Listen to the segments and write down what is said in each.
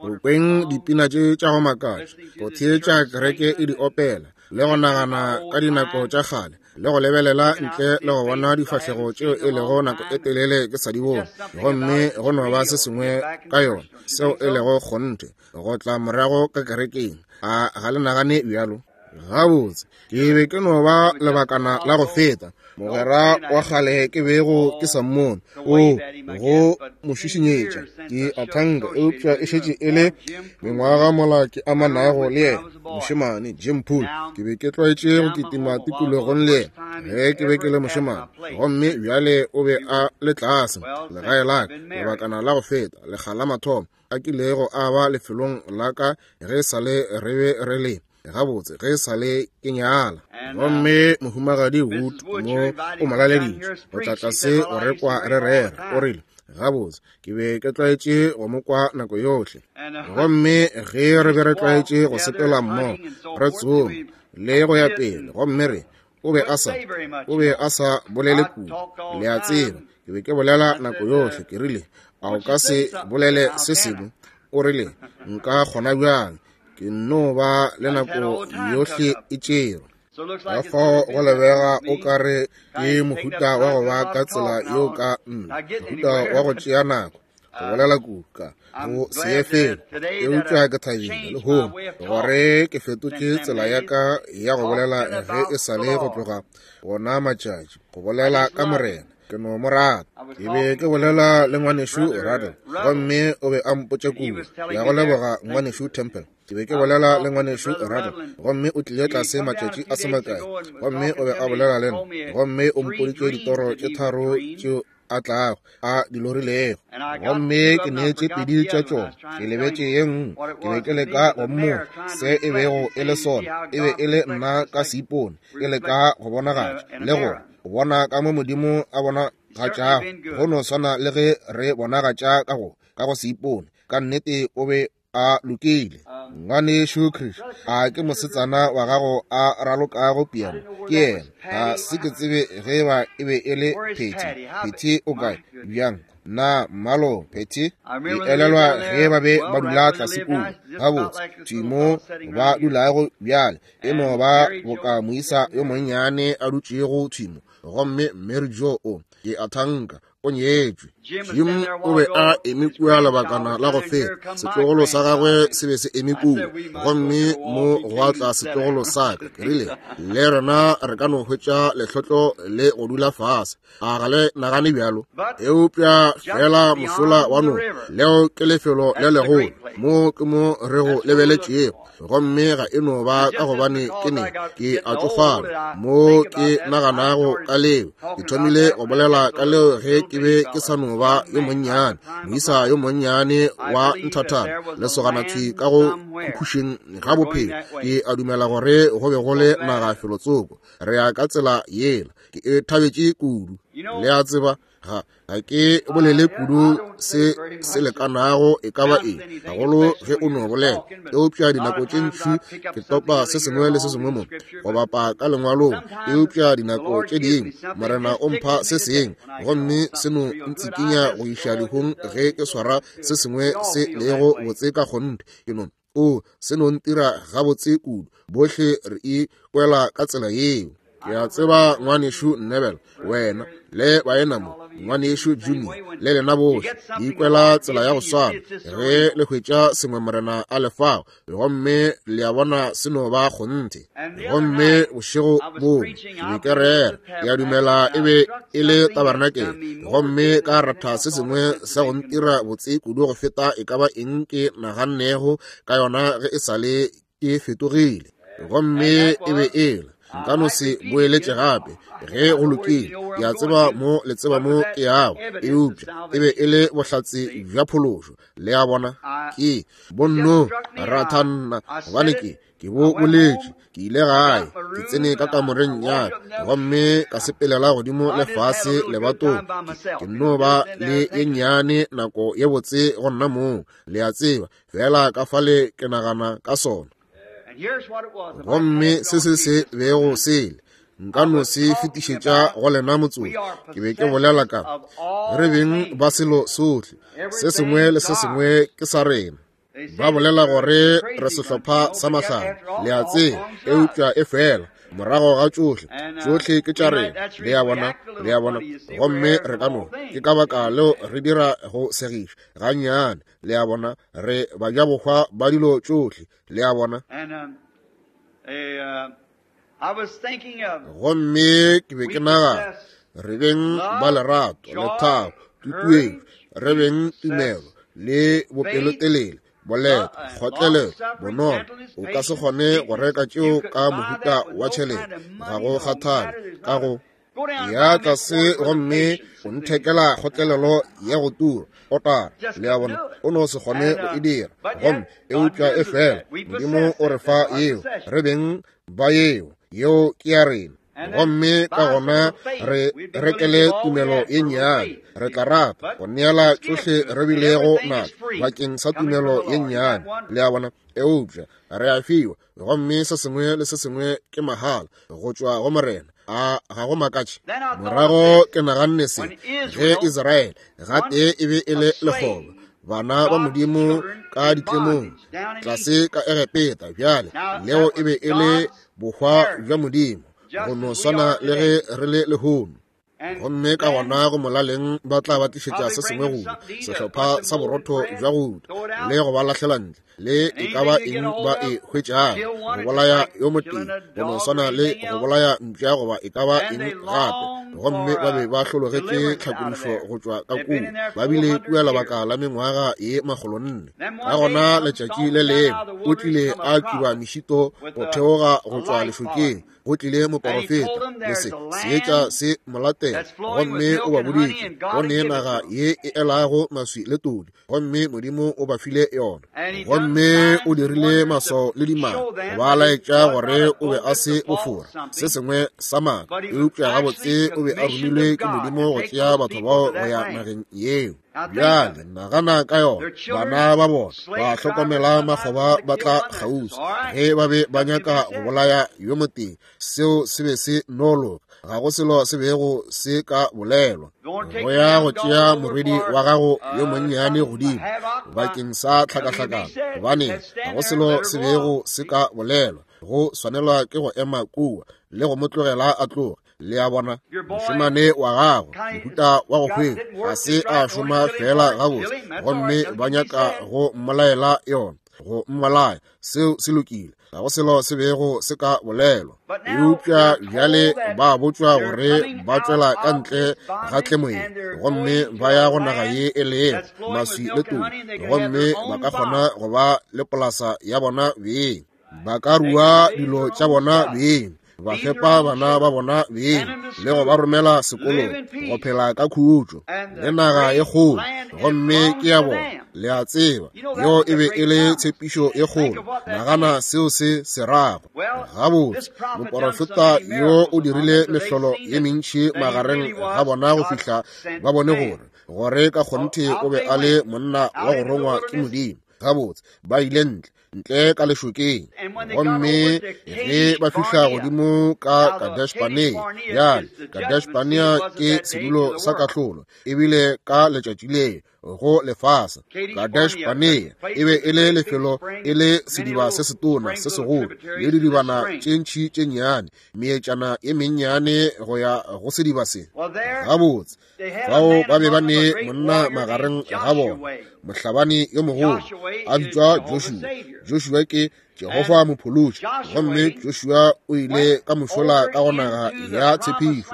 Go kweng dipina tše tša go makatša, go theetša kereke e di opela, le go nagana ka dinako tša kgale, le go lebelela ntle le go bona difahlego tšeo e lego nako e telele ke sa di bone, gomme go no ba se sengwe ka yona seo e lego kgonthe go tla morago ka kerekeng. A ga le nagane bjalo? Gabotse, ke be ke no ba lebakana la go feta, mogwera wa kgale ke bego ke sa mmone, o go mo šišinyetša, ke a thanka, eupša e šetše e le mengwaga mola ke amanago le yena, mošemane Jim Poole. Ke be ke tlwaetše go kitima tikologong le yena ge ke be ke le mošemane, gomme bjale o be a le tlase legae la ka lebakana la go feta, lekga la mathomo a kilego a ba lefelong la ka ge e sa le re be re le gabotse ge e sa le ke nyala. Gomme Mohumagadi Wood mo o mo laleditše go tla tlase go re kwa re rera. O rile, Gabotse, ke be ke tlwaetše go mo kwa nako yohle. Gomme ge re be re tlwaetše go sepela mmogo, re tsoma le go ya pele, gomme re, o be a sa, o be a sa bolele kudu, le a tseba. Ke be ke bolela nako yohle. Ke rile, A o ka se bolele se sengwe? O rile, Nka kgona bjang? Ke nno ba le nako yohle e tšerwe. Ka fao go lebega o ka re ke mohuta wa go ba ka tsela yeo ka nna, mohuta wa go tšea nako go bolela kudu ka go se ye felo. Eupša ke thabile lehono gore ke fetotše tsela ya ka ya go bolela ge e sa le go tloga gona matšatši go bolela ka Morena. Ke no mo rata. Ke be ke bolela le ngwanešu Ruddell, gomme o be a mpotša kudu. Ke a go leboga, ngwanešu Temple. Ke be ke bolela le ngwanešu Ruddell, gomme o tlile tlase matšatši a se makae, gomme o be a bolela le nna, gomme o mpoditše ditoro tše tharo tšeo a tlago a di lorilego, gomme ke neetše pedi tša tšona, ke lebetše ye nngwe. Ke be ke leka go mmotša se e bego e le sona. E be e le nna ka seipone, ke leka go bonagatša le go go bona ka mo Modimo a bonagatšago, go no swana le ge re bonagatša ka go ka go seipone. Ka nnete o be a lokile. Ngwanešu Chris, a ke mosetsana wa gago a ralokago piano? Ke yena. Ga se ke tsebe ge eba e be e le Patty. Patty o kae? Bjang? Na mmalo, Patty? Ke elelwa ge ba be ba dula tlase kua. Gabotse, thwi mo ba dulago bjale. E no ba boka moisa yo monnyane a dutšego thwi mo. Gomme Mary Jo o, ke a thanka, o nyetšwe. Jim o be a eme kua lebakana la go feta, setlogolo sa gagwe se be se eme kua, gomme mo gwa tla setlogolo sa ka. Ke rile, Le rena re ka no hwetša lehlotlo le go dula fase. A ga le nagane bjalo? Eupša feela mošola wa noka, leo ke lefelo le legolo, mo ke mo re go lebeletšego. Gomme ga e no ba ka gobane ke ne ke a tšofala mo ke naganago ka leo. Ke thomile go bolela ka leo ge ke be ke sa no ba yo monnyane, moisa yo monnyane wa nthathana, lesogana thwi ka go khukhušeng ga bophelo. Ke a dumela gore go be go le naga felotsoko. Re ya ka tsela yela. Ke e thabetše kudu. Le a tseba, ga ga ke bolele kudu se se lekanago e ka ba eng, gagolo ge o no bolela, eupša dinako tše ntši ke topa se sengwe le se sengwe mo go bapa ka lengwalong. Eupša dinako tše dingwe Morena o mpha se sengwe, gomme se no ntsikinya go iša lehung ge ke swara se sengwe se lego botse ka kgonthe. Ke no O, se no ntira gabotse kudu. Bohle re ikwela ka tsela yeo. Ke a tseba, Ngwanešu Neville, wena le baena mo, Ngwanešu Junior, le lena bohle, le ikwela tsela ya go swana ge le hwetša sengwe Morena a le fago, gomme le a bona se no ba kgonthe. Gomme bošego bongwe ke be ke rera, ke a dumela e be e le tabarenakele, gomme ka ratha se sengwe sa go ntira botse kudu go feta e ka ba eng ke nagannego ka yona ge e sa le ke fetogile. Gomme e be e le, nka no se boeletše gape ge go lokile, ke a tseba mo le tseba mo ke yago, eupša e be e le bohlatse bja phološo. Le a bona, ke bonno ratha nna, gobane ke ke bo boletše. Ke ile gae, ke tsene ka kamoreng ya ka, gomme ka sepelela godimo le fase lebatong. Ke nno ba le ye nnyane nako ye botse go nna mong, le a tseba, feela ka fale ke nagana ka sona. Gomme se se se bego sele. Nka no se fetišetša go lena motsotso. Ke be ke bolela ka re beng ba selo sohle. Se sengwe le se sengwe ke sa rena. Ba bolela gore re sehlopha sa mahlale, le a tseba, eupša e fela morago ga tšohle, tšohle ke tša rena, le a bona, le a bona. Gomme re ka no, ke ka baka leo re dira go segiša gannyane, le a bona, re bajabohwa ba dilo tšohle, le a bona. Gomme ke be ke nagana, re beng ba lerato, lethabo, tutuetšo, re beng tumelo le bopelotelele, boleta, kgotlelelo, bonolo. O ka se kgone go reka tšeo ka mohuta wa tšhelete, ga go kgathale ka go ya tlase gomme o nthekela kgotlelelo ya go tura otara, le a bona, o no se kgone go e dira. Gomme eupša e fela Modimo o re fa yeo, re beng ba yeo, yeo ke ya rena. Gomme ka gona re rekele tumelo ye nnyane, re tla rata go neela tšohle re bilego natšo bakeng sa tumelo ye nnyane, le a bona. Eupša re a fiwa, gomme se sengwe le se sengwe ke mahala go tšwa go Morena. A ga go makatše? Morago ke naganne se, ge Israele gatee e be e le lekgoba, bana ba Modimo ka ditlemong tlase ka Egepeta, bjale leo e be e le bohwa bja Modimo, go no swana le ge re le lehono. Gomme ka gona go molaleng ba tla ba tlišetša se sengwe go sehlopha sa borotho bja go le go ba lahlela ntle, le e ka ba eng ba e hwetšago, go bolaya yo motee, go no swana le go bolaya mpša goba e ka ba eng gape. Gomme ba be ba hlologetše tlhakodišo go tšwa ka kua, ba bile kua lebaka la mengwaga ye 400. Ka gona letšatši le lengwe o tlile a tšuba mešito go theoga go tšwa lešokeng, go tlile moporofeta le se seetša se mo latela, gomme o ba boditše go ne naga ye e elago maswi le todi, gomme Modimo o ba file yona. Gomme o dirile maswao le dimaka go ba laetša gore o be a se bofora, se sengwe sa maaka, eupša gabotse o be a romilwe ke Modimo go tšea batho bao go ya nageng yeo. Bjale nagana ka yona, bana ba bona ba hlokomela makgoba ba tla kgauswi ge ba be ba nyaka go bolaya yo motee, seo se be se no loka, ga go selo se bego se ka bolelwa. Go ya go tšea morwedi wa gago yo monnyane godimo bakeng sa tlhakahlakano, gobane ga go selo se bego se ka bolelwa, go swanelwa ke go ema kua le go mo tlogela a tloge. Le a bona, mošemane wa gago mohuta wa go hwetša ga se a šoma fela gabotse, gomme ba nyaka go mmolaela yona, go mmolaya. Seo se lokile, ga go selo se bego se ka bolelwa. Eupša bjale ba botšwa gore ba tšwela ka ntle ga tlemo ye, gomme ba ya go naga ye e lego maswi le todi, gomme ba ka kgona go ba le polasa ya bona beng, ba ka rua dilo tša bona beng, ba fepa bana ba bona beng le go ba romela sekolong, go phela ka khutšo le naga ye kgolo, gomme ke ya bona. Le a tseba, yeo e be e le tshepišo ye kgolo. Nagana seo se se rago. Gabotse, moporofeta yo o dirile mehlolo ye mentši magareng ga bona go fihla ba bone gore gore ka kgonthe o be a le monna wa go rongwa ke Modimo. Gabotse, ba ile ntle ntle ka lešokeng, gomme ge ba fihla godimo ka Kadesh-Barnea, bjale Kadesh-Barnea ke sedulo sa kahlolo, ebile ka letšatši leo go lefase. Kadesh-Barnea e be e le lefelo, e le sediba se setona se segolo le didibana tše ntši tše nnyane, meetšana ye mennyane go ya go sediba se. Gabotse, fao ba be ba ne monna magareng ga bona, mohlabani yo mogolo a bitšwa Joshua. Joshua ke Jehofa mophološi, gomme Joshua o ile ka mošola ka go naga ya tshepišo.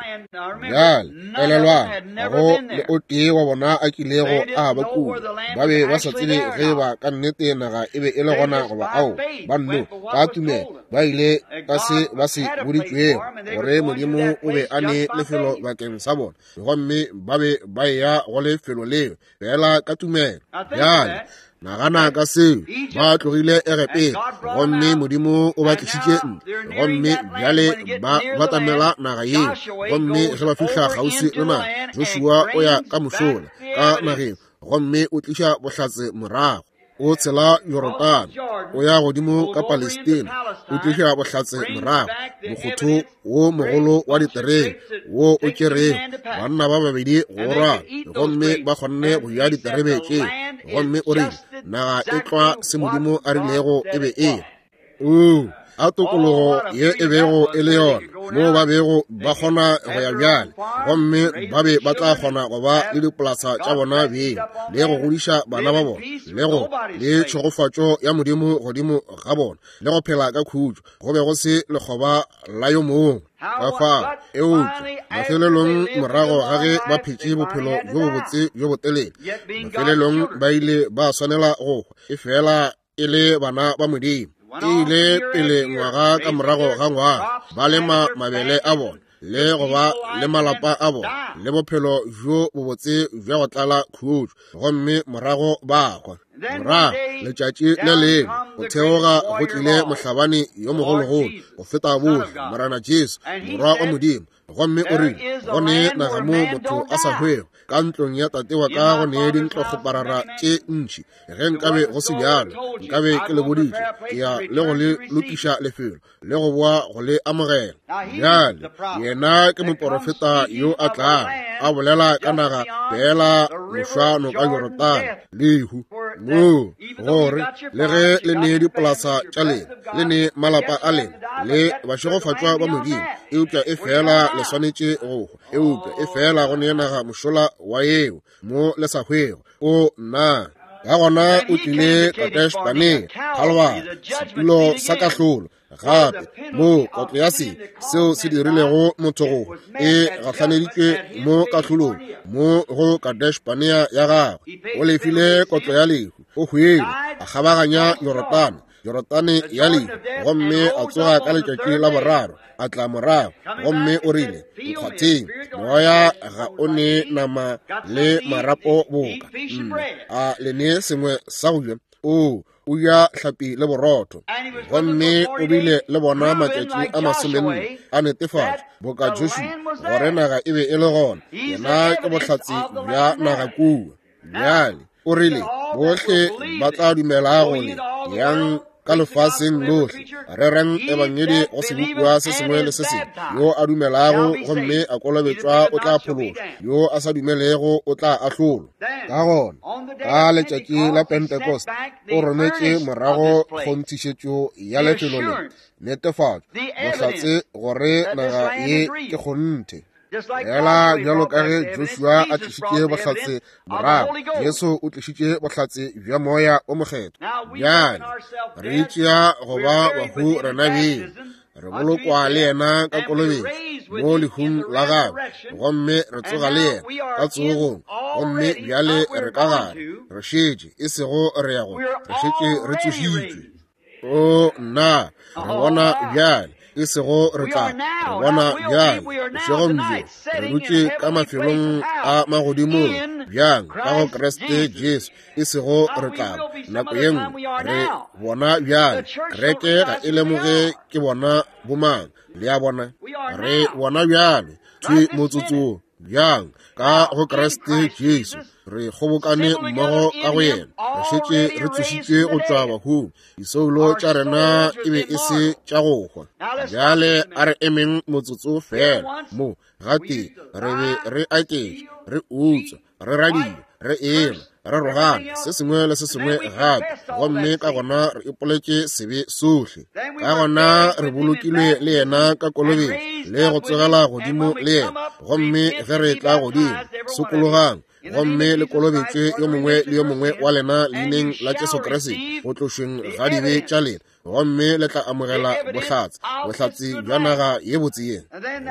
Bjale elelwang, ga go le o tee wa bona a kilego a ba kua. Ba be ba sa tsebe ge ba ka nnete naga e be e le gona goba ao. Ba nno ka tumelo ba ile ka se ba se boditšwego gore Modimo o be a ne lefelo bakeng sa bona, gomme ba be ba eya go lefelo leo fela ka tumelo. Bjale nagana ka seo, ba tlogile Egepeta gomme Modimo o ba tlišitše ntle, gomme bjale ba batamela naga yeo. Gomme ge ba fihla kgauswi le naga, Joshua o ya ka mošola ka nageng gomme o tliša bohlatse morago. O tshela Jorodane, o ya godimo ka Palestina, o tliša bohlatse morago, mokgotho wo mogolo wa diterebe wo o tšerego banna ba babedi go rwala, gomme ba kgonne go ja diterebe tšeo. Gomme o rile, naga e tlwa se Modimo a rilego e be e. Oo, a tokologo ye e bego e le yona, moo ba bego ba kgona go ya bjale, gomme ba be ba tla kgona go ba le dipolasa tša bona beng, le go godiša bana ba bona, le go le tšhegofatšo ya Modimo godimo ga bona, le go phela ka khutšo. Go be go se lekgoba la yo mongwe ka fao. Eupša mafelelong, morago ga ge ba phetše bophelo bjo bobotse bjo botelele, mafelelong ba ile ba swanela go hwa, efela e le bana ba Modimo. E ile pele ngwaga ka morago ga ngwaga, ba lema mabele a bona le go ba le malapa a bona le bophelo bjo bobotse bja go tlala khutšo, gomme morago ba hwa. Morago letšatši le lengwe go theoga go tlile mohlabani yo mogologolo go feta bohle, Morena Jesu, Morwa wa Modimo, gomme o rile, go ne naga mo motho a sa hwego, ka ntlong ya tate wa ka go ne dintlokgoparara tše ntši. Ge nkabe go se bjalo, nkabe ke le boditše, ke ya le go le lokiša lefelo, le go boa go le amogela. Bjale yena ke moporofeta yo a tlago a bolela ka naga feela mošwano ka Jorodane, lehu, moo gore le ge le ne dipolasa tša lena, le ne malapa a lena, le bašegofatšwa ba Modimo, eupša e fela le swanetše go hwa. Eupša e fela go ne naga mošola wa yeo mo le sa hwego. O nna ka gona o tlile Kadesh-Barnea, Kalvari, setulo sa kahlolo, gape moo kotlo ya sebe seo se dirilego motho go e gahlaneditšwe mo kahlolong mo go Kadesh-Barnea ya gagwe. O lefile kotlo ya lehu, o hwile, a kgabaganya Jorodane, Jorodane ya lehu, gomme a tsoga ka letšatši la boraro, a tla morago, gomme o rile, Nkgwatheng, moya ga o ne nama le marapo boka nna, a le ne sengwe sa go ja? O o ja hlapi le borotho. Gomme o bile le bona matšatši a 40, a netefatša boka Joshua gore naga e be e le gona. Yena ke bohlatse bja naga kua. Bjale o rile, bohle ba tla dumela go le yang ka lefaseng lohle, rerang ebangedi go sebopiwa se sengwe le se sengwe. Yo a dumelago gomme a kolobetšwa o tla phološwa, yo a sa dumelego o tla ahlolwa. Ka gona ka letšatši la Pentecost o rometše morago kgonthišetšo ya lefelo le, netefatšo, bohlatse gore naga ye ke kgonthe. Fela bjalo ka ge Joshua a tlišitše bohlatse morago, Jesu o tlišitše bohlatse bja Moya o Mokgethwa. Bjale re itšea go ba bahu rena beng, re bolokwa le yena ka kolobetšo mo lehung la gagwe, gomme re tsoga le yena ka tsogong. Gomme bjale re ka gare, re šetše, e sego re ya go, re šetše re tsošitšwe. O nna, re bona bjale, e sego re tla, re bona bjale, bošegong bjo, re dutše ka mafelong a magodimong bjang ka go Kriste Jesu, e sego re tla, nako ye nngwe, re bona bjale. Kereke ga e lemoge ke bona bomang, le a bona, re bona bjale, thwi motsotsong. Bjang ka go Kriste Jesu re kgobokane mmogo ka go yena, re šetše re tsošitšwe go tšwa bahung, disoulo tša rena e be e se tša go hwa. Bjale a re emeng motsotso fela mo gatee. Re be re aketša, re utswa, re radia, re ela, re rogana, se sengwe le se sengwe gape, gomme ka gona re ipoletše sebe sohle. Ka gona re bolokilwe le yena ka kolobetšo le go tsogela godimo le yena, gomme ge re tla godimo, sokologang gomme le kolobetšwe yo mongwe le yo mongwe wa lena leineng la Jesu Kriste go tlošweng ga dibe tša lena, gomme le tla amogela bohlatse, bohlatse bja naga ye botse ye.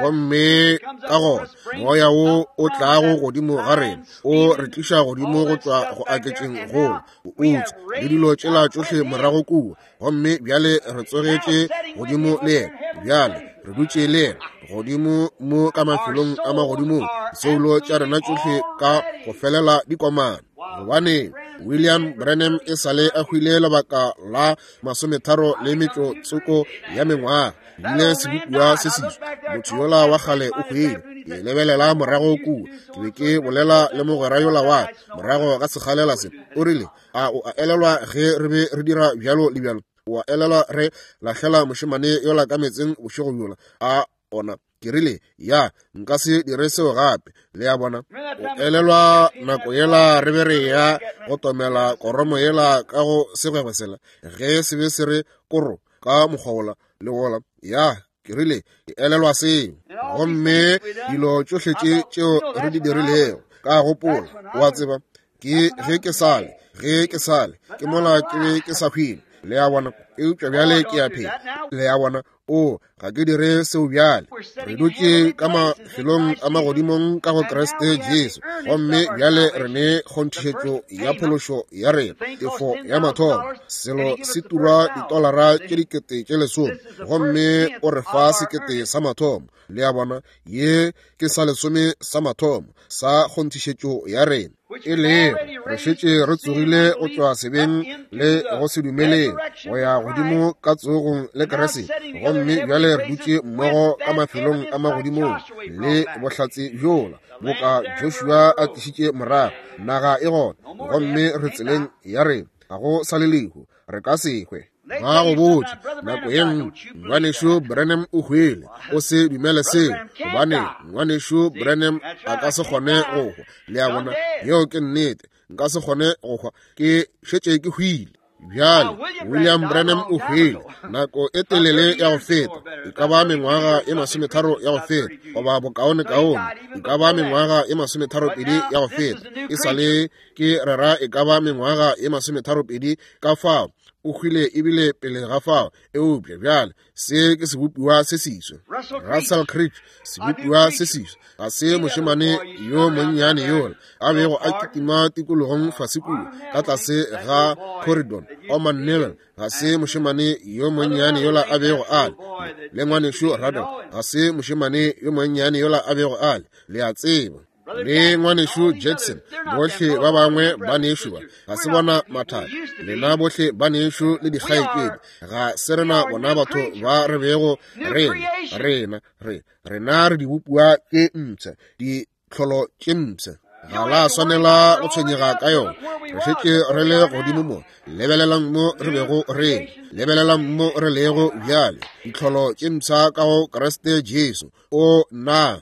Gomme ka gona moya wo o tlago godimo ga rena o re tliša godimo go tšwa go aketšeng golo, go utswa le dilo tšela tšohle morago kua, gomme bjale re tsogetše godimo le yena. Bjale re dutše le yena godimo mo ka mafelong a magodimong, disoulo tša rena tšohle ka go felela di komana. Gobaneng? William Branham e sa le a hwile lebaka la 35 le tsoko ya mengwaga. Bile sebopiwa se seswa. Motho yola wa kgale o hwile. Ke lebelela morago kua. Ke be ke bolela le mogwera yola wa ka morago ga sekgalela se. O rile, a o a elelwa ge re be re dira bjalo le bjalo? O a elelwa re lahlela mošemane yola ka meetseng bošego bjola? A ona. Ke rile, ya, nka se dire seo gape. Le a bona? O elelwa nako yela re be re ya go tomela koromo yela ka go segwegwe sela, ge se be se re koro ka mokgwa wola le wola? Ya, ke rile, ke elelwa seo. Gomme dilo tšohle tše tšeo re di dirilego, ka gopola, o a tseba, ke ge ke sale, ge ke sale, ke mola ke be ke sa hwile. Le a bona? Eupša bjale ke a phela. Le a bona? O, ga ke dire seo bjale. Re dutše ka mafelong a magodimong ka go Kriste Jesu, gomme bjale re ne kgonthišetšo ya phološo ya rena, tefo ya mathomo. Selo se turwa ditolara tše 10,000, gomme o re fa 1,000 sa mathomo. Le a bona? Ye ke sa lesome sa mathomo sa kgonthišetšo ya rena, e lego re šetše re tsogile go tšwa sebeng le go se dumeleng go ya godimo ka tsogong le Kriste, gomme bjale re dutše mmogo ka mafelong a magodimong le bohlatse bjola boka Joshua a tlišitše morago. Naga e gona, gomme re tseleng ya rena. Ga go sa le lehu, re ka se hwe. Ba go botša nako ye nngwe, Ngwanešu Branham o hwele. O se dumele seo, gobane Ngwanešu Branham a ka se kgone go hwa. Le a bona? Yeo ke nnete. Nka se kgone go hwa, ke šetše ke hwile. Bjale, William Branham o hwele nako e telele ya go feta, e ka ba mengwaga e 30 ya go feta, goba bokaonekaone, e ka ba mengwaga e 32 ya go feta. E sa le ke rera e ka ba mengwaga e 32 ka fao o hwile ebile pele ga fao. Eupša bjale se ke sebopiwa se seswa, Russell Creech, sebopiwa se seswa. Ga se mošemane yo monnyane yola a bego a kitima tikologong fase kua ka tlase ga Corridon, Orman Neville. Ga se mošemane yo monnyane yola a bego a le le ngwanešu Ruddell. Ga se mošemane yo monnyane yola a bego a le, le a tseba, le ngwanešu Jackson, bohle ba bangwe banešu ba, ga se bona mathata. Lena bohle banešu le dikgaetšedi, ga se rena bona batho ba re bego re rena, re rena re dibopiwa tše mpsha, ditlholo tše mpsha. Ga la swanela go tshwenyega ka yona. Re šetše re le godimo mo. Lebelelang mo re bego re, lebelelang mo re lego bjale, ditlholo tše mpsha ka go Kriste Jesu. O na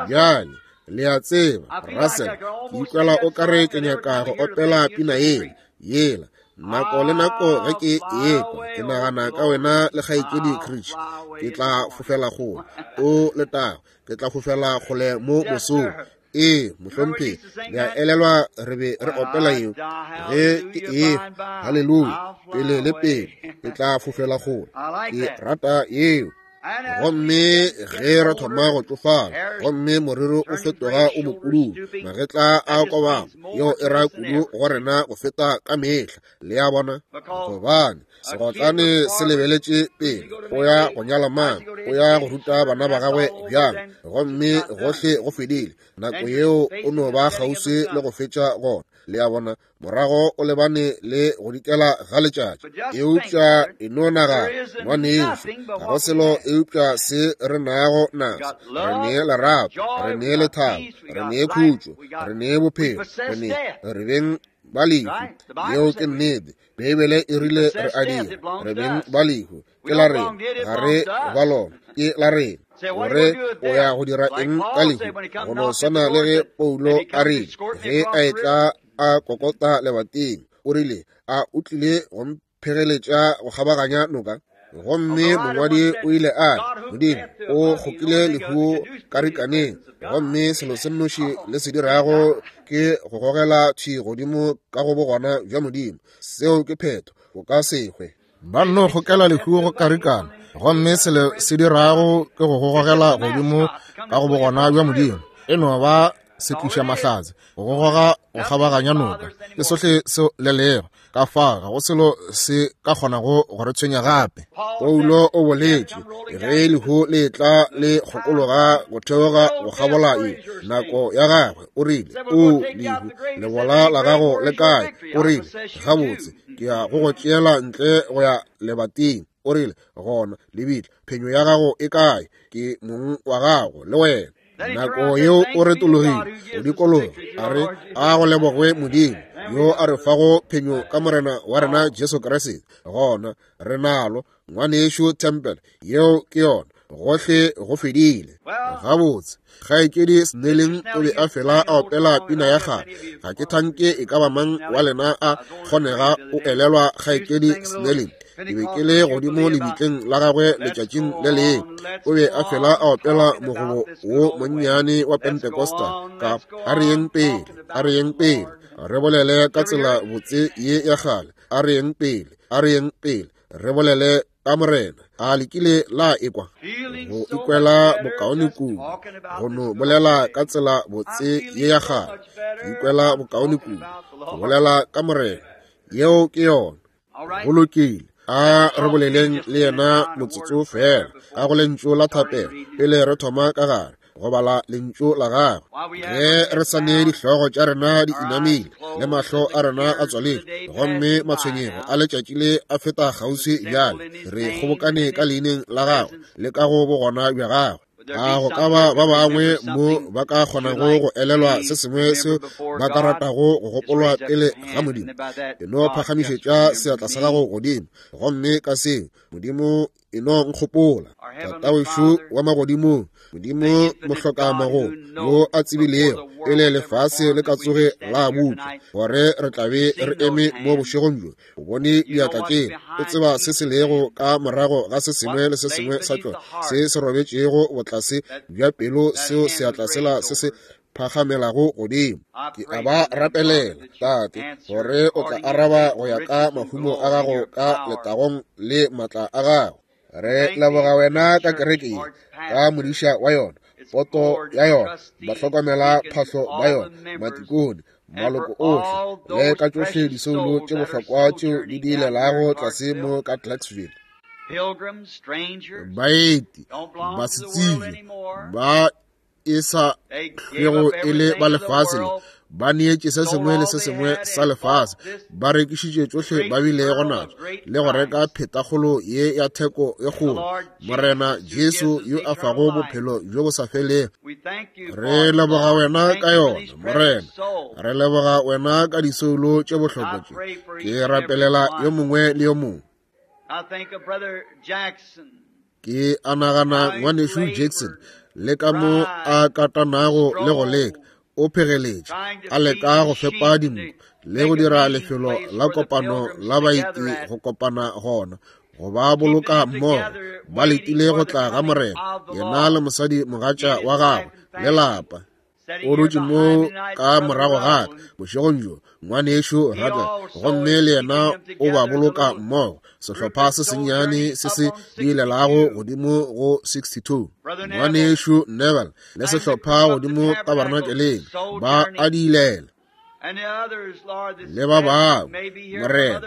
bjale, le a tseba, Russell, ke ikwela o ka re ke nyaka go opela pina yela yela nako le nako ge ke ekwa, ke nagana ka wena le kgaetšedi Creech. Ke tla fofela kgole, o letago, ke tla fofela kgole mo mosong. Ee, mohlomphegi, le a elelwa re be re opela yeo ge ke ekwa, haleluya, pele le pele, ke tla fofela kgole. Ke rata yeo. Gomme ge re thoma go tšofala, gomme moriri o fetoga o mopududu, magetla a kobama, yeo e ra kudu go rena go feta ka mehla. Le a bona? Gobane segotlane se lebeletše pele, o ya go nyala mang, o ya go ruta bana ba gagwe bjang, gomme gohle go fedile. Nako yeo o no ba kgauswi le go fetša gona. Le a bona? Morago o lebane le go dikela ga letšatši. Eupša e no nagana, ngwanešu, ga go selo eupša se re nago naso. Re ne lerato, re ne lethabo, re ne khutšo, re ne bophelo, re ne re beng ba lehu. Yeo ke nnete. Beibele e rile re a dira, re beng ba lehu. Ke la rena, ga re ba lona, ke la rena. Gore o ya go dira eng ka lehu? Go no swana le ge Paulo a rile ge a etla a kokota lebating, o rile, a o tlile go mphegeletša go kgabaganya noka? Gomme mongwadi o ile a re, Modimo o kgokile lehu karikaneng, gomme selo se nnoši le se dirago ke go gogela thwi godimo ka go bogona bja Modimo. Seo ke phetho, o ka se hwe. Ba nno kgokela lehu go karikana, gomme selo se dirago ke go gogela godimo ka go bogona bja Modimo. E no ba se tliša mahlatse, go goga go kgabaganya noka, ke sohle seo le lego. Ka fao ga go selo se ka kgonago go re tshwenya gape. Paulo o boletše, ge lehu le etla le kgokologa go theoga go kgabola ye nako ya gagwe, o rile, O lehu, lebola la gago le kae? O rile, Gabotse, ke ya go go tšeela ntle go ya lebating. O rile, Gona, lebitla, phenyo ya gago e kae? Ke mong wa gago le wena. Nako yeo o retologile go dikologa, a re, A go lebogwe Modimo, yo a re fago phenyo ka Morena wa rena Jesu Kriste. Gona re nalo, ngwanešu Temple, yeo ke yona, gohle go fedile. Gabotse, kgaetšedi Snelling o be a fela a opela pina ya kgale. Ga ke thanke e ka ba mang wa lena a kgonega o elelwa kgaetšedi Snelling. Ke be ke le godimo lebitleng la gagwe letšatšing le lengwe. O be a fela a opela mogobo wo monnyane wa Pentecostal ka a re yeng pele, a re yeng pele, re bolele ka tsela botse ye ya kgale, a re yeng pele, a re yeng pele, re bolele ka Morena. A le kile la ekwa go ikwela bokaone kudu go no bolela ka tsela botse ye ya kgale? Ke ikwela bokaone kudu go bolela ka Morena. Yeo ke yona. Go lokile, a re boleleng le yena motsotso fela ka go lentšu la thapelo pele re thoma ka gare go bala lentšu la gagwe. Ge re sa ne dihlogo tša rena di inamile le mahlo a rena a tswaletšwe, gomme matshwenyego a letšatši le a feta kgauswi bjale, re kgobokane ka leineng la gagwe le ka go bogona bja gagwe. A go ka ba ba bangwe mo ba ka kgonago go elelwa se sengwe seo ba ka ratago go gopolwa pele ga Modimo? E no phagamišetša seatla sa gago godimo, gomme ka seo, Modimo, e no nkgopola. Tatawešo wa magodimong, Modimo mohlokamagomo, yo a tsebilego pele lefase le ka tsoge la bopša gore re tla be re eme mo bošegong bjo, O bone diatla tšela, o tseba se se lego ka morago ga se sengwe le se sengwe sa tšona, se se robetšego botlase bja pelo, seo seatla sela se se phagamelago godimo. Ke a ba rapelela, Tate, gore o tla araba go ya ka mahumo a gago ka letagong le maatla a gago. Re leboga wena ka kereke ye, ka modiša wa yona, poto ya yona, bahlokomela phahlo ba yona, matikone, maloko ohle, le ka tšohle disoulo tše bohlokwa tšeo di diilelago tlase mo ka Clarksville. Baeti, basetsebje, ba e sa hlwego e le ba lefase le, ba neetše se sengwe le se sengwe sa lefase, ba rekišitše tšohle ba bilego natšo, le go reka phetakgolo ye ya theko e kgolo, Morena Jesu yo a fago bophelo bjo bo sa felego. Re leboga wena ka yona, Morena. Re leboga wena ka disoulo tše bohlokwa tše. Ke rapelela yo mongwe le yo mongwe. Ke a nagana ngwanešu Jackson le ka mo a katanago le go leka, o phegeletše a leka go fepa dinku le go dira lefelo la kopano la baeti go kopana gona, go ba boloka mmogo ba letile go tla ga Morena, yena le mosadi mogatša wa gagwe le lapa. O dutše mo ka morago ga ka bošegong bjo, ngwanešu Rattle, gomme le yena o ba boloka mmogo, sehlopha se sennyane se se diilelago godimo go 62. Ngwanešu Neville le sehlopha godimo tabernakeleng ba a diilela, le ba bangwe, Morena,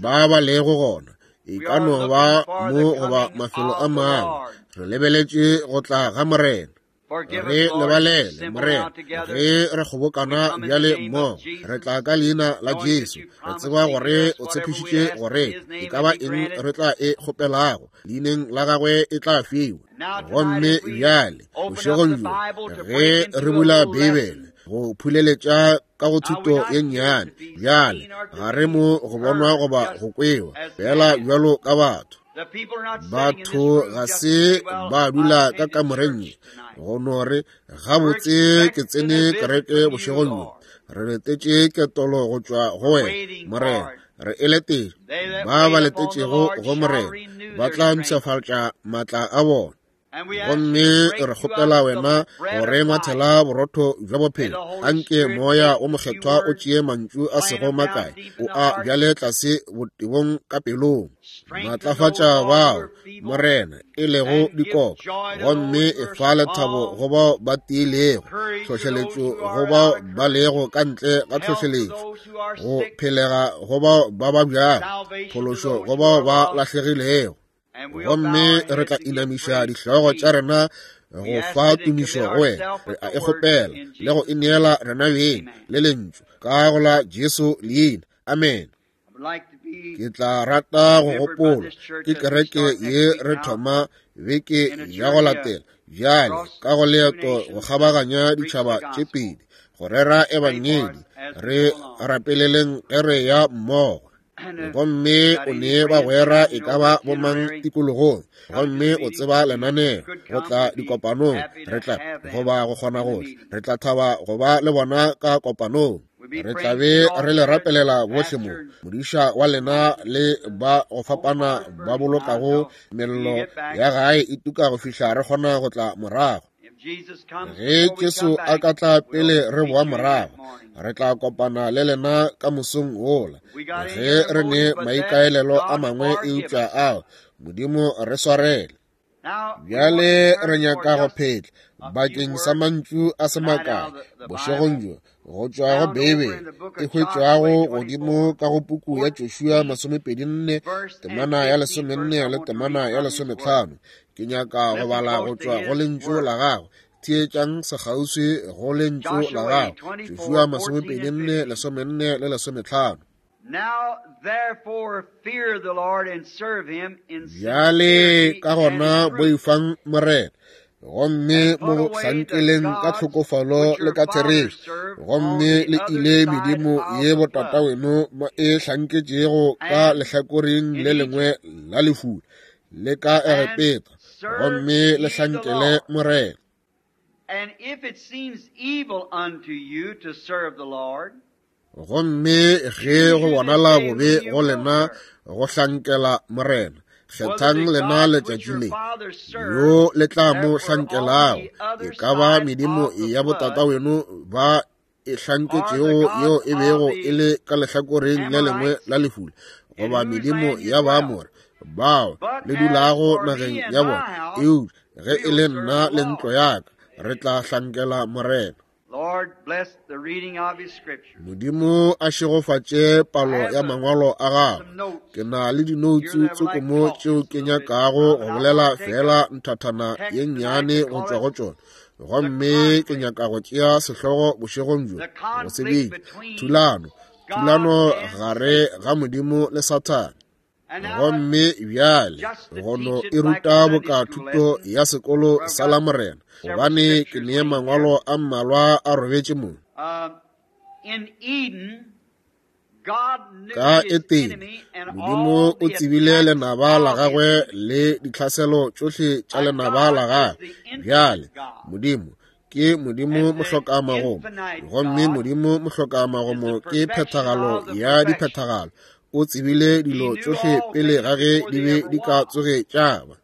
ba ba lego gona, e ka no ba mo goba mafelo a mangwe. Re lebeletše go tla ga Morena. Re lebalele, Morena, ge re kgobokana bjale mmogo, re tla ka leina la Jesu, re tseba gore o tshepišitše gore e ka ba eng re tla e kgopelago leineng la gagwe e tla fiwa. Gomme bjale bošegong bjo ge re bula Beibele go phuleletša ka go thuto ye nnyane, bjale ga re mo go bonwa goba go kwewa fela bjalo ka batho. Batho ga se ba dula ka kamoreng ye go no re, gabotse ke tsene kereke bošegong bjo. Re letetše ketolo go tšwa go wena, Morena. Re e letetše. Ba ba letetšego go Morena ba tla mpshafatša maatla a bona. Gomme re kgopela wena go re ngwathela borotho bja bophelo. Anke Moya wo Mokgethwa o tšee mantšu a sego makae, o a bjale tlase botebong ka pelong. Matlafatša bao, Morena, e lego dikoko, gomme e fa lethabo go bao ba tiilego, tlhohleletšo go bao ba lego ka ntle ga tlhohleletšo, go phelega go bao ba babjago, phološo go bao ba lahlegilego. Gomme re tla inamiša dihlogo tša rena go fa tumišo go wena. Re a e kgopela le go e neela rena beng le lentšu ka go la Jesu leina. Amen. Ke tla rata go gopola ke kereke ye re thoma beke ya go latela bjale ka go leeto go kgabaganya ditšhaba tše pedi go rera ebangedi. Re rapeleleng ge re ya mmogo. Gomme o ne bagwera e ka ba bomang tikologong, gomme o tseba lenaneo go tla dikopanong, re tla goba go kgona go tla, re tla thaba go ba le bona ka kopanong. Re tla be re le rapelela bohle mo, modiša wa lena le ba go fapana ba bolokago mello ya gae e tuka go fihla re kgona go tla morago. Ge Jesu a ka tla pele re boa morago, re tla kopana le lena ka mosong wola. Ge re ne maikaelelo a mangwe eupša ao, Modimo re swarele. Bjale re nyaka go phetla bakeng sa mantšu a se makae bošegong bjo go tšwa go Beibele e hwetšwago godimo ka go puku ya Joshua 24 temana ya 14 le temana ya 15. Ke nyaka go bala go tšwa go lentšu la gagwe. Theetšang sekgauswi go lentšu la gagwe. Joshua 24 14 le 15. Bjale ka gona boifang Morena, gomme mo hlankeleng ka tlhokofalo le ka therešo, gomme le ile medimo ye botataweno ba e hlanketšego ka lehlakoreng le lengwe la lefula le ka Egepeta, gomme le hlankele Morena. And if it seems evil unto you to serve the Lord, Gomme ge go bonala bobe go lena go hlankela Morena, kgethang lena letšatši le yo le tla mo hlankelago, e ka ba medimo ya botataweno ba e hlanketšego yeo e bego e le ka lehlakoreng le lengwe la lefula, goba medimo ya Baamore bao le dulago nageng ya bona. Eupša ge e le nna le ntlo ya ka, re tla hlankela Morena. Modimo a šegofatše palo ya mangwalo a gagwe. Ke na le dinoutsu tsoko mo tšeo ke nyakago go bolela feela nthathana ye nnyane go tšwa go tšona. Gomme ke nyaka go tšea sehlogo bošegong bjo, go se bitša, Thulano, thulano gare ga Modimo le Sathane. Gomme bjale go no e ruta boka thuto ya sekolo sa Lamorena, gobane ke ne mangwalo a mmalwa a robetše mo. Ka Etene, Modimo o tsebile lenaba la gagwe le ditlhaselo tšohle tša lenaba la gagwe. Bjale, Modimo ke Modimo mohlokamagomo, gomme Modimo mohlokamagomo ke phethagalo ya diphethagalo. O tsebile dilo tšohle pele ga ge di be di ka tsoge tša ba.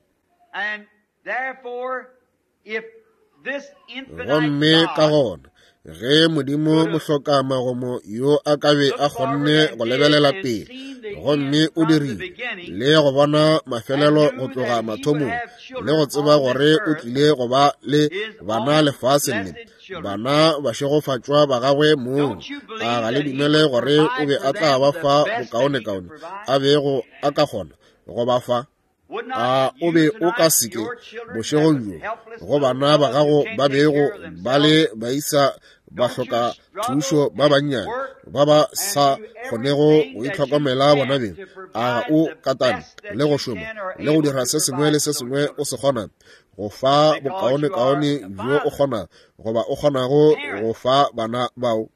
Gomme ka gona ge Modimo mohlokamagomo yo a ka be a kgonne go lebelela pele, gomme o dirile le go bona mafelelo go tloga mathomong, le go tseba gore o tlile go ba le bana lefaseng le, bana bašegofatšwa ba gagwe mong, a ga le dumele gore o be a tla ba fa bokaonekaone a bego a ka kgona go ba fa? A o be o ka se ke bošegong bjo go bana ba gago ba bego ba le baisa ba hloka thušo ba bannyane ba ba sa kgonego go itlhokomela bona beng? A ga o katane le go šoma le go dira se sengwe le se sengwe o se kgonang go fa bokaonekaone bjo o kgonang goba o kgonago go fa bana bao?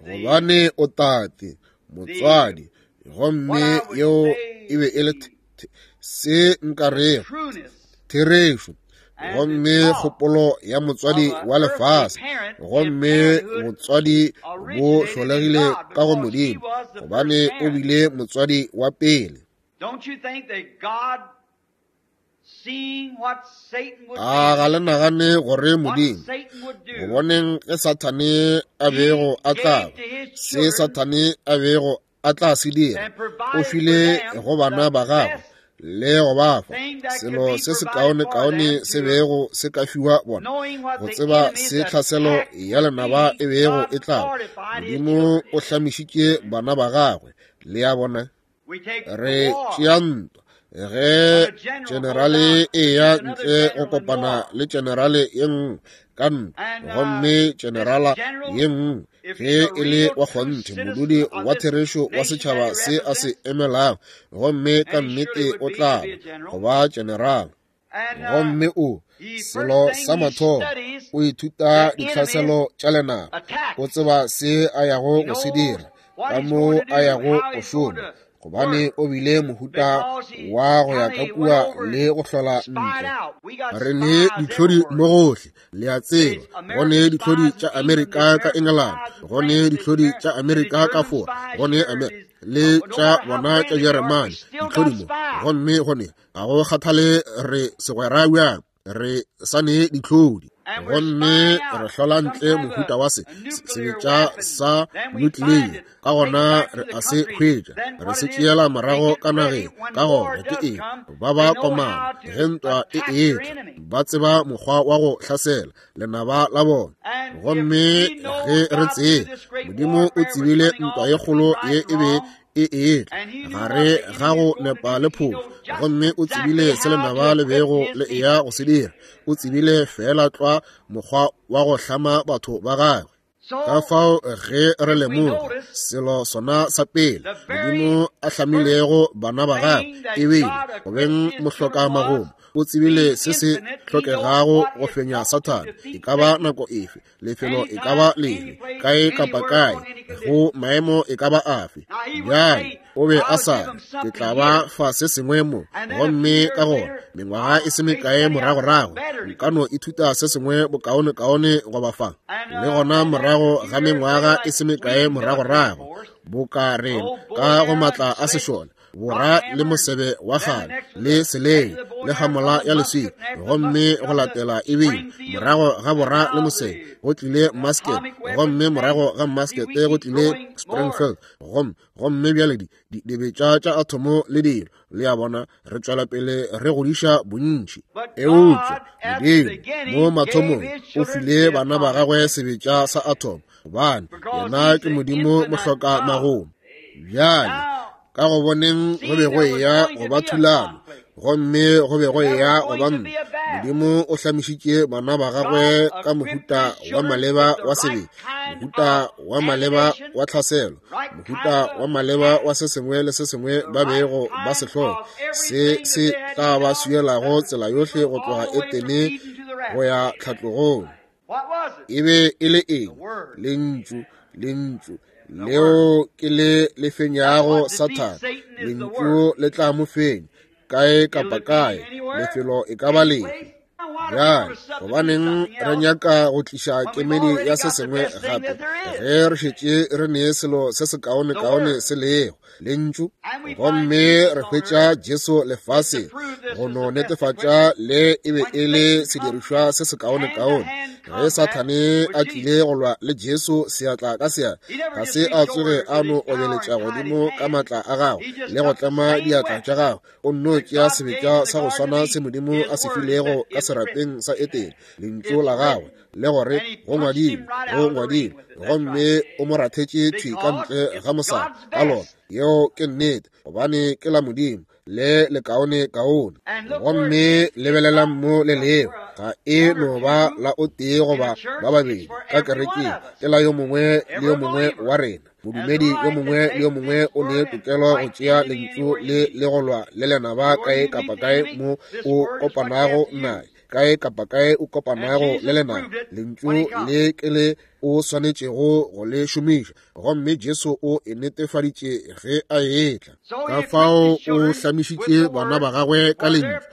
Gobane o tate, motswadi, gomme yeo e be e le se nka rego therešo, gomme kgopolo ya motswadi wa lefase, gomme botswadi bo hlolegile ka go Modimo, gobane o bile motswadi wa pele. A ga le nagane gore Modimo, go boneng ge Sathane a bego a tla ba, se Sathane a bego a tla se dira, o file go bana ba gagwe le go ba fa selo se sekaonekaone se bego se ka fiwa bona, go tseba se tlhaselo ya lenaba e bego e tla ba. Modimo o hlamišitše bana ba gagwe. Le a bona? Re tšea ntwa ge tšenerale e ya ntle go kopana le tšenerale ye nngwe ka ntwa, gomme tšenerala ye nngwe ge e le wa kgonthe modudi wa therešo wa setšhaba se a se emelago, gomme ka nnete o tla ba go ba tšenerala. Gomme o, selo sa mathomo, o ithuta ditlhaselo tša lenaba, o tseba se a yago go se dira, ka mo a yago go šoma, gobane o bile mohuta wa go ya ka kua le go hlola ntle. Re ne ditlhodi mo gohle, le a tseba. Go ne ditlhodi tša Amerika ka Engelane, go ne ditlhodi tša Amerika ka Fora, go ne le tša bona tša Jeremane, ditlhodi mo. Gomme go ne, ga go kgathale re segwera bjang, re sa ne ditlhodi. Gomme re hlola ntle mohuta wa se sebetša sa nuclear, ka gona re a se hwetša, re se tšeela morago ka nageng. Ka gona ke eng? Ba ba komana ge ntwa e etla, ba tseba mokgwa wa go hlasela lenaba la bona. Gomme ge re tseba Modimo o tsebile ntwa ye kgolo ye e be e etla gare ga go nepa le phošo, gomme o tsebile se lenaba le bego le eya go se dira, o tsebile feela tlwa mokgwa wa go hlama batho ba gagwe. Ka fao ge re lemoga selo sona sa pele Modimo a hlamilego bana ba gagwe e bile go beng mohloka magomo, o tsebile se se hlokegago go fenya Sathane, e ka ba nako efe, lefelo e ka ba lefe, kae kapa kae, go maemo e ka ba afe. Bjale o be a sa re, ke tla ba fa se sengwe mo, gomme ka gona mengwaga e se mekae moragorago nka no ithuta se sengwe bokaonekaone go ba fa. Le gona morago ga mengwaga e se mekae moragorago, boka rena ka go matla a sešole, bora le mosebe wa kgale le selei le hamola ya leswika, gomme go latela ebile morago ga bora le mosebe go tlile musket, gomme morago ga muskete go tlile Springfield, gomme bjale dibetša tša athomo le dilo, le a bona, re tšwela pele re godiša bontši. Eupša Modimo mo mathomong o file bana ba gagwe sebetša sa athomo, gobane yena ke Modimo mohloka magomo. Bjale ka go boneng go be go eya go ba thulano, gomme go be go eya go ba ntwa, Modimo o hlamišitše bana ba gagwe ka mohuta wa maleba wa sebetša, mohuta wa maleba wa tlhaselo, mohuta wa maleba wa se sengwe le se sengwe ba bego ba se hloka, se se tla ba swielago tsela yohle go tloga Etene go ya tlhatlogong. E be e le eng? Lentšu, lentšu leo ke le le fenyago Sathane. Lentšu le tla mo fenya kae kapa kae, lefelo e ka ba lefe. Bjale gobaneng re nyaka go tliša kemedi ya se sengwe gape ge re šetše re ne selo se sekaonekaone se lego, lentšu? Gomme re hwetša Jesu lefaseng go no netefatša le e be e le sedirišwa se sekaonekaone. Ge Sathane a tlile go lwa le Jesu seatla ka seatla, ga se a tsoge a no obeletša godimo ka matla a gagwe le go tlema diatla tša gagwe, o nno tšea sebetša sa go swana se Modimo a se filego ka serapeng sa Etene, lentšu la gagwe, le gore go ngwadilwe, go ngwadilwe, gomme o mo rathetše thwi ka ntle ga mosadi ka lona. Yeo ke nnete, gobane ke la Modimo le lekaone kaone. Gomme lebelelang mo le leo, ga e no ba la o tee goba ba babedi ka kerekeng, ke la yo mongwe le yo mongwe wa rena. Modumedi yo mongwe le yo mongwe o ne tokelo go tšea lentšu le le go lwa le lenaba kae kapa kae mo o kopanago naye, kae kapa kae o kopanago le lenaba. Lentšu le ke le o swanetšego go le šomiša, gomme Jesu o e netefaditše ge a etla. Ka fao o hlamišitše bana ba gagwe ka lentšu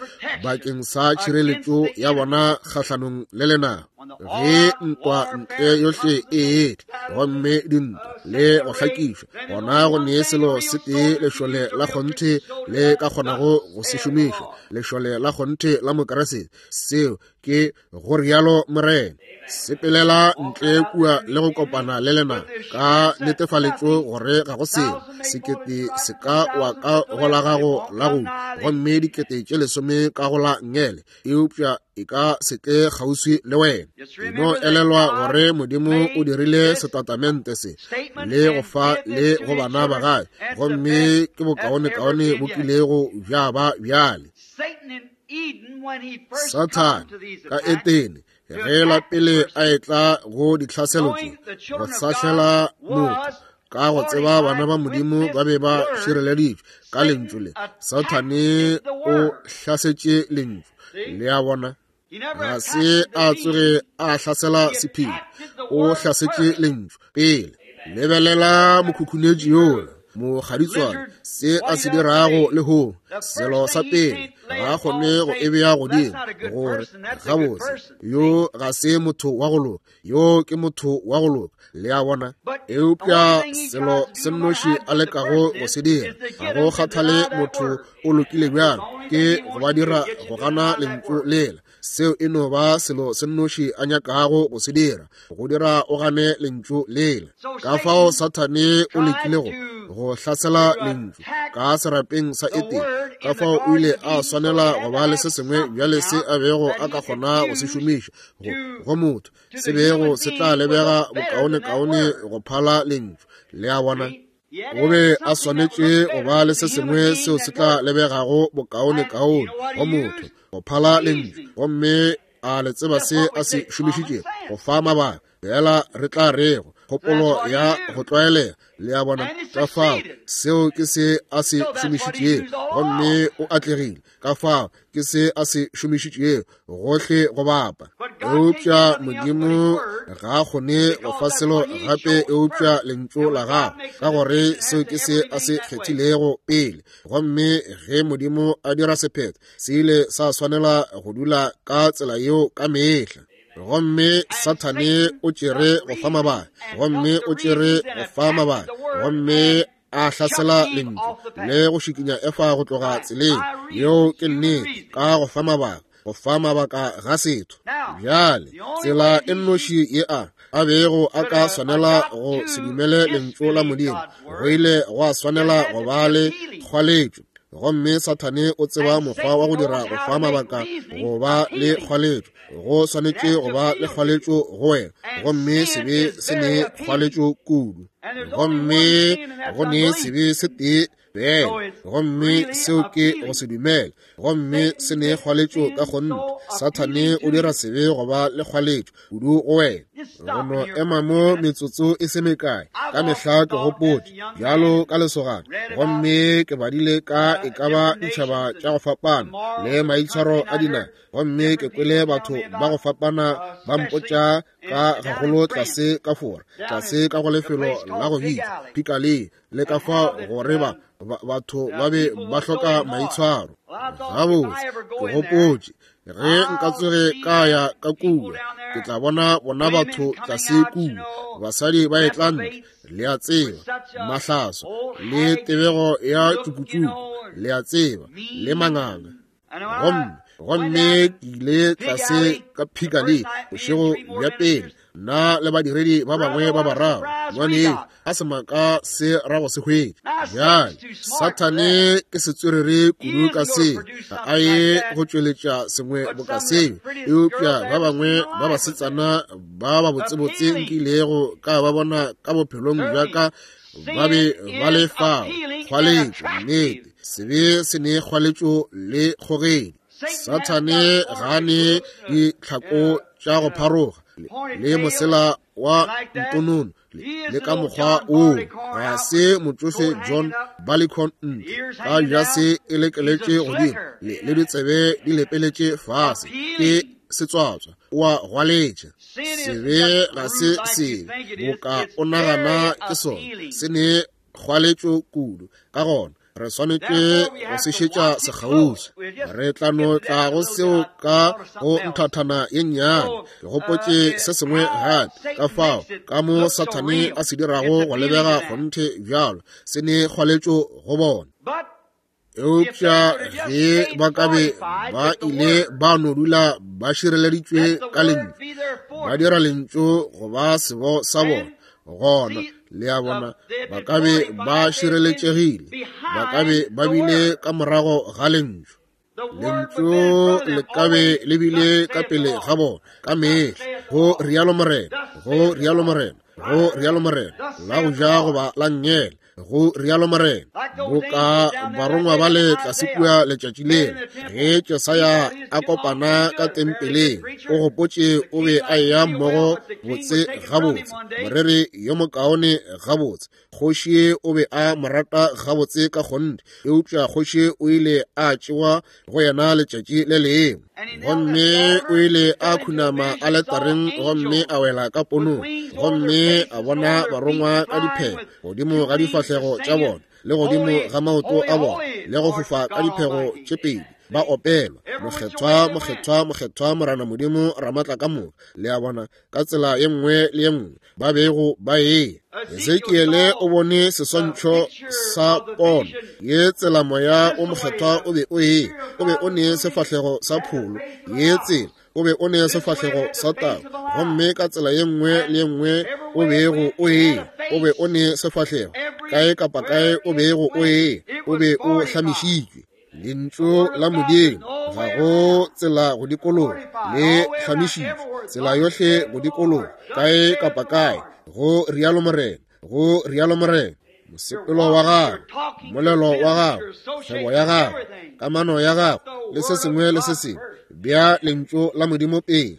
bakeng sa tšhireletšo ya bona kgahlanong le lenaba. Ge ntwa ntle yohle e etla gomme dintwa le go hlakišwa, gona go ne selo se tee lešole la kgonthe le ka kgonago go se šomiša, lešole la kgonthe la Mokriste, seo ke go rialo Morena. Sepelela ntle kua le go kopana le lena ka netefaletšo gore ga go selo sekete se ka wa ka go la gago la go gomme dikete tše lesome ka go la ngele, eupša e ka se tle kgauswi le wena. E no elelwa gore Modimo o dirile setatamente se le go fa le go bana ba gae, gomme ke bokaonekaone bo kilego bja ba bjale. Sathane ka Etene ge la pele a etla go ditlhaselo tše go sahlela motho, ka go tseba bana ba Modimo ba be ba šireleditšwe ka lentšu le, Sathane o hlasetše lentšu. Le a bona, ga se a tsoge a hlasela sephiri, o hlasetše lentšu pele. Lebelela mokhukhunetši yola mokgaditswane se a se dirago lehono. Selo sa pele ga a kgone go e bea godimo gore gabotse yo ga se motho wa go loka, yo ke motho wa go loka. Le a bona? Eupša selo se nnoši a lekago go se dira, ga go kgathale motho o lokile bjang, ke go ba dira go gana lentšu lela. Seo e no ba selo se nnoši a nyakago go se dira, go dira o gane lentšu lela. Ka fao Sathane o lekile go hlasela lentšu ka serapeng sa Etene. Ka fao o ile a swanela go ba le se sengwe bjale se a bego a ka kgona go se šomiša go motho, se bego se tla lebega bokaonekaone go phala lentšu. Le a bona? O be a swanetše go ba le se sengwe seo se tla lebegago bokaonekaone go motho go phala lentšu, gomme a le tseba se a se šomišitšego go fa mabaka. Fela re tla rego kgopolo ya go tlwaelega. Le a bona? Ka fao seo ke se a se šomišitšego, gomme o atlegile. Ka fao ke se a se šomišitšego gohle go bapa. Eupša Modimo ga a kgone go fa selo gape eupša lentšu la gagwe, ka gore seo ke se a se kgethilego pele. Gomme ge Modimo a dira sephetho, se ile sa swanela go dula ka tsela yeo ka mehla. Gomme Sathane o tšere go fa mabaka, gomme o tšere go fa mabaka, gomme a hlasela lentšu le go šikinya Efa go tloga tseleng yeo. Ke nnete, ka go fa mabaka, go fa mabaka ga setho. Bjale tsela e nnoši ye a bego a ka swanela go se dumele lentšu la Modimo, go ile gwa swanela go ba le kgwaletšo. Gomme Sathane o tseba mokgwa wa go dira go fa mabaka go ba le kgwaletšo. Go swanetše go ba le kgwaletšo go wena, gomme sebe se ne kgwaletšo kudu. Gomme go ne sebe se tee fela, gomme seo ke go se dumela, gomme se ne kgwaletšo ka kgonthe. Sathane o dira sebe go ba le kgwaletšo kudu go wena. Go no ema mo metsotso e se mekae, ka mehla ke gopotše bjalo ka lesogana, gomme ke badile ka e ka ba ditšhaba tša go fapana le maitshwaro a dinaga, gomme ke kwele batho ba go fapana ba mpotša ka gagolo tlase ka Fora, tlase ka go lefelo la go bitša Piccadilly, le ka fa gore ba batho ba be ba hloka maitshwaro. Gabotse, ke gopotše ge nka tsoge ka ya ka kua, ke tla bona bona batho tlase kua, basadi ba etla ntle, le a tseba, mahlaso le tebego ya tšukutšuku, le a tseba, le manganga. Gomme ke ile tlase ka Piccadilly bošego bja pele, nna le badiredi ba bangwe ba bararo. Ngwanešu, a semaka se ra go se hwetša. Bjale Sathane ke setswerere kudu ka seo, ga a ye go tšweletša sengwe boka seo. Eupša ba bangwe ba basetsana ba ba botsebotse nkilego ka ba bona ka bophelong bja ka ba be ba le fao. Kgwaletšo, nnete, sebe se ne kgwaletšo le kgogedi. Sathane ga a ne ditlhako tša go pharoga le mosela wa ntonono le ka mokgwa woo. Ga se motšofe John Barleycorn ntle ka jase e lekeletše godimo le ditsebe di lepeletše fase. Ke setswatswa, o a gwaletša. Sebe ga se sebe boka o nagana ke sona, se ne kgwaletšo kudu. Ka gona re swanetše go se šetša sekgauswi. Re tla no tla go seo ka go nthathana ye nnyane. Ke gopotše se sengwe gape, ka fao ka mo Sathane a se dirago go lebega kgonthe bjalo, se ne kgwaletšo go bona. Eupša ge ba ka be ba ile ba no dula ba šireleditšwe ka lentšu, ba dira lentšu go ba sebo sa bona, gona le a bona ba ka be ba šireletšegile, ba ka be ba bile ka morago ga lentšu. Lentšu le ka be le bile ka pele ga bona ka mehla, go rialo Morena, go rialo Morena, go rialo Morena, la go ja goba la nngele, go rialo Morena. Boka barongwa ba le tlase kua letšatši lela ge Jesaya a kopana ka tempeleng, o gopotše o be a eya mmogo botse gabotse, moreri yo mokaone gabotse. Kgoši o be a mo rata gabotse ka kgonthe, eupša kgoši o ile a tšewa go yena letšatši le lengwe, gomme o ile a khunama aletareng gomme a wela ka ponong, gomme a bona barongwa ka diphego godimo ga difahlego tša bona le godimo ga maoto a bona, le go fofa ka diphego tše pedi, ba opelwa, Mokgethwa, mokgethwa, mokgethwa, Morena Modimo Ramatla ka moka. Le a bona, ka tsela ye nngwe le ye nngwe ba bego ba eya. Ezekiele o bone seswantšho sa pono ye tsela moya o mokgethwa o be o eya, o be o ne sefahlego sa pholo, ye tsela o be o ne sefahlego sa tau, gomme ka tsela ye nngwe le ye nngwe o bego o eya, o be o ne sefahlego, kae kapa kae o bego o eya, o be o hlamišitšwe. Lentšu la Modimo ga go tsela go dikologa, le hlamišitšwe tsela yohle go dikologa, kae kapa kae, go rialo Morena, go rialo Morena. Mosepelo wa gago, molelo wa gago, kgwebo ya gago, kamano ya gago le se sengwe le se sengwe, bea lentšu la Modimo pele.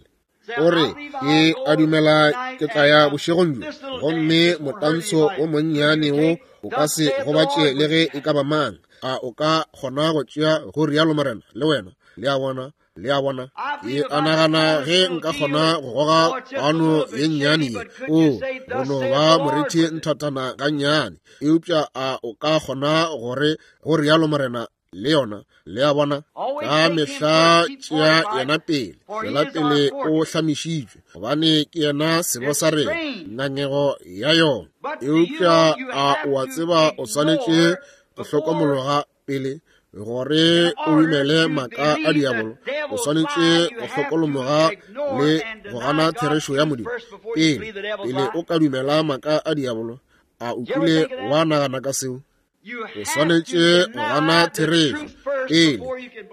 O re, ke a dumela ke tla ya bošegong bjo, gomme motantsho o monnyane wo o ka se gobatše le ge e ka ba mang. A o ka kgona go tšea go rialo Morena le wena? Le a bona? Le a bona? Ke a nagana ge nka kgona go goga kwano ye nnyane ye, o go no ba morithi nthathana gannyane, eupša a o ka kgona gore go rialo Morena le yona? Le a bona? Ka mehla tšea yena pele, tšwela pele o hlamišitšwe, gobane ke yena sebo sa rena, ngangego ya yona. Eupša a o a tseba o swanetše go hlokomologa pele gore o dumele maaka a diabolo? O swanetše go hlokomologa le go gana therešo ya Modimo pele, pele o ka dumela maaka a diabolo. A o kile wa nagana ka seo? O swanetše go gana therešo pele,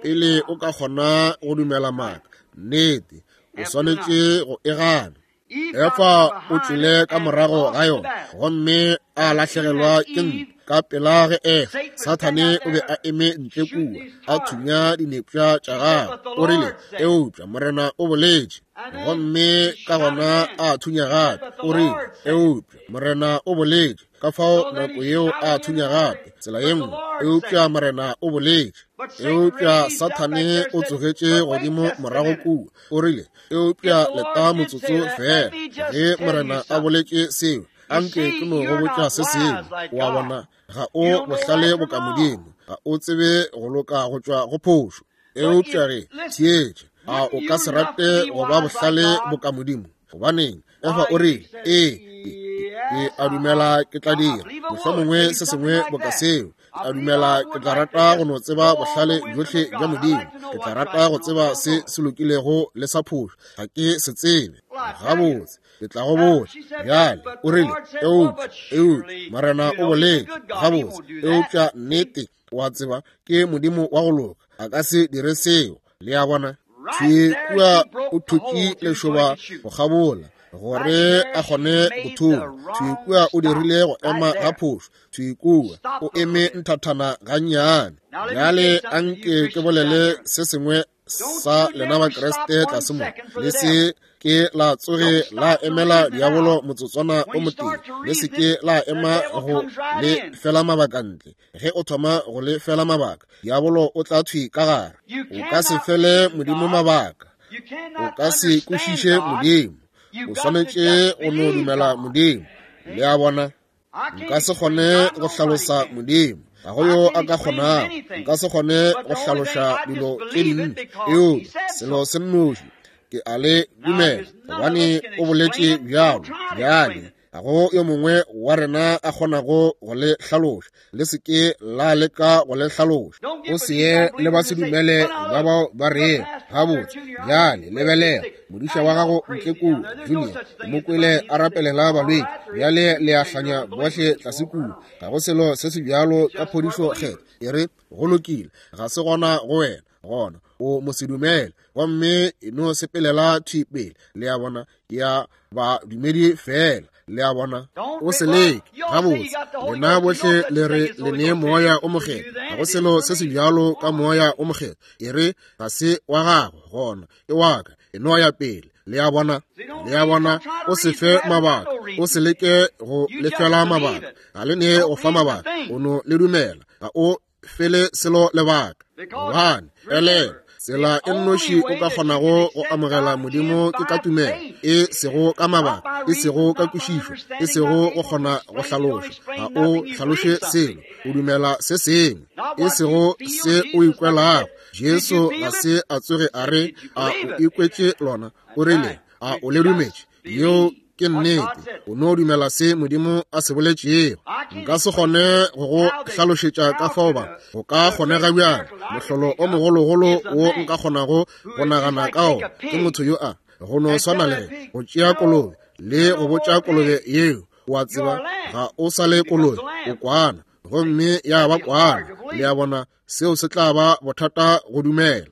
pele o ka kgona go dumela maaka. Nnete, o swanetše go e gana. Efa o tšwele ka morago ga yona gomme a lahlegelwa ke ntwa ka pela ge Efa. Sathane o be a eme ntle kua a thunya dinepša tša gagwe. O rile, eupša Morena o boletše. Gomme ka gona a thunya gape. O rile, eupša Morena o boletše. Ka fao nako yeo a thunya gape tsela ye nngwe, eupša Morena o boletše. Eupša Sathane o tsogetše godimo morago kua. O rile, eupša leta motsotso fela, ge Morena a boletše seo, anke ke no go botša se sengwe. O a bona, ga o bohlale boka Modimo, ga o tsebe go loka go tšwa go phošo. Eupša ge, theetša, a o ka se rate go ba bohlale boka Modimo? Gobaneng, Efa o rile, ee, ke a dumela ke tla dira mohlomongwe se sengwe boka seo. Ke a dumela ke tla rata go no tseba bohlale bjohle bja Modimo. Ke tla rata go tseba se se lokilego le sa phošo. Ga ke se tsebe. Gabotse, ke tla go botša. Bjale, o rile, eupša, eupša, Morena o boletše. Gabotse, eupša nnete, o a tseba, ke Modimo wa go loka. A ka se dire seo. Le a bona? Thwi kua o thutše lešoba go kgabola gore a kgone go thuma. Thwi kua o dirile go ema ga phošo. Thwi kua o eme nthathana gannyane. Bjale anke ke bolele se sengwe sa lena Bakriste tlase mo. Le se ke la tsoge la emela diabolo motsotswana o motee. Le se ke la ema go le fela mabaka ntle. Ge o thoma go le fela mabaka, diabolo o tla thwi ka gare. O ka se fele Modimo mabaka. O ka se kwešiše Modimo. O swanetše go no dumela Modimo. Le a bona? Nka se kgone go hlalosa Modimo. Ga go yo a ka kgonago. Nka se kgone go hlaloša dilo tše dintši. Eupša selo se nnoši, ke a le dumela, gobane o boletše bjalo. Bjale, ga go yo mongwe wa rena a kgonago go le hlaloša. Le se ke la leka go le hlaloša. O se ye le ba se dumele ba bao ba rego, Gabotse, bjale lebelela, modiša wa gago ntle kua, Junior, o mo kwele a rapelela balwetši. Bjale le a hlanya bohle tlase kua. Ga go selo se se bjalo ka phodišo kgetho. E re, go lokile, ga se gona go wena. Gona o mosedumele, gomme e no sepelela thwi pele. Le a bona, ke ya badumedi fela. Le a bona, o se leke. Gabotse, lena bohle le re le ne Moya o Mokgethwa. Ga go selo se se bjalo ka Moya o Mokgethwa. E re ga se wa gago, gona ke wa ka. E no ya pele. Le a bona, le a bona, o se fe mabaka, o se leke go lefela mabaka. Ga le ne go fa mabaka, o no le dumela. Ga o fele selo lebaka. Gobane, elelwa, tsela e nnoši o ka kgonago go amogela Modimo ke ka tumelo, e sego ka mabaka, e sego ka kwešišo, e sego go kgona go hlaloša. Ga o hlaloše selo, o dumela se sengwe, e sego se o ikwelago. Jesu ga se a tsoge a re, a o ikwetše lona, o rile, a o le dumetše? Yeo ke nnete. O no dumela se Modimo a se boletšego. Nka se kgone go go hlalošetša ka fao ba go ka kgonega bjang. Mohlolo o mogologolo wo nka kgonago go nagana ka ona ke motho yo a go no swana le go tšea kolobe le go botša kolobe yeo, o a tseba, ga o sa le kolobe, o kwana, gomme ya ba kwana. Le a bona, seo se tla ba bothata go dumela.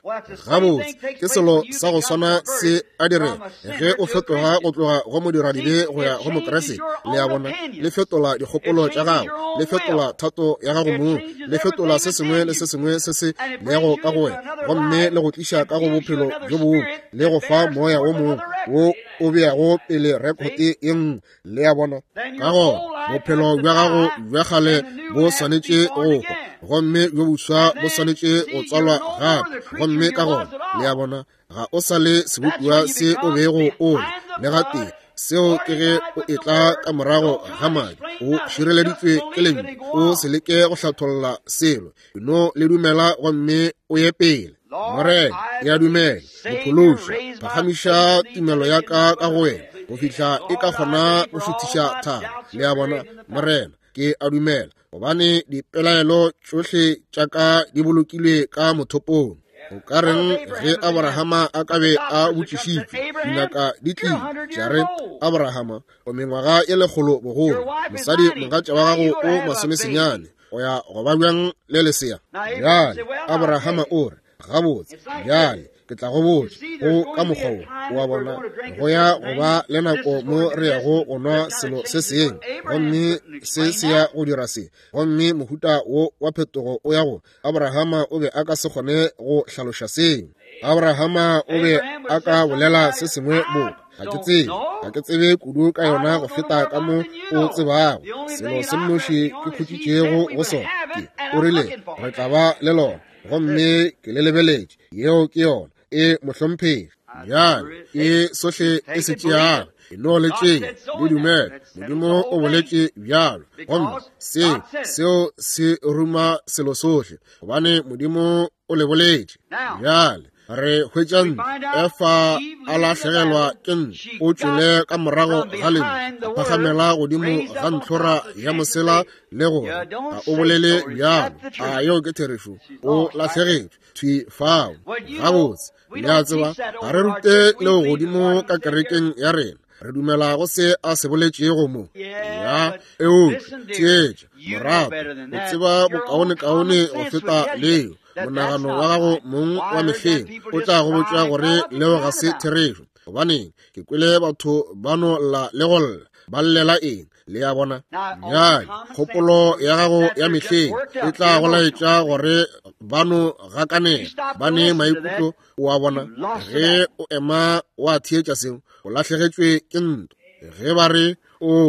Gabotse, ke selo sa go swana se a direga ge o fetoga go tloga go modiradibe go ya go Mokriste. Le a bona, le fetola dikgopolo tša gago, le fetola thato ya gago mong, le fetola se sengwe le se sengwe se se lego ka go wena, gomme le go tliša ka go bophelo bjo bongwe, le go fa moya wo mongwe wo o beago pele rekhote ye nngwe. Le a bona? Ka gona bophelo bja gago bja kgale bo swanetše go hwa, gomme bjo boswa bo swanetše go tswalwa gape. Gomme ka gona, le a bona, ga o sa le sebopiwa se o bego o le le gatee. Seo ke ge o etla ka morago ga madi, o šireleditšwe ke lentšu. O se leke go hlatholla selo, no le dumela gomme o ye pele. Morena, ke a dumela, Mophološi, phagamiša tumelo ya ka ka go wena go fihla e ka kgona go šuthiša thaba. Le a bona? Morena, ke a dumela, gobane dipelaelo tšohle tša ka di bolokilwe ka mothopong. O ka reng ge Abrahama a ka be a botšišitšwe? Dingaka di tlile tša re, Abrahama, o mengwaga e lekgolo bogolo, mosadi mogatša wa gago o masomesenyane, o ya go ba bjang le lesea? Bjale Abrahama o re, Gabotse, bjale ke tla go botša, go ka mokgwa wo, o a bona, go ya go ba le nako mo re yago go nwa selo se sengwe, gomme se se ya go dira se, gomme mohuta wo wa phetogo o ya go. Abrahama o be a ka se kgone go hlaloša seo. Abrahama o be a ka bolela se sengwe boka, ga ke tsebe, ga ke tsebe kudu ka yona go feta ka mo o tsebago. Selo se nnoši ke khutšitšego go sona ke, o rile, re tla ba le lona, gomme ke le lebeletše. Yeo ke yona. E mohlomphegi. Bjale ke sohle e se tšeago, e no le tšea, le dumela. Modimo o boletše bjalo, gomme seo, seo se ruma selo sohle, gobane Modimo o le boletše. Bjale re hwetša ntlo, Efa a lahlegelwa ke ntlo, o tšwele ka morago ga lentšu, a phagamela godimo ga ntlhora ya mosela le gore ga o bolele bjalo. A yeo ke therešo? O lahlegetšwe thwi fao. Gabotse, le a tseba, ga re rute leo godimo ka kerekeng ya rena. Re dumela go se a se boletšego mo. Ya, eupša theetša, morato, o tseba bokaonekaone go feta leo. Monagano wa gago mong wa mehleng o tla go botša gore leo ga se therešo. Gobaneng, ke kwele batho ba no lla le go lla. Ba llela eng? Le a bona? Bjale, kgopolo ya gago ya mehleng e tla go laetša gore ba no gakanega, ba ne maikutlo. O a bona? Ge o ema wa theetša seo, o lahlegetšwe ke ntwa. Ge ba re, O,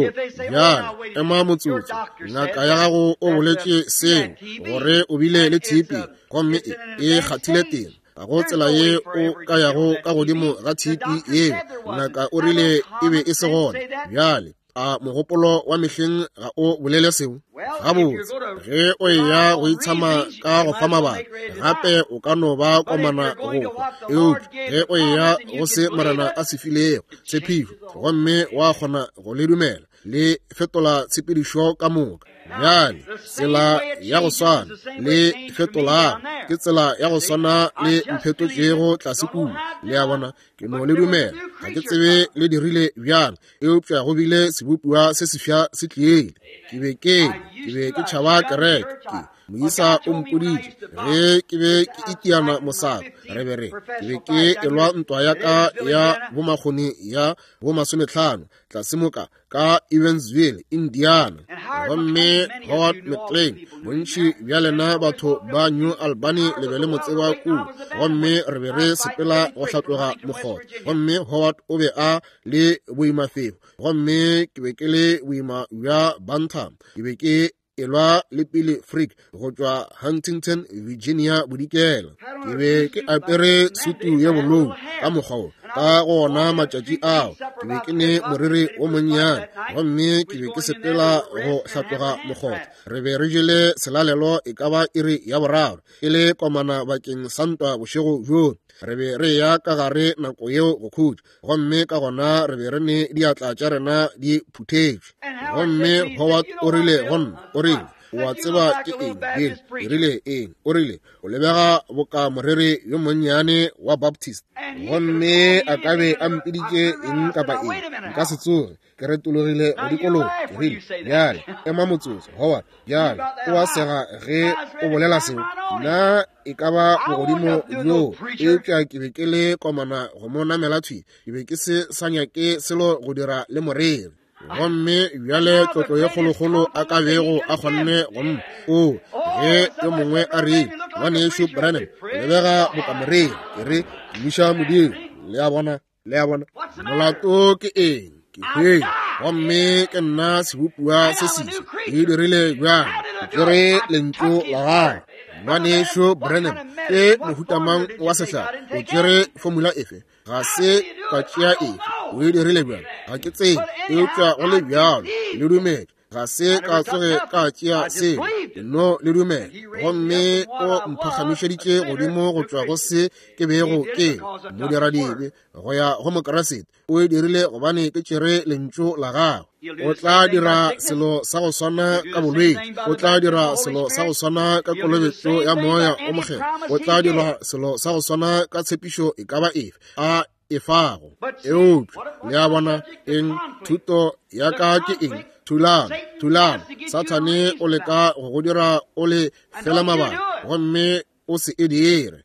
bjale, ema motsotso, ngaka ya gago o boletše seo, gore o bile le TB, gomme e kgathile teng. Ga go tsela ye o ka yago ka godimo ga tshipi yeo. Ngaka o rile e be e se gona. Bjale, a mogopolo wa mehleng ga o bolele seo? Gabotse, ge o eya go itshama ka go fa mabaka, gape o ka no ba komana go hwa. Eupša ge o eya go se Morena a se filego tshepišo, gomme wa kgona go le dumela, le fetola tshepedišo ka moka. Bjale, tsela ya go swana le fetolago ke tsela ya go swana le mphetotšego tlase kua. Le a bona, ke no le dumela. Ga ke tsebe le dirile bjang, eupša go bile sebopiwa se sefsa se tliile. Ke be ke ke be ke tšhaba kereke. Ke moisa o mpoditše ge ke be ke itiana mosako, re be re ke be ke elwa ntwa ya ka ya bomakgoni ya bomasometlhano tlase moka ka Evansville, Indiana. Gomme Howard McLean, bontši bja lena batho ba New Albany le be le mo tseba kua. Gomme re be re sepela go hlatloga mokgotha. Gomme Howard o be a le boimafefo, gomme ke be ke le boima bja bantam. Ke be ke elwa le Billy Frick go tšwa Huntington, Virginia bodikela. Ke be ke apere sutu ye bolou ka mokgwa wo ka go ona matšatši ao. Ke be ke ne moriri wo monnyane, gomme ke be ke sepela go hlatloga mokgotha. Re be re jele selalelo e ka ba iri ya boraro, e le komana bakeng sa ntwa bošego bjoo. Re be re ya ka gare nako yeo go khutša, gomme ka gona re be re ne diatla tša rena di phuthetšwe. Gomme Howard o rile go nna, o rile, o a tseba ke eng, Bill? Ke rile, eng? O rile, o lebega boka moreri yo monnyane wa Baptist. Gomme a ka be a mpiditše eng kapa eng, nka se tsoge ke retologile go dikologa. Ke rile, bjale ema motsotso, Howard. Bjale o a sega ge o bolela seo. Nna e ka ba bogodimo bjoo, eupša ke be ke le komana go mo namela thwi. Ke be ke se sa nyake selo go dira le moreri. Gomme bjale tlotlo ye kgolokgolo a ka bego a kgonne go mma, o ge yo mongwe a rile, Ngwanešu Branham, lebega boka moreri. Ke re, tumiša Modimo. Le a bona? Le a bona? Molato ke eng? Ke hwele, gomme ke nna sebopiwa se seswa. Ke dirile bjang? Ke tšere lentšu la gago. Ngwanešu Branham, ke mohuta mang wa sehlare? O tšere formula efe? Ga se ka tšea efe. O e dirile bjang? Ga ke tsebe, eupša go le bjalo le dumetše. Ga se ka tsoge ka tšea seo, no le dumela. Gomme o mphagamišeditše godimo go tšwa go se ke bego ke modiradibe go ya go Mokriste. O e dirile gobane ke tšere lentšu la gagwe. O tla dira selo sa go swana ka bolwetši, o tla dira selo sa go swana ka kolobetšo ya Moya o Mokgethwa, o tla dira selo sa go swana ka tshepišo e ka ba efe a e fago. Eupša le a bona eng? Thuto ya ka ke eng? Thulano, thulano. Sathane o leka go go dira o le fela mabaka, gomme o se e dire.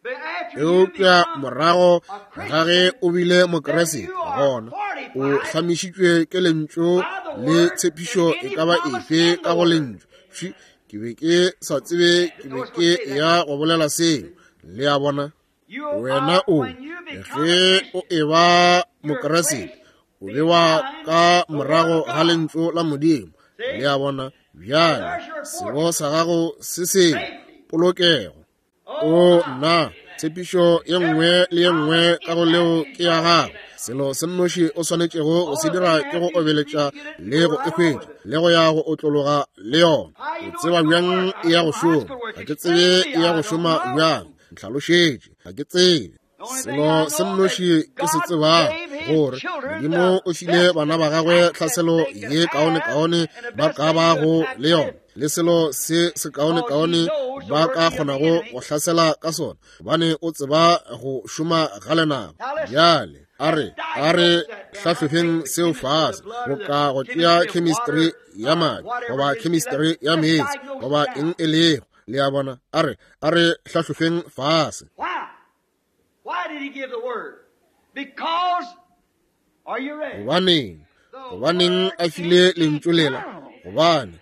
Eupša morago ga ge o bile Mokriste, gona o hlamišitšwe ke lentšu le tshepišo e ka ba efe ka go lentšu. Ke be ke sa tsebe ke be ke ya go bolela seo. Le a bona? Wena o, ge o eba Mokriste, o bewa ka morago ga lentšu la Modimo. Le a bona? Bjale sebo sa gago se sengwe, polokego. O nna, tshepišo ye nngwe le ye nngwe ka go leo ke ya gago. Selo se nnoši o swanetšego go se dira ke go obeletša le go e hwetša, le go ya go otlologa le yona. O tseba bjang e ya go šoma? Ga ke tsebe e ya go šoma bjang. Ntlhalošetše, ga ke tsebe. Selo se nnoši ke se tsebago, gore Modimo o file bana ba gagwe tlhaselo ye kaonekaone ba ka bago le yona, le selo se se kaonekaone ba ka kgonago go hlasela ka sona, gobane o tseba go šoma ga lenaba. Bjale a re, a re hlahlofeng seo fase, boka go tšea chemistry ya madi goba chemistry ya meetse goba eng e lego. Le a bona? A re, a re hlahlofeng fase. Gobaneng? Gobaneng a file lentšu lela? Gobane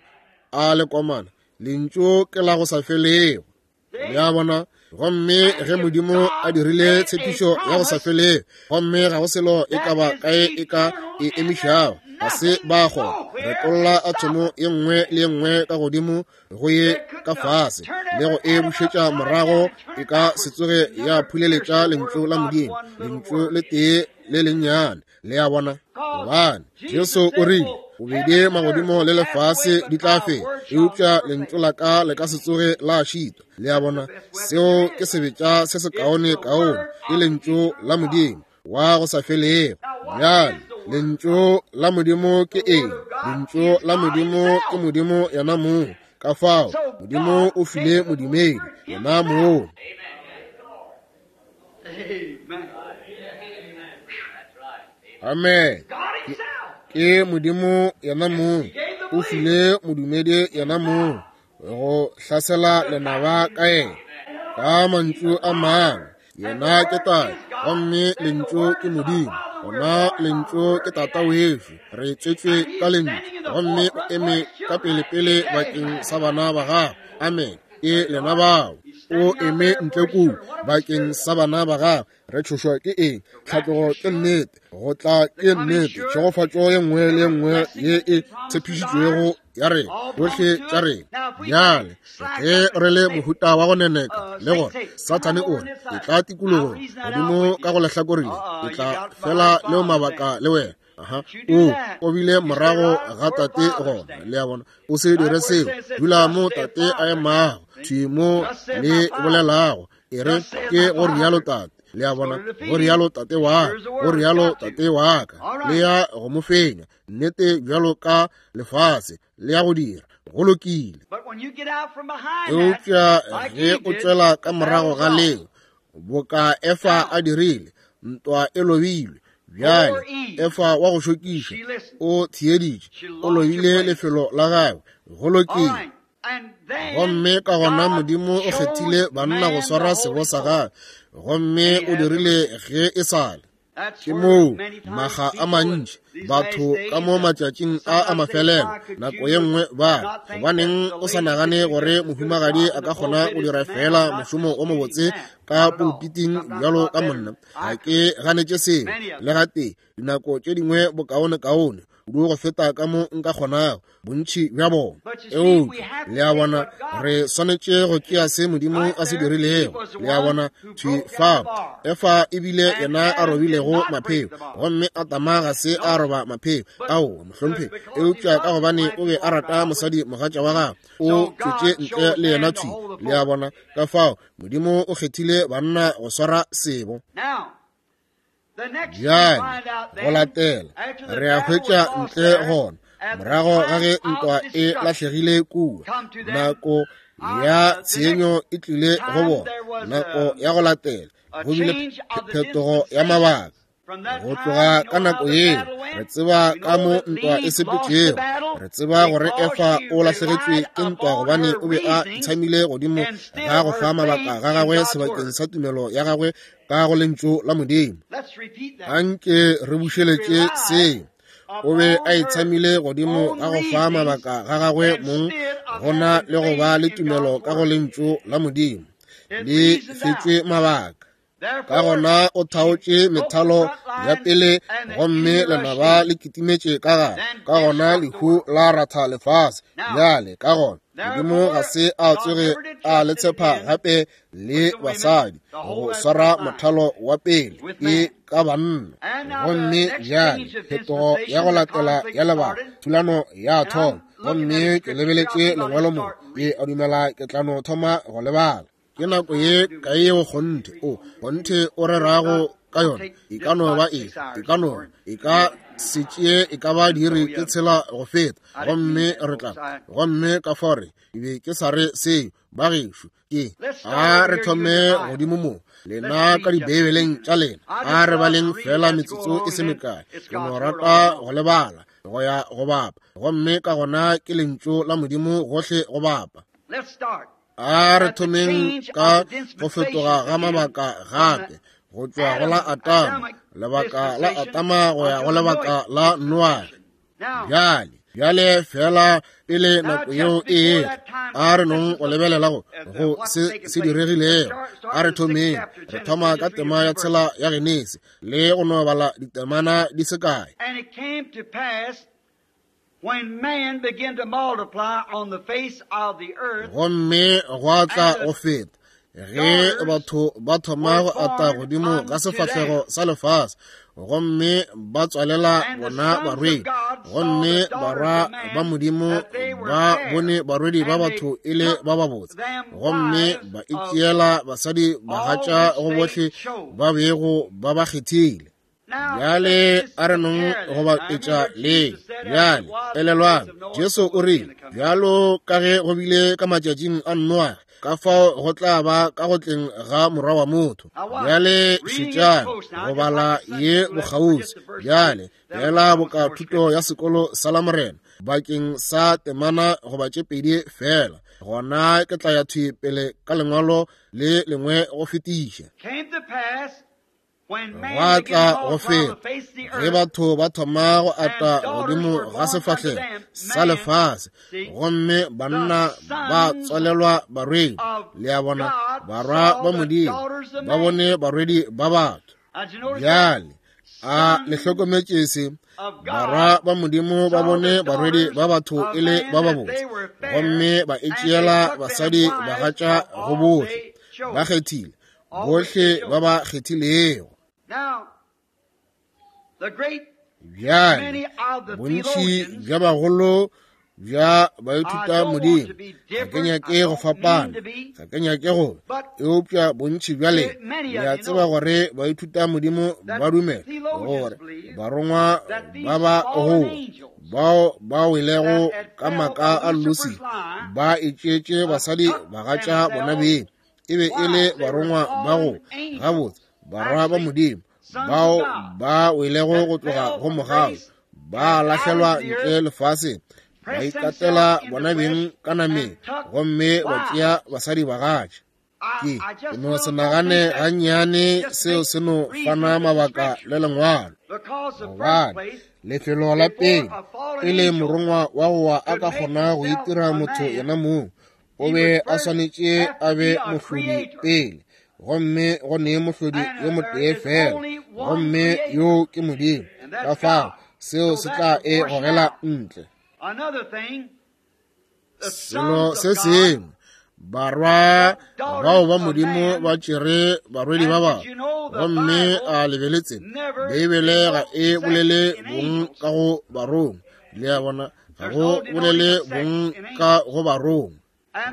a le komana, lentšu ke la go sa felego. Le a bona? Gomme ge Modimo a dirile tshepišo ya go sa felego, gomme ga go selo e ka ba kae e ka e emišago, Ga se ba kgona. Retolla athomo ye nngwe le ye nngwe ka godimo go ye ka fase le go e bušetša morago, e ka se tsoge ya phuleletša Lentšu la Modimo, Lentšu le tee le lennyane. Le a bona? Gobane Jesu o rile, Bobedi magodimo le lefase di tla fela, eupša Lentšu la ka le ka se tsoge la šitwa. Le a bona? Seo ke sebetša se sekaone kaone, ke Lentšu la Modimo wa go sa felego. Bjale, Lentšu la Modimo ke eng? Lentšu la Modimo ke Modimo yena mong. Ka fao, Modimo o file modumedi yena mong. Amen. Ke Modimo yena mong o file modumedi yena mong go hlasela lenaba ka yena. Ka mantšu a mangwe, yena ke Tate gomme Lentšu ke Modimo. Gona Lentšu ke Tata wešo, re tswetšwe ka Lentšu, gomme o eme ka pelepele bakeng sa bana ba gagwe. Amen. Ke lena bao. O eme ntle kua bakeng sa bana ba gagwe. Re tšhošwa ke eng? Tlhatlogo ke nnete, go tla ke nnete, tšhegofatšo ye nngwe le ye nngwe ye e tshepišitšwego ya rena, tšohle tša rena. Bjale ge re le mohuta wa go neneka le gore Sathane o re, e tla tikologong godimo ka go lehlakore le, e tla fela leo mabaka le wena. Aha, o o bile morago ga tate gona. Le a bona? O se dire seo. Dula mo tate a emago, thwi mo le bolelago. E re, ke go rialo tate. Le a bona? Go rialo tate wa ka, go rialo tate wa ka. Le ya go mo fenya, nnete bjalo ka lefase le ya go dira. Go lokile. Eupša ge o tšwela ka morago ga leo, boka Efa a dirile, ntwa e lobilwe. Bjale Efa wa go šokiša o theeditše, o lobile lefelo la gagwe. Go lokile. Gomme ka gona Modimo o kgethile banna go swara sebo sa gagwe, gomme o dirile ge e sa le. Ke moo maga a mantši batho ka mo matšatšing a a mafelelo nako ye nngwe ba gobaneng o sa nagane gore mohumagadi a ka kgona go dira feela mošomo o mobotse ka pulupiting bjalo ka monna. Ga ke ganetše seo le gatee. Dinako tše dingwe bokaonekaone kudu go feta ka mo nka kgonago, bontši bja bona. Eupša, le a bona, re swanetše go tšea se Modimo a se dirilego. Le a bona, thwi fao, Efa e bile yena a robilego mapheo, gomme Adama ga se a roba mapheo. Aowa, mohlomphegi. Eupša ka gobane o be a rata mosadi mogatša wa gagwe, o tšwetše ntle le yena thwi. Le a bona, ka fao Modimo o kgethile banna go swara sebo. Bjale, go latela, re a hwetša ntle gona, morago ga ge ntwa e lahlegile kua, nako ya tshenyo e tlile go bona, nako ya go latela, go bile phetogo ya mabaka. Go tloga ka nako yeo, re tseba ka mo ntwa e sepetšego. Re tseba gore Efa o lahlegetšwe ke ntwa gobane o be a itshamile godimo ga go fa mabaka ga gagwe sebakeng sa tumelo ya gagwe ka go Lentšu la Modimo. Anke re bušeletše seo. O be a itshamile godimo ga go fa mabaka ga gagwe mong go na le go ba le tumelo ka go Lentšu la Modimo. Le fetšwe mabaka. Ka gona o thaotše methalo ya pele gomme lenaba le kitimetše ka gare. Ka gona lehu la ratha lefase. Bjale ka gona Modimo ga se a tsoge a le tshepa gape le basadi go swara mothalo wa pele ke ka banna. Gomme bjale phetogo ya go latela ya lebaka, thulano ya thoma. Gomme ke lebeletše lengwalo mo, ke a dumela ke tla no thoma go le bala. Ke nako ye kae yeo kgonthe o kgonthe o rerago ka yona? E ka no ba e, e ka no, e ka se tšee e ka ba diiri tše tshela go feta, gomme re tla, gomme ka fao re, ke be ke sa re seo, bagešo, ke a re thome godimo mo, lena ka Dibeibeleng tša lena, a re baleng feela metsotso e se mekae, ke no rata go le bala go ya go bapa, gomme ka gona ke Lentšu la Modimo gohle go bapa. A re thomeng ka go fetoga ga mabaka gape, go tšwa go la Atama, lebaka la Atama go ya go lebaka la Noage. Bjale, bjale feela pele nako yeo e etla, a re nong go lebelela go go se se diregilego. A re thomeng, re thoma ka tema ya tshela ya Genesi le go no bala ditemana di se kae. When man began to multiply on the face of the earth, gomme gwa tla go feta ge batho ba thoma go ata godimo ga sefahlego sa lefase, gomme ba tswalela bona barwedi, gomme barwa ba Modimo ba bone barwedi ba batho e le ba babotse, gomme ba itšeela basadi bagatša go bohle ba bego ba ba kgethile. Bjale a re nong go ba etša le. Bjale elelwang, Jesu o rile, bjalo ka ge go bile ka matšatšing a Noage, ka fao go tla ba ka go tleng ga Morwa wa motho. Bjale šetšang go bala ye bokgauswi. Bjale bjala boka thuto ya sekolo sa Lamorena bakeng sa temana goba tše pedi fela, gona ke tla ya thwi pele ka lengwalo le lengwe go fetiša. Gwa tla go feta ge batho ba thoma go ata godimo ga sefahlego sa lefase, gomme banna ba tswalelwa barwedi. Le a bona, barwa ba Modimo ba bone barwedi ba batho. Bjale a le hlokometše se? Barwa ba Modimo ba bone barwedi ba batho e le ba babotse, gomme ba itšeela basadi bagatša go bohle ba kgethile, bohle ba ba kgethilego. Bjale bontši bja bagolo bja baithuta Modimo, ga ke nyake go fapana, ga ke nyake go, eupša bontši bjale le a tseba gore baithuta Modimo ba dumela gore barongwa ba ba goa bao ba welego ka maka a Lusi ba itšeetše basadi bagatša bona beng, e be e le barongwa ba go gabotse, barwa ba Modimo bao ba welego go tloga go mogau, ba lahlelwa ntle lefaseng, ba ikatela bona beng ka nameng, gomme ba tšea basadi bagatša. Ke no se nagane gannyane seo se no fana mabaka le lengwalo, gobane lefelo la pele pele morongwa wa go wa a ka kgona go itira motho yena mong, o be a swanetše a be mohlodi pele, gomme go ne mohlodi yo motee fela, gomme yo ke Modimo. Ka fao seo se tla e gogela ntle. Selo se sengwe, barwa bao ba Modimo ba tšere barwedi ba batho, gomme a lebeletse Beibele ga e bolele bong ka go barongwa. Le a bona, ga go bolele bong ka go barongwa,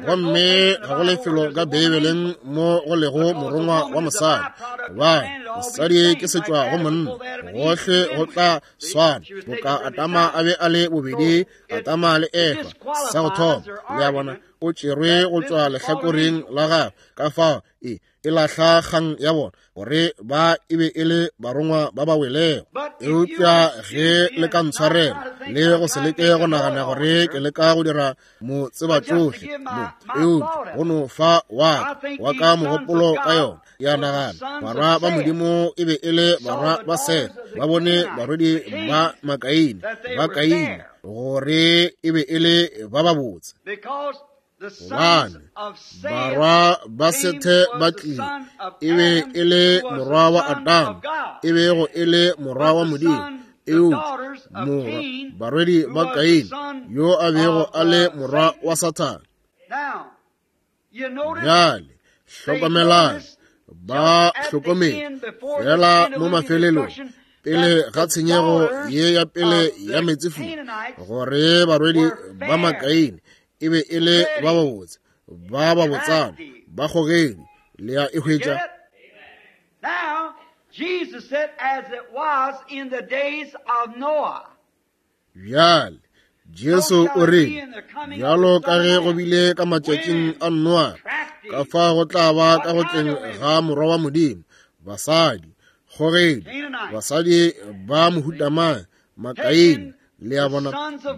gomme ga go lefelo ka Beibeleng mo go lego morongwa wa mosadi, gobane mosadi ke setšwa go monna. Gohle go tla swana, boka Adama a be a le bobedi, Adama le Efa sa go thoma. Le a bona, o tšerwe go tšwa lehlakoreng la gagwe, ka fao e lahla kgang ya bona gore ba e be e le barongwa ba ba welego. Eupša ge le ka ntshwarela le go se leke go nagana gore ke leka go dira mo tseba tšohle mo, eupša go no fa wa ka mogopolo ka yona, ya nagana barwa ba Modimo e be e le barwa ba Seth, ba bone barwedi ba Makaine, ba Kaine, gore e be e le ba babotse. Gobane barwa ba Sethe ba tlile, e be e le morwa wa Adama, e bego e le morwa wa Modimo, eupša morwa barwedi ba Kaine, yo a bego a le morwa wa Sathane. Bjale hlokomelang, ba hlokomele fela mo mafelelong pele ga tshenyego ye ya pele ya meetsefula, gore barwedi ba Makaine e be e le ba babotse, ba babotsana, ba kgogedi. Le a e hwetša? Now, Jesus said, as it was in the days of Noah. Bjale Jesu o rile, bjalo ka ge go bile ka matšatšing a Noa, ka fa go tla ba ka go tleng ga Morwa wa Modimo, basadi, kgogedi, basadi ba mohutamang, Makaine, le a bona,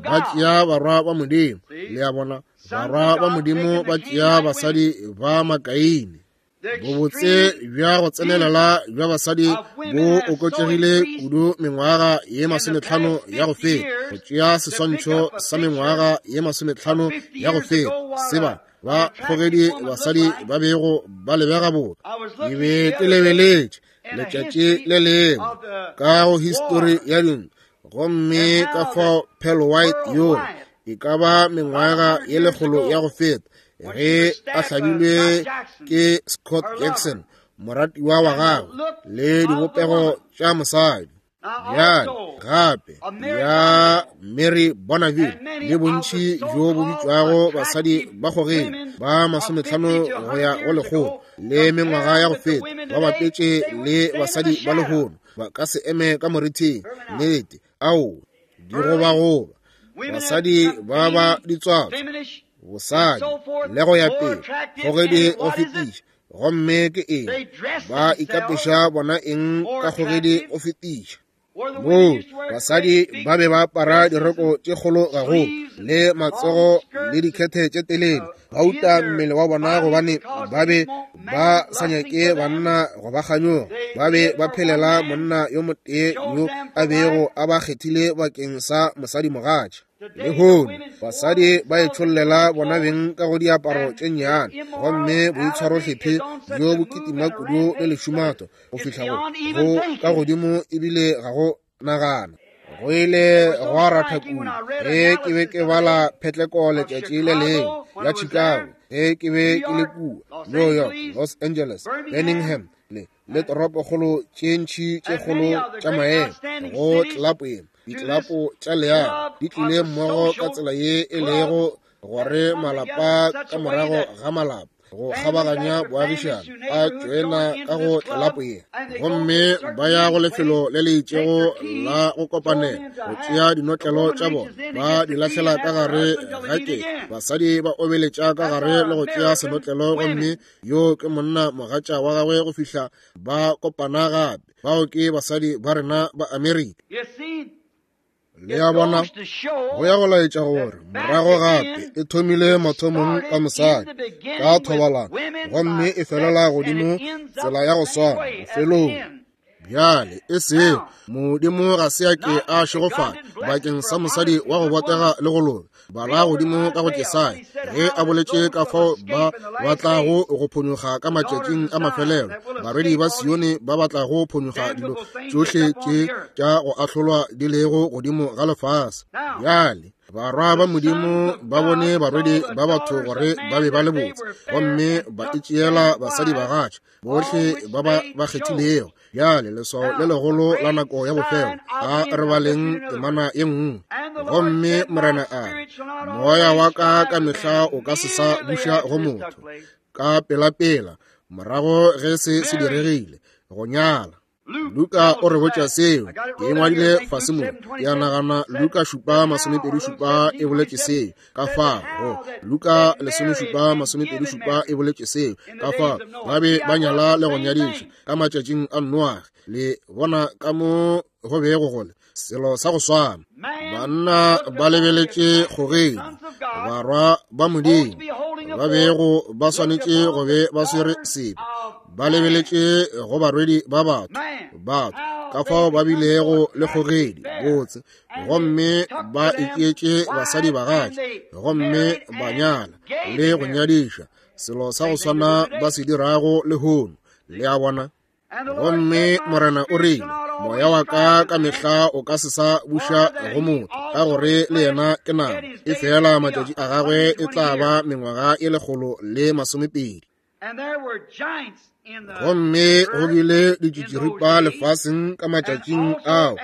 ba tšea barwa ba Modimo. Le a bona, barwa ba Modimo ba tšea basadi ba Makaine. Bobotse bja go tsenelela bja basadi bo oketšegile kudu mengwaga ye 50 ya go feta. Go tšea seswantšho sa mengwaga ye 50 ya go feta, seba ba kgogedi basadi ba bego ba lebega boka. Ke be ke lebeletše letšatši le lengwe ka go histori ya dintwa, Gomme ka fao Pearl White yola, e ka ba mengwaga ye lekgolo ya go feta, ge a hlabilwe ke Scott Jackson, moratiwa wa gagwe, le dibopego tša mosadi. Bjale gape ya Mary Bonneville le bontši bjo bo bitšwago basadi ba kgogedi ba 50 go ya go 100 le mengwaga ya go feta, ba bapetše le basadi ba lehono, ba ka se eme ka morithing. Nnete, ao digobagoba, basadi ba ba ditswatso, bosadi le go ya pele, kgogedi go fetiša. Gomme ke eng ba ikapeša bona eng ka kgogedi go fetiša? Moo basadi ba be ba apara diroko tše kgolo gagolo le matsogo le dikhethe tše telele, ba uta mmele wa bona gobane ba be ba sa nyake banna go ba kganyoga. Ba be ba phelela monna yo motee yo a bego a ba kgethile bakeng sa mosadimogatša. Lehono basadi ba itšhollela bona beng ka go diaparo tše nnyane, gomme boitshwarohlephe bjo bo kitima kudu le lešumato go fihla go ka godimo ebile ga go nagana. Go ile gwa ratha kudu ge ke be ke bala phetleko letšatši le lengwe ya Chicago, ge ke be ke le kua New York, Los Angeles, Birmingham le toropokgolo tše ntši tše kgolo tša maemo go tlelapo ye. Ditlelapo tša leago di tlile mmogo ka tsela ye e lego gore malapa ka morago ga malapa go kgabaganya boagišano a tšoena ka go tlelapo ye, gomme ba ya go lefelo le le itšego la go kopanela go tšea dinotlelo tša bona, ba di lahlela ka gare ga ke. Basadi ba obeletša ka gare le go tšea senotlelo, gomme yo ke monna mogatša wa gagwe go fihla ba kopana gape. Bao ke basadi ba rena ba Amerika. Le a bona, go ya go laetša gore morago gape e thomile mathomong ka mosadi ka thobalano, gomme e felela godimo tsela ya go swana bofelong. Bjale e sego Modimo ga se a ke a šegofala bakeng sa mosadi wa go botega le go loka. Bala godimo ka go Jesaya ge a boletše ka fao ba batlago go phonyokga ka matšatšing a mafelelo, barwedi ba Sione ba batlago phonyokga dilo tšohle tše tša go ahlolwa di lego godimo ga lefase. Bjale barwa ba Modimo ba bone barwedi ba batho gore ba be ba le botse, gomme ba itšeela basadi bagatša bohle ba ba ba kgethilego. Bjale leswao le legolo la nako ya bofelo, a re baleng temana ye nngwe. Gomme Morena a re, moya wa ka ka mehla o ka se sa buša go motho. Ka pelapela morago ge se se diregile, go nyala. Luka o re botša seo, ke ngwadile fase mo, ke a nagana Luka 7:27 e boletše seo. Ka fao go Luka 17:27 e boletše seo. Ka fao ba be ba nyala le go nyadiša ka matšatšing a Noage. Le bona ka mo go bego go le selo sa go swana. Banna ba lebeletše kgogedi, barwa ba Modimo ba bego ba swanetše go be ba swere sebe, ba lebeletše go barwedi ba batho, batho ka fao ba bilego le kgogedi botse, gomme ba itšeetše basadi bagatša, gomme ba nyala le go nyadiša, selo sa go swana ba se dirago lehono. Le a bona? Gomme Morena o rile, moya wa ka ka mehla o ka se sa buša go motho, ka gore le yena ke nama, e fela matšatši a gagwe e tla ba mengwaga e 120. Gomme go bile ditšitširipa lefaseng ka matšatšing ao,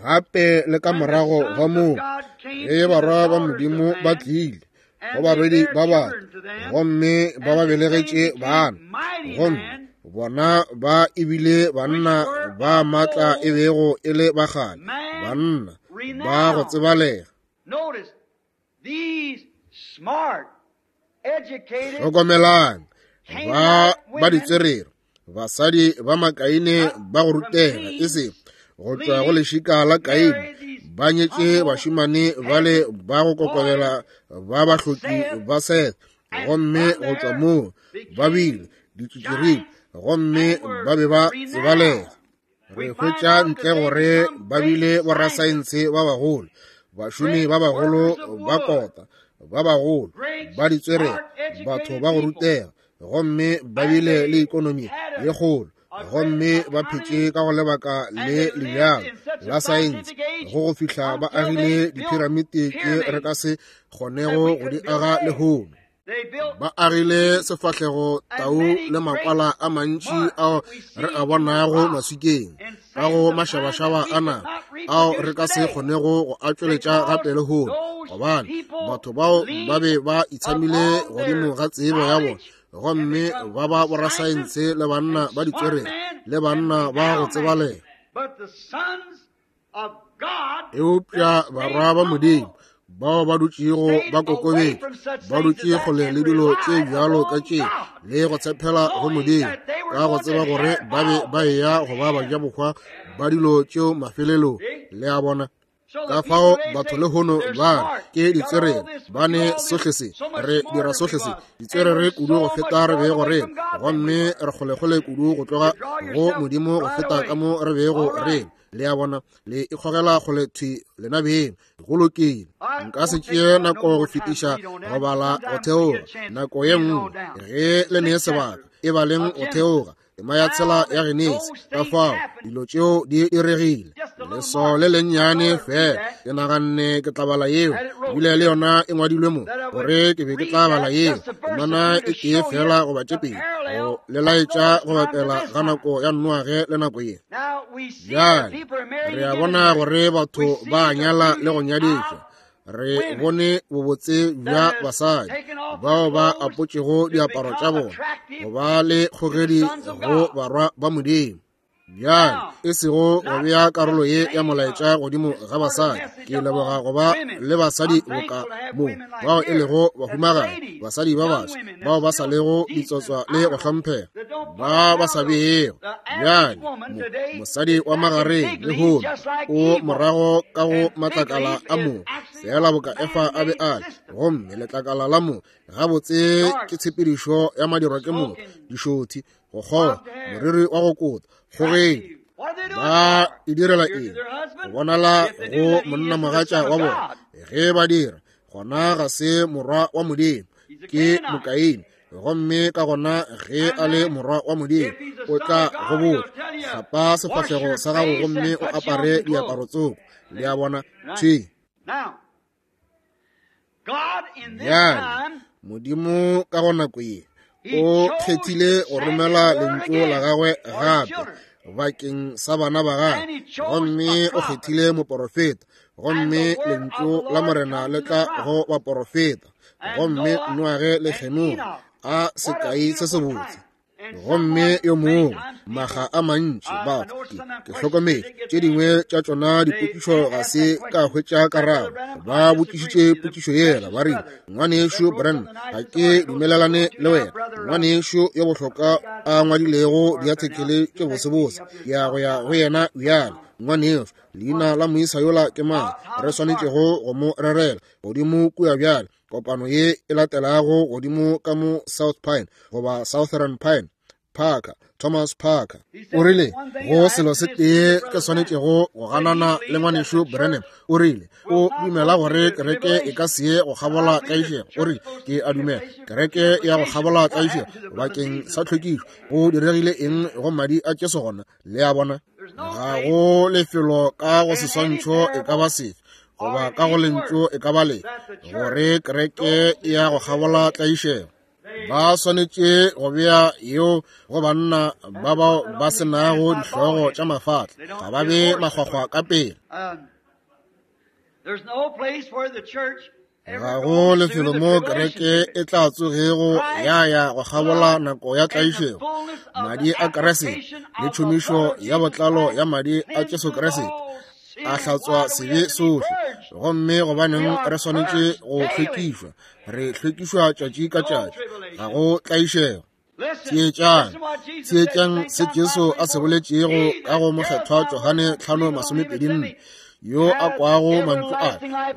gape le ka morago ga moo, ge barwa ba Modimo ba tlile go barwedi ba batho, gomme ba ba belegetše bana, gomme bona ba ebile banna ba matla e bego e le ba kgale, banna ba go tsebalega. Hlokomelang, ba ba ditswerere, basadi ba Makaine ba go rutega, e se go tšwa go lešika la Kaine, ba nyetše bašemane bale ba go kokobela ba bahloki ba Seth, gomme go tšwa moo ba bile ditšitširipa, gomme ba be ba tsebalega. Re hwetša ntle gore ba bile borasaense ba bagolo, bašomi ba bagolo ba kota, ba bagolo ba ditswerere, batho ba go rutega, gomme ba bile le ikonomi ye kgolo. Gomme ba phetše ka go lebaka le lebjalo la saense go go fihla ba agile diphiramiti tše re ka se kgonego go di aga lehono. Ba agile sefahlego tau le makwala a mantši ao re a bonago maswikeng ka go mašabašaba a naga ao re ka se kgonego go a tšweletša gape lehono, gobane batho bao ba be ba itshamile godimo ga tsebo ya bona gomme ba ba borasaense le banna ba ditswerere le banna ba go tsebalega. Eupša barwa ba Modimo bao ba dutšego ba kokobetše, ba dutše kgole le dilo tše bjalo ka tše, le go tshepela go Modimo, ka go tseba gore ba be ba eya go ba bajabohwa ba dilo tšeo mafelelong. Le a bona? Ka fao batho lehono ba re ke ditswerere, ba ne sohle se, re dira sohle se, ditswerere kudu go feta re bego re, gomme re kgolekgole kudu go tloga go Modimo go feta ka mo re bego re. Le a bona, le ikgogela kgole thwi lena beng. Go lokile, nka se tšee nako go fetiša go bala go theoga. Nako ye nngwe ge le ne sebaka, e baleng go theoga tema ya tshela ya Genesi. Ka fao dilo tšeo di diregile, leswao le lennyane fela. Ke naganne ke tla bala yeo, ebile le yona e ngwadilwe mo, gore ke be ke tla bala yeo temana e tee fela goba tše pedi, go le laetša go bapela ga nako ya Noage le nako ye. Bjale re a bona gore batho ba nyala le go nyadišwa. Re bone bobotse bja basadi bao ba apotšego diaparo tša bona go ba le kgogedi go barwa ba Modimo. Bjale e sego go bea karolo ye ya molaetša godimo ga basadi, ke leboga go ba le basadi boka mo bao e lego bahumagadi, basadi ba baswa bao ba sa lego ditsotswa le go hlomphega, ba ba sa beego. Bjale mosadi wa magareng lehono o morago ka go matlakala a mo, fela boka Efa a be a le, gomme letlakala la mo gabotse ke tshepedišo ya madirwa ke mo, dišothi, go kgoga, moriri wa go kota, kgogedi. Ba e direla eng? Go bonala go monnamogatša wa bona. Ge ba dira, gona ga se morwa wa Modimo, ke Mokaine. Gomme ka gona ge a le morwa wa Modimo, o tla go botša, hlapa sefahlego sa gago gomme o apare diaparo tsoko. Le a bona? Thwi. Bjale, Modimo ka go nako ye o kgethile go romela lentšu la gagwe gape bakeng sa bana ba gagwe, gomme o kgethile moporofeta, gomme lentšu la Morena le tla go baporofeta. Gomme Noage le Henoge a sekai se sebotse. Gomme yo mongwe maga a mantši batho ke hlokometše tše dingwe tša tšona dipotšišo ga se ka hwetša karabo. Ba botšišitše potšišo yela, ba rile, Ngwanešu Branham, ga ke dumelelane le wena. Ngwanešu yo bohlokwa a ngwadilego diathekele tše bosebose, ke ya go ya go yena bjale. Ngwanešu, leina la moisa yola ke mang re swanetšego go mo rerela godimo kua bjale? Kopano ye e latelago godimo ka mo South Pine goba Southern Pine, Parker, Thomas Parker o rile, go selo se tee ke swanetšego go ganana le ngwanešu Branham. O rile o dumela gore kereke e ka se ye go kgabola tlaišego. O rile, ke a dumela kereke ya go kgabola tlaišego bakeng sa tlhwekišo. Go diregile eng go madi a Jesu gona? Le a bona? Ga go lefelo ka go seswantšho e ka ba sefe goba ka go lentšu e ka ba le gore kereke ya go kgabola tlaišego. Ba swanetše go bea yeo go banna ba bao ba se nago dihlogo tša mafatla, ga ba be makgwakgwa ka pele. Ga go lefelo mo kereke e tla tsogego ya ya go kgabola nako ya tlaišego. Madi a Kriste le tšhomišo ya botlalo ya madi a Jesu Kriste a hlatswa sebe sohle. Gomme gobaneng re swanetše go hlwekišwa? Re hlwekišwa tšatši ka tšatši. Ga go tlaišego. Theetšang, theetšang se Jesu a se boletšego ka go mokgethwa Johane 5:24, yo a kwago mantšu a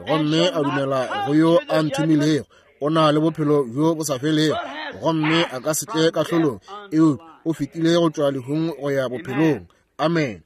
gomme a dumela go yo a nthomilego, o na le bophelo bjo bo sa felego, gomme a ka se tle kahlolong, eupša o fetile go tšwa lehung go ya bophelong. Amen.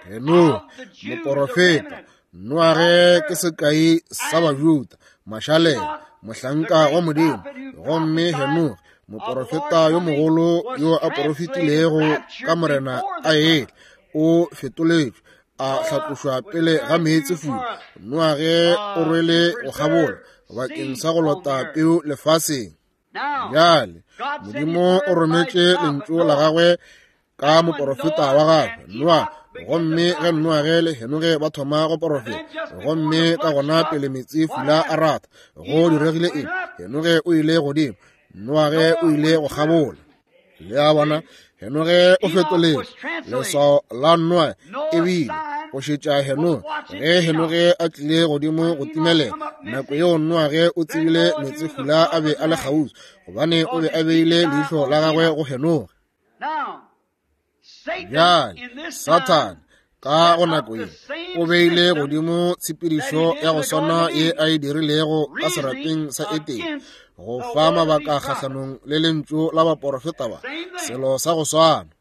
Henoge, moporofeta, Noage ke sekai sa Bajuda, mašalela, mohlanka wa Modimo. Gomme Henoge, moporofeta yo mogolo yo a porofetilego ka Morena a etla, o fetoletšwe a hlatlošwa pele ga meetsefula. Noage o rwele go kgabola bakeng sa go lota peu lefaseng. Bjale Modimo o rometše lentšu la gagwe ka moporofeta wa gagwe Noa, gomme ge Noage le Henoge ba thoma go porofeta, gomme ka gona pele meetsefula a ratha, go diregile eng? Henoge o ile godimo, Noage o ile go kgabola. Le a bona, Henoge o fetoletše leswao la Noa ebile go šetša Henoge. Ge Henoge a tlile godimo go timelela, nako yeo Noage o tsebile meetsefula a be a le kgauswi, gobane o be a beile leihlo la gagwe go Henoge. Bjale Sathane ka go nako ye o beile godimo tshepedišo ya go swana ye a e dirilego ka serapeng sa Edene, go fa mabaka kgahlanong le lentšu la baporofeta ba, selo sa go swana.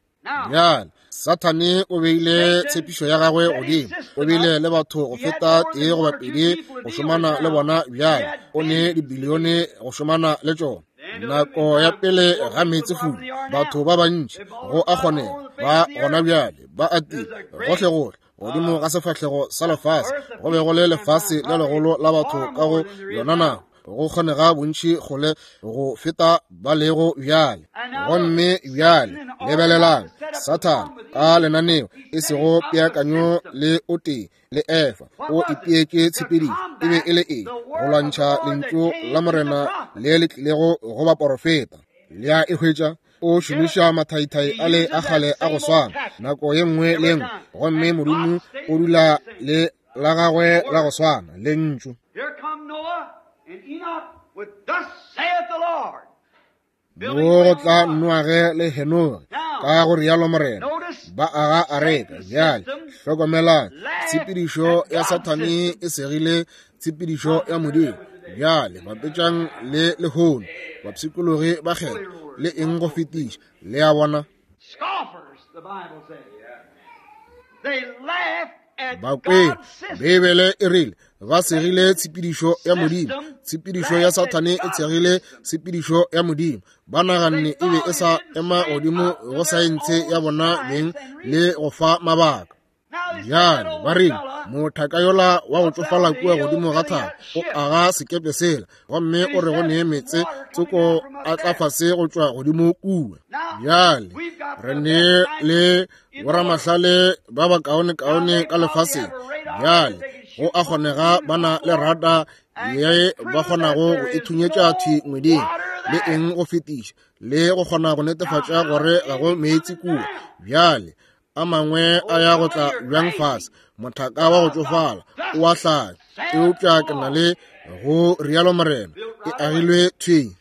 Bjale Sathane o beile tshepišo ya gagwe godimo, o bile le batho go feta tee goba pedi go šomana le bona. Bjale o ne dibilione go šomana le tšona. Nako ya pele ga meetsefula, batho ba bantši go a kgonega ba gona bjale ba atile gohlegohle godimo ga sefahlego sa lefase. Go be go le lefase le legolo la batho ka go yona nako, go kgonega bontši kgole go feta ba lego bjale. Gomme bjale lebelelang Sathane ka lenaneo, e sego peakanyo le o tee le Efa, o ipeetše tshepedišo. E be e le eng? Go lwantšha lentšu la Morena le le tlilego go baporofeta. Le a e hwetša? O šomiša mathaithai a le a kgale a go swana nako ye nngwe le ye nngwe, gomme Modimo o dula le la gagwe la go swana, lentšu. Mo go tla Noage le Henoge, ka go rialo Morena, ba aga areka. Bjale hlokomelang, tshepedišo ya Sathane e segile tshepedišo ya Modimo. Bjale bapetšang le lehono, bapshikologi ba kgetho le eng go fetiša. Le a bona? Bakweri, Beibele e rile ba segile tshepedišo ya Modimo. Tshepedišo ya Sathane e tshegile tshepedišo ya Modimo. Ba naganne e be e sa ema godimo go saense ya bona beng le go fa mabaka. Bjale ba rile mothaka yola wa go tšofala kua godimo ga thaba o aga sekepe sela, gomme o re go nee meetse tsoko a tla fase go tšwa godimo kua. Bjale re ne le boramahlale ba bakaonekaone ka lefaseng. Bjale go a kgonega ba na le rada ye ba kgonago go ithunyetša thwi ngweding le eng go fetiša, le go kgona go netefatša gore ga go meetse kua. Bjale a mangwe a ya go tla bjang fase, mothaka wa go tšofala o a hlanya, eupša ke na le go rialo Morena, e agilwe thwi,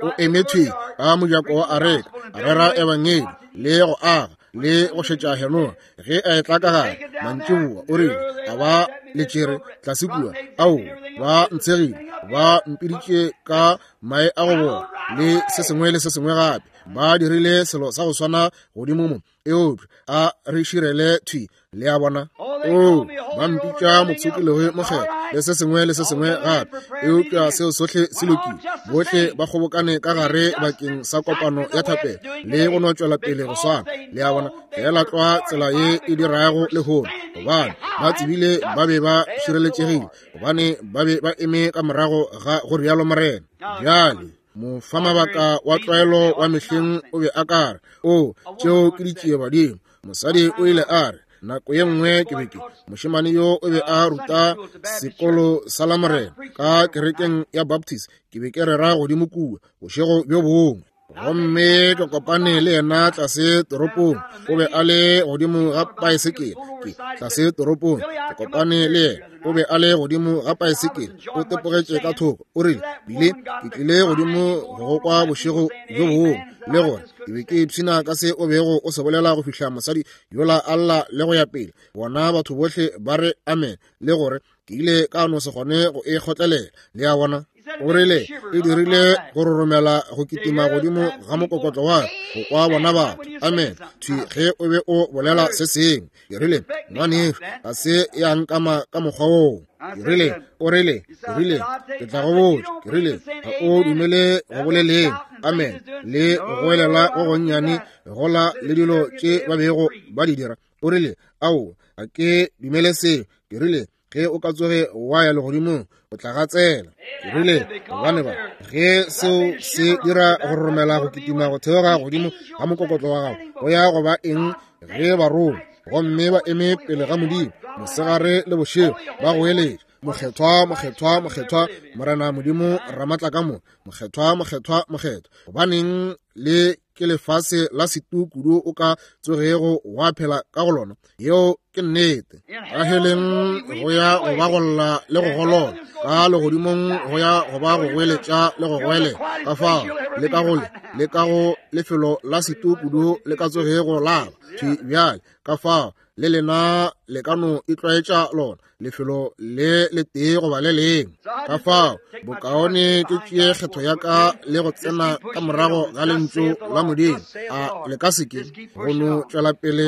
o eme thwi ka mojako wa areka, a rera ebangedi le go aga le go šetša Henoge ge a etla ka gare mantšiboa. O rile a ba le tšere tlase kua, ao ba ntshegile, ba mpiditše ka mae a go bola le se sengwe le se sengwe gape, ba dirile selo sa go swana godimo mo, eupša a re širele thwi. Le a bona? O, ba mpitša mopshikologi mokgethwa le se sengwe le se sengwe gape, eupša seo sohle se lokile. Bohle ba kgobokane ka gare bakeng sa kopano ya thapelo le go no tšwela pele go swana. Le a bona? Feela tlwa tsela ye e dirago lehono, gobane ba tsebile ba be ba šireletšegile, gobane ba be ba eme ka morago ga go rialo Morena. Bjale mofamabaka wa tlwaelo wa mehleng o be a ka re, o, tšeo ke ditšiebadimo. Mosadi o ile a re, nako ye nngwe ke be ke mošemane yo o be a ruta sekolo sa Lamorena ka kerekeng ya Baptist, ke be ke rera godimo kua bošego bjo bongwe, gomme ke kopane le yena tlase toropong. O be a le godimo ga paesekele, ke tlase toropong, ke kopane le yena, o be a le godimo ga paesekele, o tepogetše ka thoko. O rile, Bile ke tlile godimo go go kwa bošego bjo bongwe, le gore ke be ke ipshina ka se o bego o se bolela go fihla mosadi yola a lla le go ya pele, bona batho bohle ba re amen, le gore ke ile ka no se kgone go e kgotlelela. Le a bona? O rile, E dirile go roromela go kitima godimo ga mokokotlo wa ka, go kwa bona batho. Amen. Thwi ge o be o bolela se sengwe. Ke rile, Ngwanešu, ga se ya nkama ka mokgwa woo. Ke rile, o rile, ke rile, ke tla go botša. Ke rile, ga o dumele go boleleng, amen, le go goelela go gonnyane gola le dilo tše ba bego ba di dira. O rile, Ao, ga ke dumele seo. Ke rile, ge o ka tsoge wa ya legodimong o tla gatsela. Ke rile, gobane ba ge seo se dira go roromela go kitima go theoga godimo ga mokokotlo wa gago, go ya go ba eng ge barongwa gomme ba eme pele ga Modimo mosegare le bošego ba goeletša, Mokgethwa, mokgethwa, mokgethwa, Morena Modimo Ramatlakamoka, mokgethwa, mokgethwa, mokgethwa. Gobaneng le ke lefase la setu kudu o ka tsogego wa phela ka go lona? Yeo ke nnete. Ka heleng go ya go ba go lla le go golola, ka legodimong go ya go ba go goeletša le go goelela. Ka fao le ka go le le ka go lefelo la setu kudu le ka tsogego la ba thwi bjale. Ka fao le lena le ka no itlwaetša lona lefelo le letee goba le lengwe. Ka fao bokaone ke tšee kgetho ya ka le go tsena ka morago ga lentšu la Modimo. A le ka se ke go no tšwela pele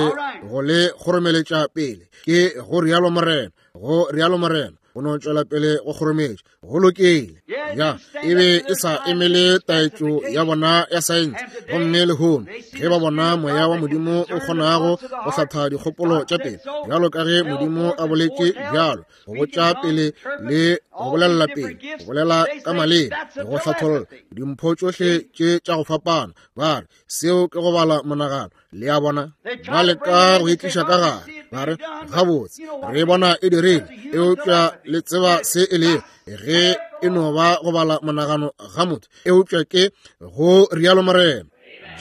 go le kgoromeletša pele? Ke go rialo Morena, go rialo Morena, go no tšwela pele go kgorometša. Go lokile. Ya, e be e sa emele taetšo ya bona ya saense. Gomme lehono ge ba bona moya wa Modimo o kgonago go hlatha dikgopolo tša pele, bjalo ka ge Modimo a boletše bjalo, go botša pele le go bolelela pele, go bolela ka maleme, go hlatholla dimpho tšohle tše tša go fapana, ba re seo ke go bala monagano. Le a bona, ba leka go itliša ka gare, ba re, Gabotse, re bona e dirile, eupša le tseba se e lego, ge e no ba go bala monagano ga motho, eupša ke go rialo Morena.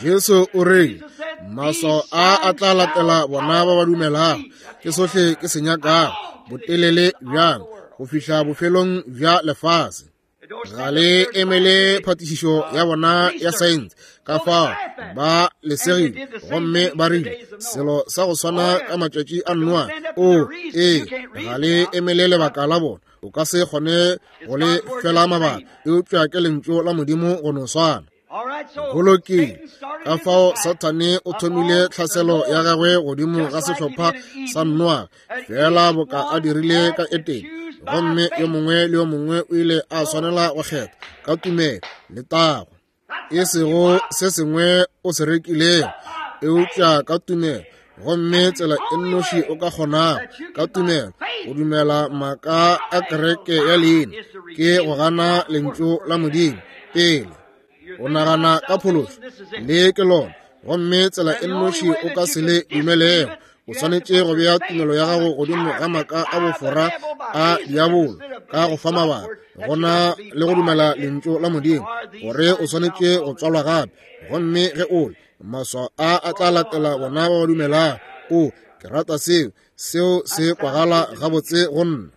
Jesu o rile, maswao a a tla latela bona ba ba dumelago. Ke sohle ke se nyakago, botelele bjang, go fihla bofelong bja lefase. Ga le emele phatišišo ya bona ya saense. Ka fao ba lesegile gomme ba rile selo sa go swana ka matšatši a Noa. O, ee, ga le emele lebaka la bona. O ka se kgone go le fela mabaka, eupša ke lentšu la Modimo go no swana. Go lokile. Ka fao Sathane o thomile tlhaselo ya gagwe godimo ga sehlopha sa Noa, fela boka a dirile ka Etene. Gomme yo mongwe le yo mongwe o ile a swanela go kgetha ka tumelo le tago, e sego se sengwe o se rekilego, eupša ka tumelo. Gomme tsela e nnoši o ka kgonago ka tumelo go dumela maaka a kereke ya leina ke go gana lentšu la Modimo pele o nagana ka phološo. Le ke lona. Gomme tsela e nnoši o ka se le dumelego, o swanetše go bea tumelo ya gago godimo ga maaka a bofora a diabolo ka go fa mabaka gona le go dumela lentšu la Modimo gore o swanetše go tswalwa gape. Gomme ge o le, maswao a a tla latela bona ba ba dumelago. O, ke rata seo. Seo se kwagala gabotse go nna.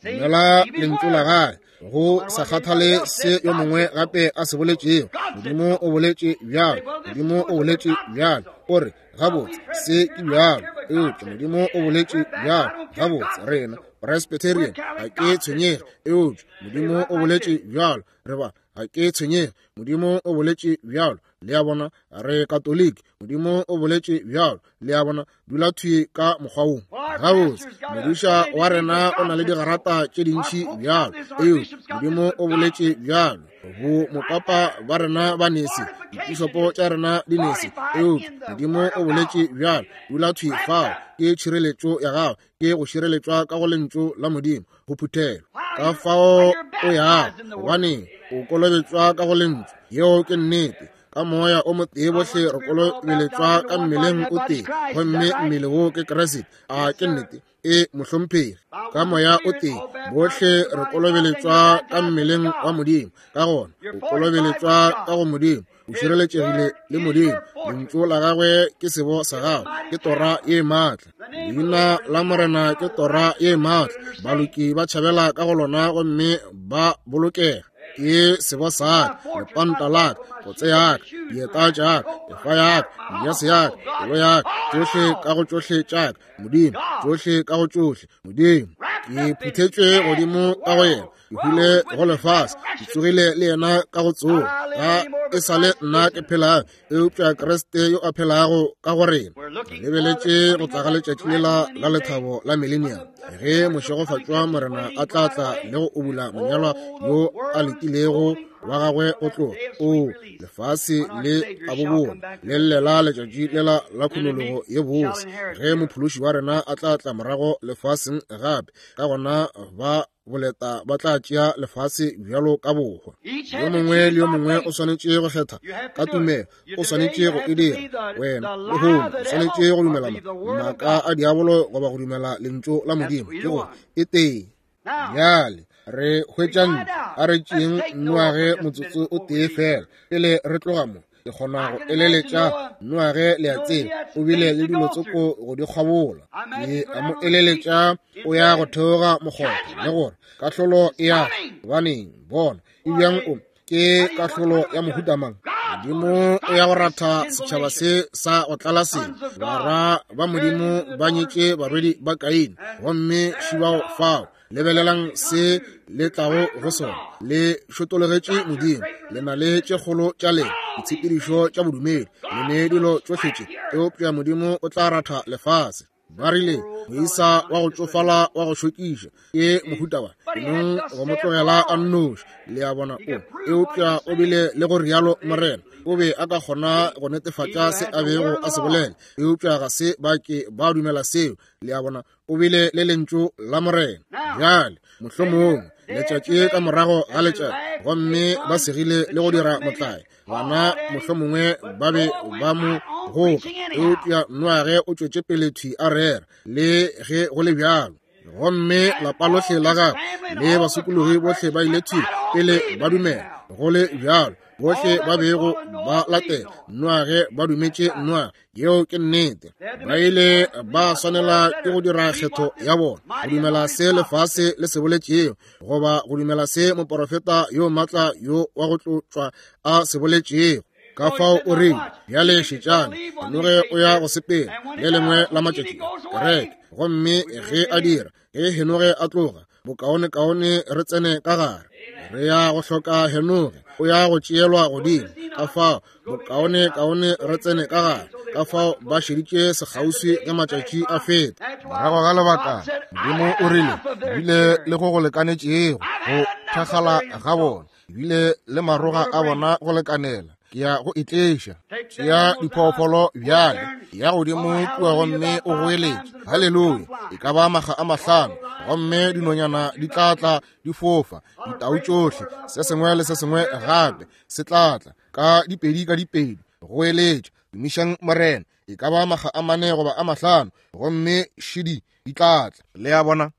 Dumela lentšu la gagwe, go sa kgathale se yo mongwe gape a se boletšego. Modimo o boletše bjalo. Modimo o boletše bjalo. O re, gabotse, se ke bjalo. Eupša Modimo o boletše bjalo. Gabotse, rena Presbyterian, ga ke tshwenyege. Eupša Modimo o boletše bjalo. Re ba, ga ke tshwenyege. Modimo o boletše bjalo. Le a bona, re Katoliki. Modimo o boletše bjalo. Le a bona, dula thwi ka mokgwa wo. Gabotse, modiša wa rena o na le digarata tše dintši bjalo. Eupša Modimo o boletše bjalo. Bo mopapa ba rena ba nese, dipišopo tša rena di nese. Eupša Modimo o boletše bjalo. Dula thwi fao. Ke tšhireletšo ya gago, ke go šireletšwa ka go lentšu la Modimo, go phuthelwa. Ka fao o yago, gobane o kolobetšwa ka go lentšu. Yeo ke nnete. Ka moya o motee bohle re kolobeletšwa ka mmeleng o tee, gomme mmele wo ke Kriste. A ke nnete? E, mohlomphegi. Ka moya o tee bohle re kolobeletšwa ka mmeleng wa Modimo. Ka gona o kolobeletšwa ka go Modimo, o šireletšegile le Modimo. Lentšu la gagwe ke sebo sa gago, ke tora ye maatla. Leina la Morena ke tora ye maatla, baloki ba tšhabela ka go lona gomme ba bolokega. Ke sebo sa ka, lepanta la ka, kotse ya ka, dieta tša ka, efa ya ka, jase ya ka, pelo ya ka, tšohle ka go tšohle tša ka, Modimo, tšohle ka go tšohle, Modimo. Ke phuthetšwe godimo ka go yena, ke hwile go lefase, ke tsogile le yena ka go tsoga. Ga e sa le nna ke phelago, eupša Kriste yo a phelago ka go rena. Re lebeletše go tla ga letšatši lela la lethabo la millennium, ge mošegofatšwa Morena a tla tla le go ubula monyalwa yo a letilego wa gagwe o tloga. O lefase le a bobola le llela letšatši lela la khunologo ye bose, ge mophološi wa rena a tla tla morago lefaseng gape. Ka gona ba boleta ba tla tšea lefase bjalo ka bohwa. Yo mongwe le yo mongwe o swanetše go kgetha ka tumelo, o swanetše go e dira. Wena lehono o swanetše go dumela maaka a diabolo goba go dumela lentšu la Modimo, ke gore e tee. Bjale re hwetša ntle, a re tšeeng Noage motsotso o tee fela pele re tloga mo. Ke kgona go eleletša Noage, le a tseba, o bile le dilo tsoko go di kgwabola. Ke a mo eleletša o ya go theoga mokgotha le gore kahlolo e ya gobaneng, bona e bjang o ke kahlolo ya mohuta mang. Modimo o ya go ratha setšhaba se sa go tlala se. Barwa ba Modimo ba nyetše barwedi ba Kaine, gomme šibao fao. Lebelelang se le tlago go sona. Le šotologetše Modimo, le na le tše kgolo tša lena ditshepedišo tša bodumedi, le ne dilo tšohle tše, eupša Modimo o tla ratha lefase. Ba rile, moisa wa go tšofala wa go šokiša ke mohuta wa nong go mo tlogela a nnoši, le a bona. O eupša o bile le go rialo Morena, o be a ka kgona go netefatša se a bego a se bolela, eupša ga se ba ke ba dumela seo, le a bona. O bile le lentšu la Morena. Bjale mohlomongwe letšatši ka morago ga letšatši, gomme ba segile le go dira motlae. Bana mohlomongwe ba be ba mo goka, eupša Noage o tšwetše pele thwi a rera, le ge go le bjalo. Gomme lapa lohle la gagwe le basokologi bohle ba ile thwi pele ba dumela, go le bjalo. Bohle ba bego ba latela Noage ba dumetše Noage. Yeo ke nnete. Ba ile ba swanela ke go dira kgetho ya bona, go dumela se lefase le se boletšego goba go dumela se moporofeta yo matla yo wa go tlotšwa a se boletšego. Ka fao o rile, bjale šetšane, Henoge o ya go sepela le lengwe la matšatši kereke. Gomme ge a dira, ge Henoge a tloga, bokaonekaone re tsene ka gare. Re ya go hloka Henoge, o ya go tšeelwa godimo. Ka fao bokaonekaone re tsene ka gare. Ka fao ba šeditše sekgauswi ge matšatši a feta. Morago ga lebaka, Modimo o rile, bile le go go lekanetšego go thakgala ga bona, bile le maroga a bona go lekanela, ke ya go itleša. Tšea diphoofolo bjale, ya godimo kua gomme o goeletše haleluya e ka ba maga a mahlano, gomme dinonyana di tla tla di fofa, ditau tšohle, se sengwe le se sengwe gape se tla tla ka dipedi ka dipedi. Goeletša, tumišang Morena, e ka ba maga a mane goba a mahlano, gomme šidi di tla tla. Le a bona?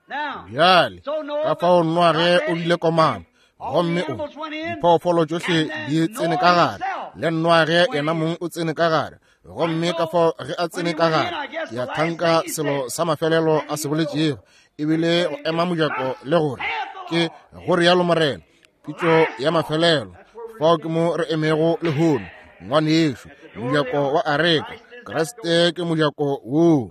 Bjale ka fao Noage o bile komana, gomme o diphoofolo tšohle di tsene ka gare, le Noage yena mong o tsene ka gare. Gomme ka fao ge a tsene ka gare, ke a thanka selo sa mafelelo a se boletšego ebile go ema mojako le gore ke go rialo Morena, pitšo ya mafelelo. Fao ke mo re emego lehono, ngwanešu, mojako wa areka. Kriste ke mojako woo.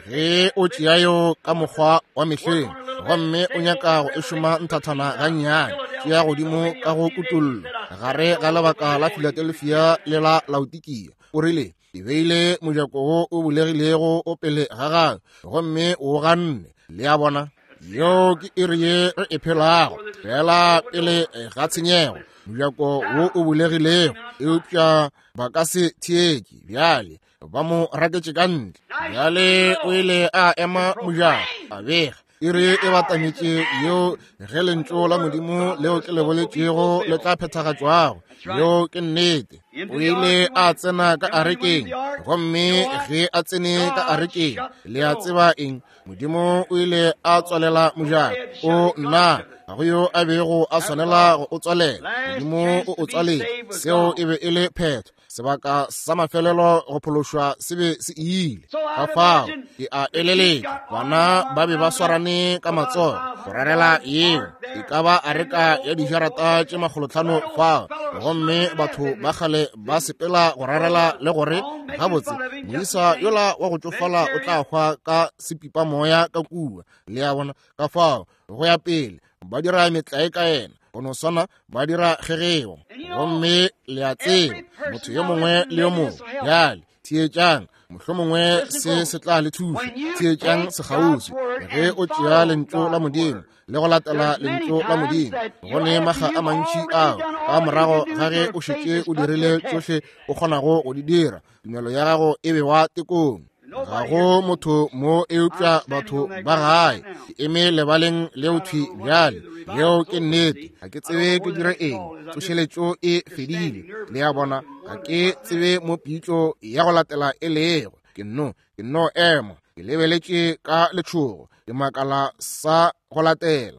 Ge o tšea yo ka mokgwa wa mehleng gomme o nyaka go e šoma nthathana gannyane, tšea godimo ka go kutollo gare ga lebaka la Philadelphia le la Laodikia. O rile, ke beile mojako wo o bulegilego o pele ga gago, gomme o ganne. Le a bona? Yeo ke iri ye re e phelago, fela pele ga tshenyego, mojako wo o bulegilego, eupša ba ka se theetše. Bjale ba mo raketše ka ntle. Bjale o ile a ema mojako, a bega iri e batametše yeo ge lentšu la Modimo leo ke le boletšego le tla phethagatšwago. Yeo ke nnete. O ile a tsena ka arekeng, gomme ge a tsene ka arekeng, le a tseba eng? Modimo o ile a tswalela mojako. O nna, ga go yo a bego a swanela go o tswalela. Modimo o o tswaletše. Seo e be e le phetho. Sebaka sa mafelelo go phološwa se be se ile. Ka fao ke a eleletša bana ba be ba swarane ka matsogo go rarela yeo e ka ba areka ya dijarata tše 500 fao, gomme batho ba kgale ba sepela go rarela le gore gabotse moisa yola wa go tšofala o tla hwa ka sepipamoya ka kua. Le a bona? Ka fao go ya pele ba dira metlae ka yena, go no swana ba dira kgegeo. Gomme le a tseba motho yo mongwe le yo mongwe bjale theetšang, mohlomongwe se se tla le thuša. Theetšang sekgauswi ge o tšea lentšu la Modimo le go latela lentšu la Modimo. Go ne maga a mantši ao ka morago ga ge o šetše o dirile tšohle o kgonago go di dira, tumelo ya gago e bewa tekong. Ga go motho mo eupša batho ba gae. Ke eme lebaleng leo thwi bjale. Yeo ke nnete. Ga ke tsebe ke dire eng. Tsošeletšo e fedile. Le a bona? Ga ke tsebe mo pitšo ya go latela e lego. Ke nno ema. Ke lebeletše ka letšhogo. Ke makala sa go latela.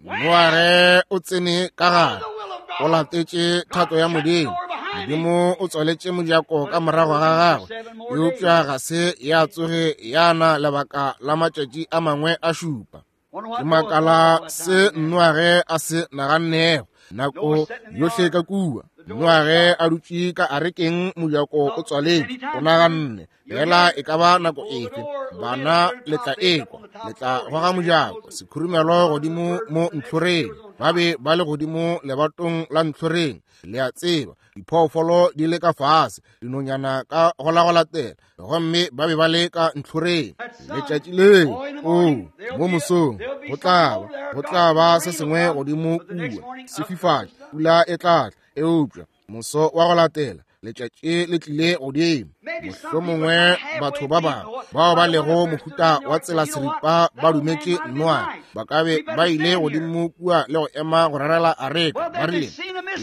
Noage o tsene ka gare, o latetše thato ya Modimo. Modimo o tswaletše mojako ka morago ga gagwe, eupša ga se ya tsoge ya na lebaka la matšatši a mangwe a šupa. Ke makala se Noage a se nagannego nako yohle ka kua. Noage a dutše ka arekeng, mojako o tswaletše, o naganne fela e ka ba nako efe bana le tla ekwa, le tla goga mojako sekhurumelo godimo mo ntlhoreng. Ba be ba le godimo lebatong la ntlhoreng, le a tseba, diphoofolo di le ka fase, dinonyana ka go la go latela, gomme ba be ba le ka ntlhoreng. Letšatši leo, oo, mo mosong go tla ba se sengwe godimo kua, sefifatši, pula e tla tla, eupša moso wa go latela letšatši le tlile godimo. Mohlomongwe batho ba bangwe bao ba lego mohuta wa tsela seripa ba dumetše Noa, ba ka be ba ile godimo kua le go ema go rarela areka. Ba rile,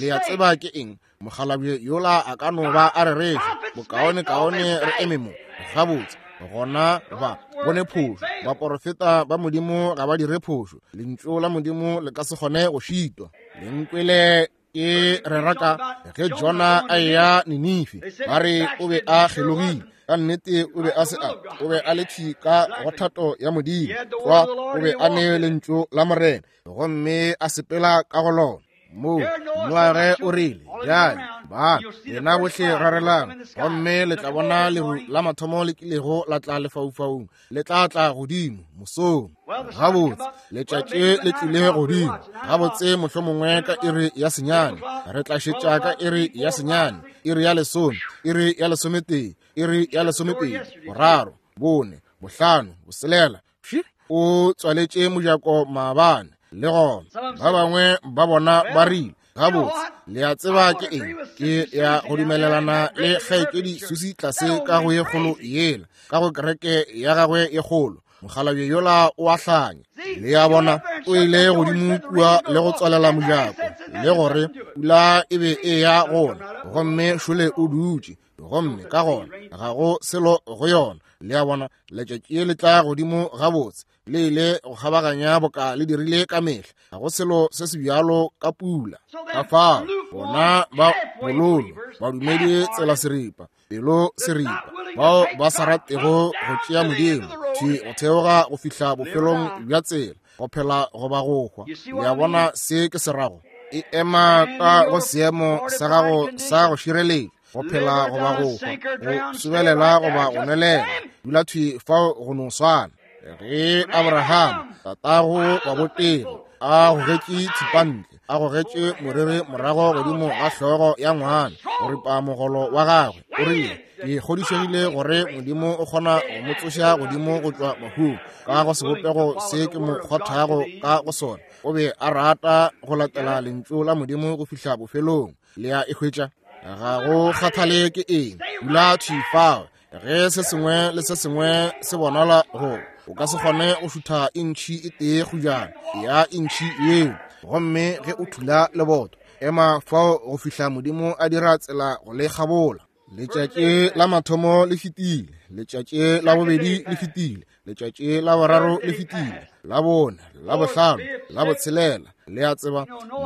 le a tseba ke eng, mokgalabje yola a ka no ba a rereša, bokaonekaone re eme mo. Gabotse, gona ba bone phošo. Baporofeta ba Modimo ga ba dire phošo. Lentšu la Modimo le ka se kgone go šitwa. Lenkwele ke re raka ge Jona a eya Ninife, ba re o be a kgelogile. Ka nnete o be a se a, o be a le thwi ka go thato ya Modimo. Kwa o be a ne lentšu la Morena, gomme a sepela ka go lona. Moo Noage o rile, bjale ba lena bohle rarelang, gomme le tla bona leru la mathomo le kilego la tla lefaufaung, le tla tla godimo mosong. Gabotse letšatši le tlile godimo gabotse, mohlomongwe ka iri ya 9, re tla šetša ka iri ya 9, iri ya 10, iri ya 11, iri ya 12, 3, 4, 5, 6. O tswaletše mojako maabane le gona. Ba bangwe ba bona ba rile, gabotse le a tseba ke eng, ke ya go dumelelana le kgaetšedi Susi tlase ka go ye kgolo yela, ka go kereke ya gagwe ye kgolo. Mokgalabje yola o a hlanya. Le a bona, o ile godimo kua le go tswalela mojako, le gore pula e be e ya gona, gomme šole o dutše, gomme ka gona ga go selo go yona. Le a bona, letšatši le tla godimo gabotse, le ile go kgabaganya boka le dirile ka mehla, ga go selo se se bjalo ka pula. Ka fao bona ba bololo, badumedi tsela seripa, pelo seripa, bao ba sa ratego go tšea Modimo thwi go theoga go fihla bofelong bja tsela, go phela goba go hwa. Le a bona se ke se rago? E ema ka go seemo sa gago sa go šireletša, go phela goba go hwa, go sobelela goba go nwelela, dula thwi fao go no swana. Ge Abraham tatago wa botegi a gogetše thipantle, a gogetše moriri morago godimo ga hlogo ya ngwana go ripa mogolo wa gagwe, o rile, ke kgodišegile gore Modimo o kgona go mo tsoša godimo go tšwa bahung ka go sebopego se ke mo kgothago ka go sona. O be a rata go latela lentšu la Modimo go fihla bofelong. Le a e hwetša? Ga go kgathale ke eng, dula thwi fao. Ge se sengwe le se sengwe se bonala go o ka se kgone go šutha intšhi e tee kgujana ya intšhi yeo, gomme ge o thula leboto, ema fao go fihla Modimo a dira tsela go le kgabola. Letšatši la mathomo le fetile, letšatši la bobedi le fetile, letšatši la boraro le fetile, la bone, la bohlano, la botshelela. Le a tseba,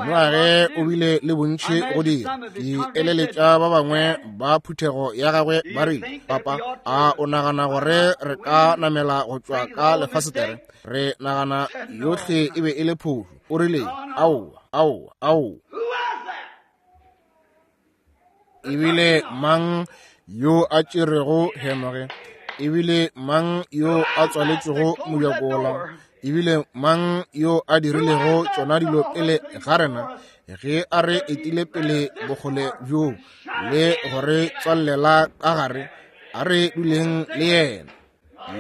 Noage o bile le bontši go dira. Ke eleletša ba bangwe ba phuthego ya gagwe ba rile, Papa, a o nagana gore re ka namela go tšwa ka lefasetere? Re nagana yohle e be e le phošo. O rile, Aowa, aowa, aowa. Ebile mang yo a tšerego Henoge? Ebile mang yo a tswaletšego mojakola? Ebile mang yo a dirilego tšona dilo pele ga rena, ge a re etile pele bokgole bjo le gore tswallela ka gare? A re duleng le yena.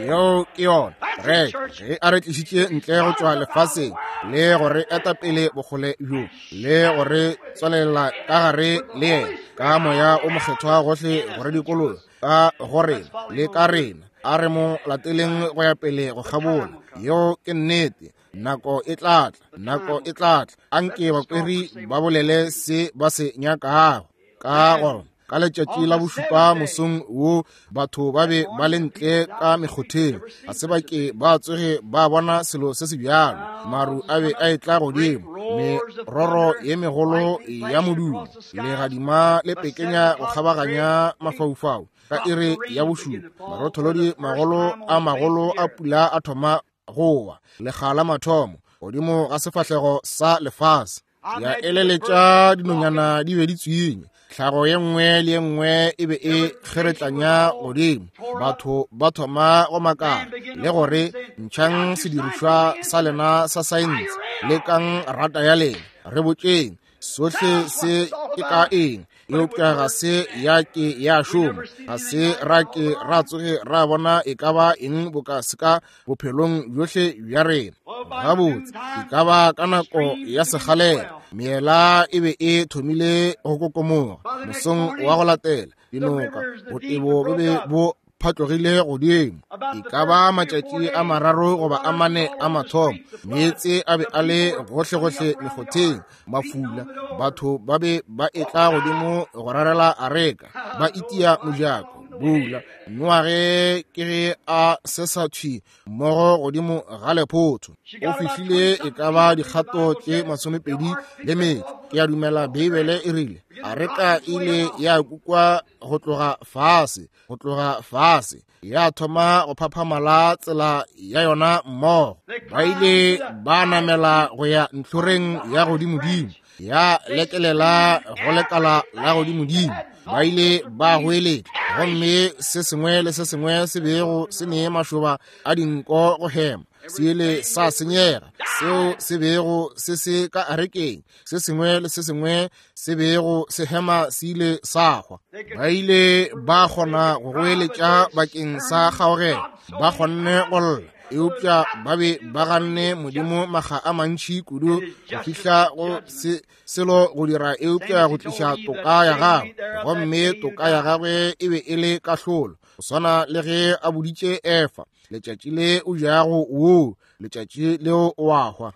Yeo ke yona re ge a re tlišitše ntle go tšwa lefaseng le gore eta pele bokgole bjo le gore tswalela ka gare le yena ka moya o mokgethwa gohle gore dikolola ka gore le ka rena. A re mo lateleng go ya pele go kgabola. Yeo ke nnete. Nako e tla tla, nako e tla tla. Anke bakweri ba bolele se ba se nyakago. Ka gore ka letšatši la bošupa mosong wo batho ba be ba le ntle ka mekgotheng, ga se ba ke ba tsoge ba bona selo se se bjalo. Maru a be a etla godimo, meroro ye megolo ya modumo, legadima le pekenya go kgabaganya mafaufau. Ka iri ya bošupa marotholodi magolo a magolo a pula a thoma go wa, lekga la mathomo godimo ga sefahlego sa lefase. Ya eleletša dinonyana di be di tswinye, tlhago ye nngwe le ye nngwe e be e kgeretlanya godimo. Batho ba thoma go makala le gore, ntšhang sedirišwa sa lena sa saense, lekang rata ya lena, re botšeng sohle se ke ka eng. Eupša ga se ya ke ya šoma, ga se ra ke ra tsoge ra bona e ka ba eng boka se ka bophelong bjohle bja rena. Gabotse, e ka ba ka nako ya sekgalela meela e be e thomile go kokomoga. Mosong wa go latela dinoka botebo bo be bo phatlogile godimo. E ka ba matšatši a mararo goba a mane a mathomo, meetse a be a le gohlegohle mekgotheng, mafula. Batho ba be ba etla godimo go rarela areka, ba itia mojako bula. Noage ke ge a se sa thwi mmogo godimo ga lephotho. O fihlile e ka ba dikgato tše 22 le metšo. Ke a dumela Beibele e rile areka ile ya kukwa go tloga fase, go tloga fase, ya thoma go phaphamala tsela ya yona mmogo. Ba ile ba namela go ya ntlhoreng ya godimodimo, ya lekelela go lekala la godimodimo. Ba ile ba goeletša, gomme se sengwe le se sengwe se bego se ne mašoba a dinko go hema se ile sa senyega. Seo se bego se se ka arekeng, se sengwe le se sengwe se bego se hema se ile sa hwa. Ba ile ba kgona go goeletša bakeng sa kgaogelo, ba kgonne go lla, eupša ba be ba ganne Modimo makga a mantši kudu go fihla go se selo go dira eupša go tliša toka ya gagwe. Gomme toka ya gagwe e be e le kahlolo, go swana le ge a boditše Efa, letšatši le o jago woo, letšatši leo o a hwa.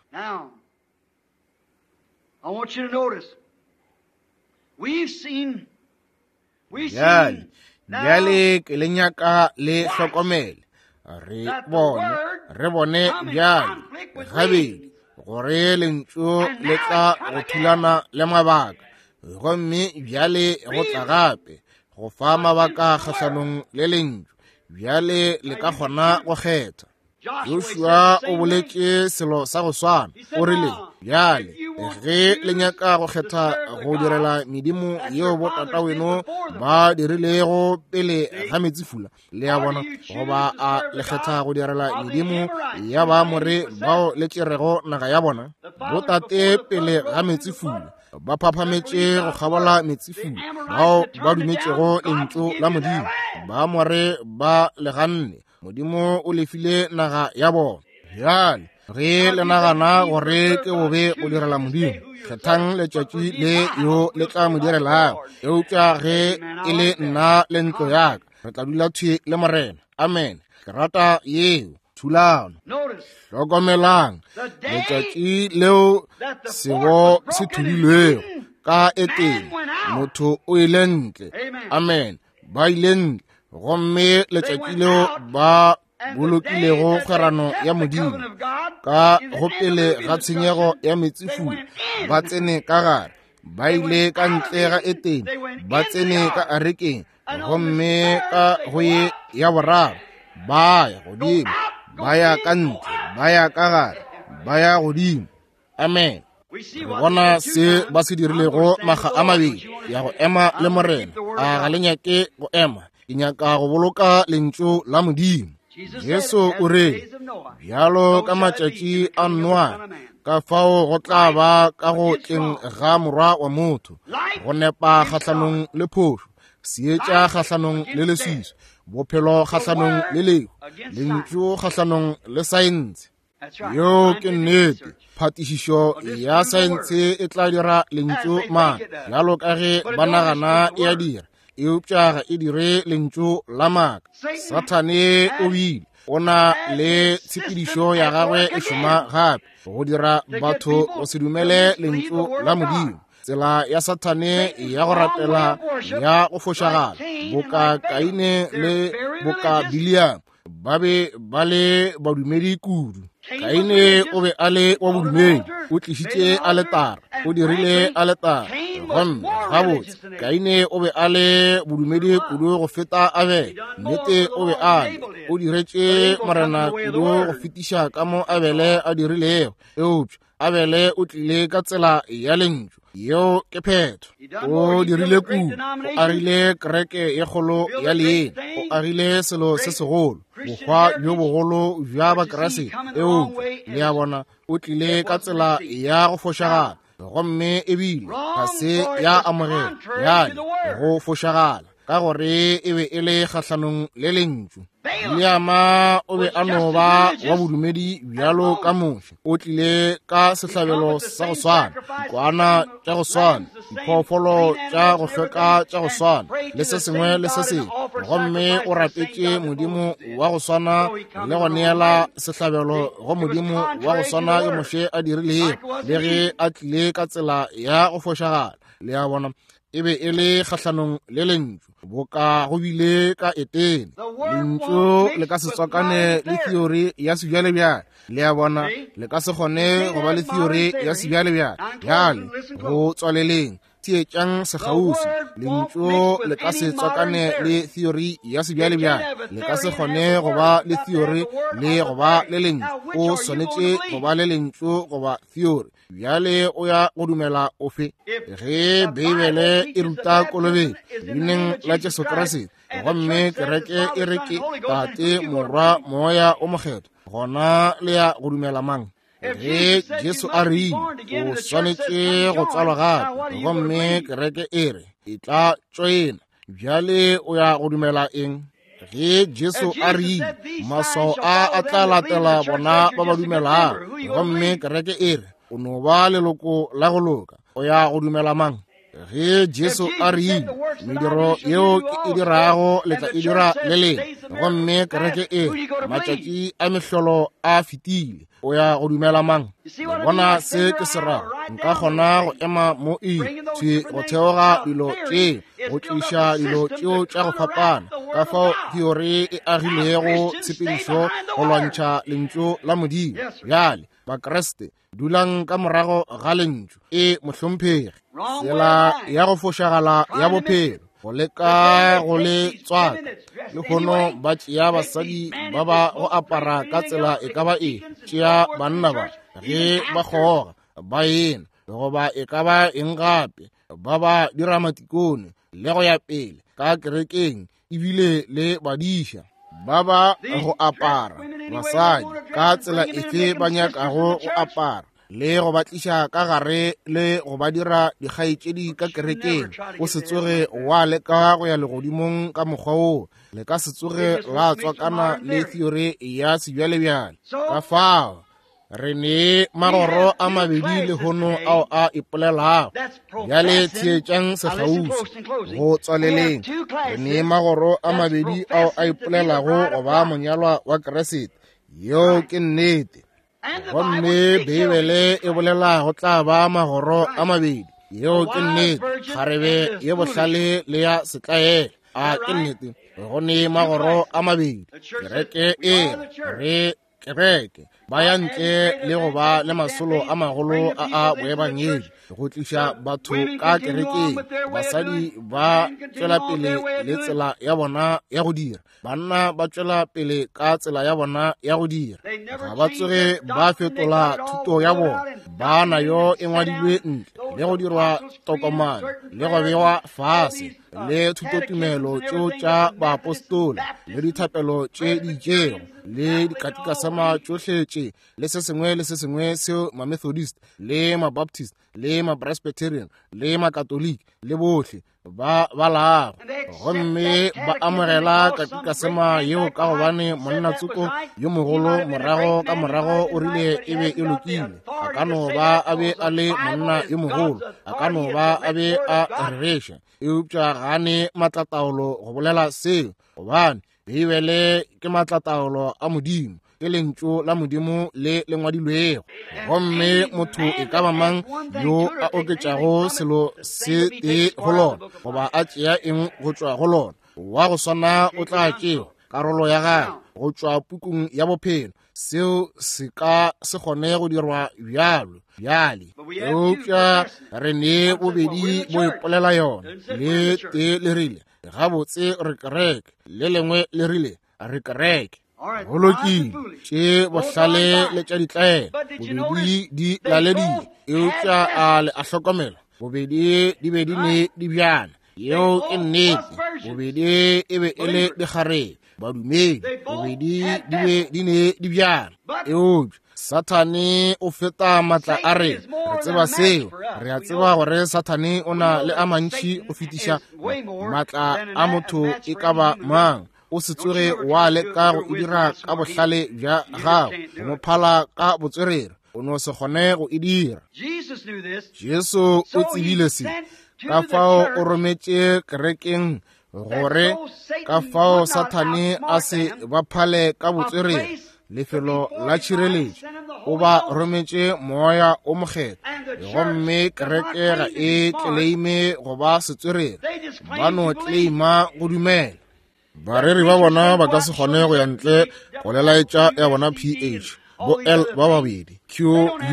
I want you to notice, we've seen, Bjale, bjale ke le nyaka le hlokomele. Re bone bjale gabedi gore lentšu le tla go thulana le mabaka, gomme bjale go tla gape go fa mabaka kgahlanong le lentšu. Bjale le ka kgona go kgetha. Joshua o boletše selo sa go swana. O rile, bjale ge le nyaka go kgetha go direla medimo yeo botataweno ba dirilego pele ga meetsefula, le a bona, goba a le kgetha go direla medimo ya Baamore bao le tšerego naga ya bona, botate pele ga meetsefula ba phaphametše go kgabola meetsefula, bao ba dumetšego lentšu la Modimo, Baamore ba le ganne. Modimo o lefile naga ya bona. Bjale ge le nagana gore ke bobe go direla Modimo, kgethang letšatši le yo le tla mo direlago. Eupša ge e le nna le ntlo ya ka, re tla dula thwi le Morena. Amen. Ke rata yeo thulano. Hlokomelang letšatši leo sebo se thubilwego ka Etene, motho o ile ntle. Amen. Ba ile ntle, gomme letšatši leo ba bolokilego kgwerano ya Modimo ka go pele ga tshenyego ya meetsefula, ba tsene ka gare, ba ile ka ntle ga Etene, ba tsene ka arekeng, gomme ka go ye ya boraro ba ya godimo, ba ya ka ntle, ba ya ka gare, ba ya godimo. Amen. Re bona se ba se dirilego maga a mabedi ya go ema le Morena. A ga le nyake go ema? Ke nyaka go boloka lentšu la Modimo. Jesu o re, bjalo ka matšatši a Noa, ka fao go tla ba ka go tleng ga Morwa wa motho, go nepa kgahlanong le phošo, seetša kgahlanong le leswiswi, bophelo kgahlanong le lehu, lentšu kgahlanong le saense. Yeo ke nnete. Phatišišo ya saense e tla dira lentšu maaka, bjalo ka ge ba nagana e a dira, eupša ga e dire lentšu la maaka. Sathane o bile o na le tshepedišo ya gagwe e šoma gape go dira batho go se dumele lentšu la Modimo. Tsela ya Sathane ya go rapela ya go fošagala, boka Kaine le boka Biliam, ba be ba le badumedi kudu. Kaine o be a le wa bodumedi, o tlišitše aletara, o dirile aletara, gomme gabotse Kaine o be a le bodumedi kudu go feta Abele. Nnete o be a le, o diretše Morena kudu go fetiša ka mo Abele a dirilego, eupša Abele o tlile ka tsela ya lentšu. Yeo ke phetho. O dirile kudu, o agile kereke ye kgolo ya leina, o agile selo se segolo, bohwa bjo bogolo bja Bakriste, eupša le a bona o tlile ka tsela ya go fošagala, gomme ebile ga se ya amogela bjale go fošagala, ka gore e be e le kgahlanong le lentšu. Biliama o be a no ba wa bodumedi bjalo ka Moshe. O tlile ka sehlabelo sa go swana, dikwana tša go swana, diphoofolo tša go hlweka tša go swana, le se sengwe le se sengwe, gomme o rapetše Modimo wa go swana le go neela sehlabelo go Modimo wa go swana yo Moshe a dirilego, le ge a tlile ka tsela ya go fošagala. Le a bona, e be e le kgahlanong le lentšu, boka go bile ka Etene. Lentšu le ka se tswakane le theory ya sebjalebjale. Le a bona, le ka se kgone go ba le theory ya sebjalebjale. Bjale, go tswaleleng, theetšang sekgauswi. Lentšu le ka se tswakane le theory ya sebjalebjale. Le ka se kgone go ba le theory le go ba le lentšu. O swanetše go ba le lentšu goba theory. Bjale o ya go dumela ofe? Ge Beibele e ruta kolobetšo leineng la Jesu Kriste, gomme kereke e re ke Tate, Morwa, Moya o Mokgethwa, gona le ya go dumela mang? Ge Jesu a rile o swanetše go tswalwa gape, gomme kereke e re e tla tšoena, bjale o ya go dumela eng? Ge Jesu a rile maswao a a tla latela bona ba ba dumelago, gomme kereke e re o no ba leloko la go loka, o ya go dumela mang? Ge Jesu a rile mediro yeo ke e dirago le tla e dira le lena, gomme kereke e re matšatši a mehlolo a fetile, o ya go dumela mang? Bona se ke se rago? Nka kgona go ema mo e thwi go theoga dilo tše, go tliša dilo tšeo tša go fapana, ka fao theory e agilego tshepedišo go lwantšha lentšu la Modimo. Bjale Bakriste, dulang ka morago ga lentšu. E mohlomphegi, tsela ya go fošagala ya bophelo, go leka go le tswaka. Lehono ba tšea basadi ba ba go apara ka tsela e ka ba e, tšea banna ba ge ba kgoga ba ena goba e ka ba eng gape, ba ba dira matikone le go ya pele ka kerekeng, ebile le badiša ba ba go apara basadi ka tsela efe ba nyakago go apara, le go ba tliša ka gare le go ba dira dikgaetšedi ka kerekeng. O se tsoge wa leka go ya legodimong ka mokgwa woo. Le ka se tsoge la tswakana le theory ya sebjalebjale. Ka fao re ne magoro a mabedi lehono ao a ipolelago. Bjale theetšang sekgauswi go tswaleleng. Re ne magoro a mabedi ao a ipolelago go ba monyalwa wa Kriste. Yeo ke nnete. Gomme Beibele e bolela go tla ba magoro a mabedi. Yeo ke nnete. Kgarebe ye bohlale le ya setlaela. A ke nnete? Go ne magoro a mabedi. Kereke e re kereke ba ya ntle le go ba le masolo a magolo a a boebangedi go tliša batho ka kerekeng. Basadi ba tšwela pele le tsela ya bona ya go dira, banna ba tšwela pele ka tsela ya bona ya go dira. Ga ba tsoge ba fetola thuto ya bona, ba nayo e ngwadilwe ntle le go dirwa tokomane le go bewa fase le thutotumelo tšeo tša baapostola le dithapelo tše di itšego le dikatikasema tšohle tše le se sengwe le se sengwe seo ma-Methodist le ma-Baptist le ma-Presbyterian le ma-Katoliki le bohle ba balago, gomme ba amogela katikasema yeo ka gobane monna tsoko yo mogolo morago ka morago o rile e be e lokile. A ka no ba a be a le monna yo mogolo, a ka no ba a be a rereša, eupša ga ne maatlataolo go bolela seo, gobane Beibele ke maatlataolo a Modimo, ke lentšu la Modimo le le ngwadilwego. Gomme motho e ka ba mang yo a oketšago selo se tee go lona goba a tšea eng go tšwa go lona, wa go swana o tla tšewa karolo ya gagwe go tšwa pukung ya bophelo. Seo se ka se kgone go dirwa bjalo bjale, eupša re ne bobedi bo ipolela yona. Le tee le rile gabotse re kereke, le lengwe le rile re kereke. Go lokile, tše bohlale le tša ditlaela bobedi di laledile, eupša a le a hlokomela bobedi di be di ne di bjana. Yeo ke nnete, bobedi e be e le dikgarebe, badumedi, bobedi di be di ne di bjana. Eupša Sathane o feta maatla a rena, re tseba seo. Re a tseba gore Sathane o na le a mantši go fetiša maatla a motho e ka ba mang. O se tsoge wa leka go e dira ka bohlale bja gago, go mo phala ka botswerere, o no se kgone go e dira. Jesu o tsebile se, ka fao o rometše kerekeng gore ka fao Sathane a se ba phale ka botswerere, lefelo la tšhireletšo. O ba rometše moya o mokgethwa, gomme kereke ga e tleleime go ba setswerere, ba no tleleima go dumela. Bareri ba bona ba ka se kgone go ya ntle go lelaetša ya bona PH, bo L ba babedi, Q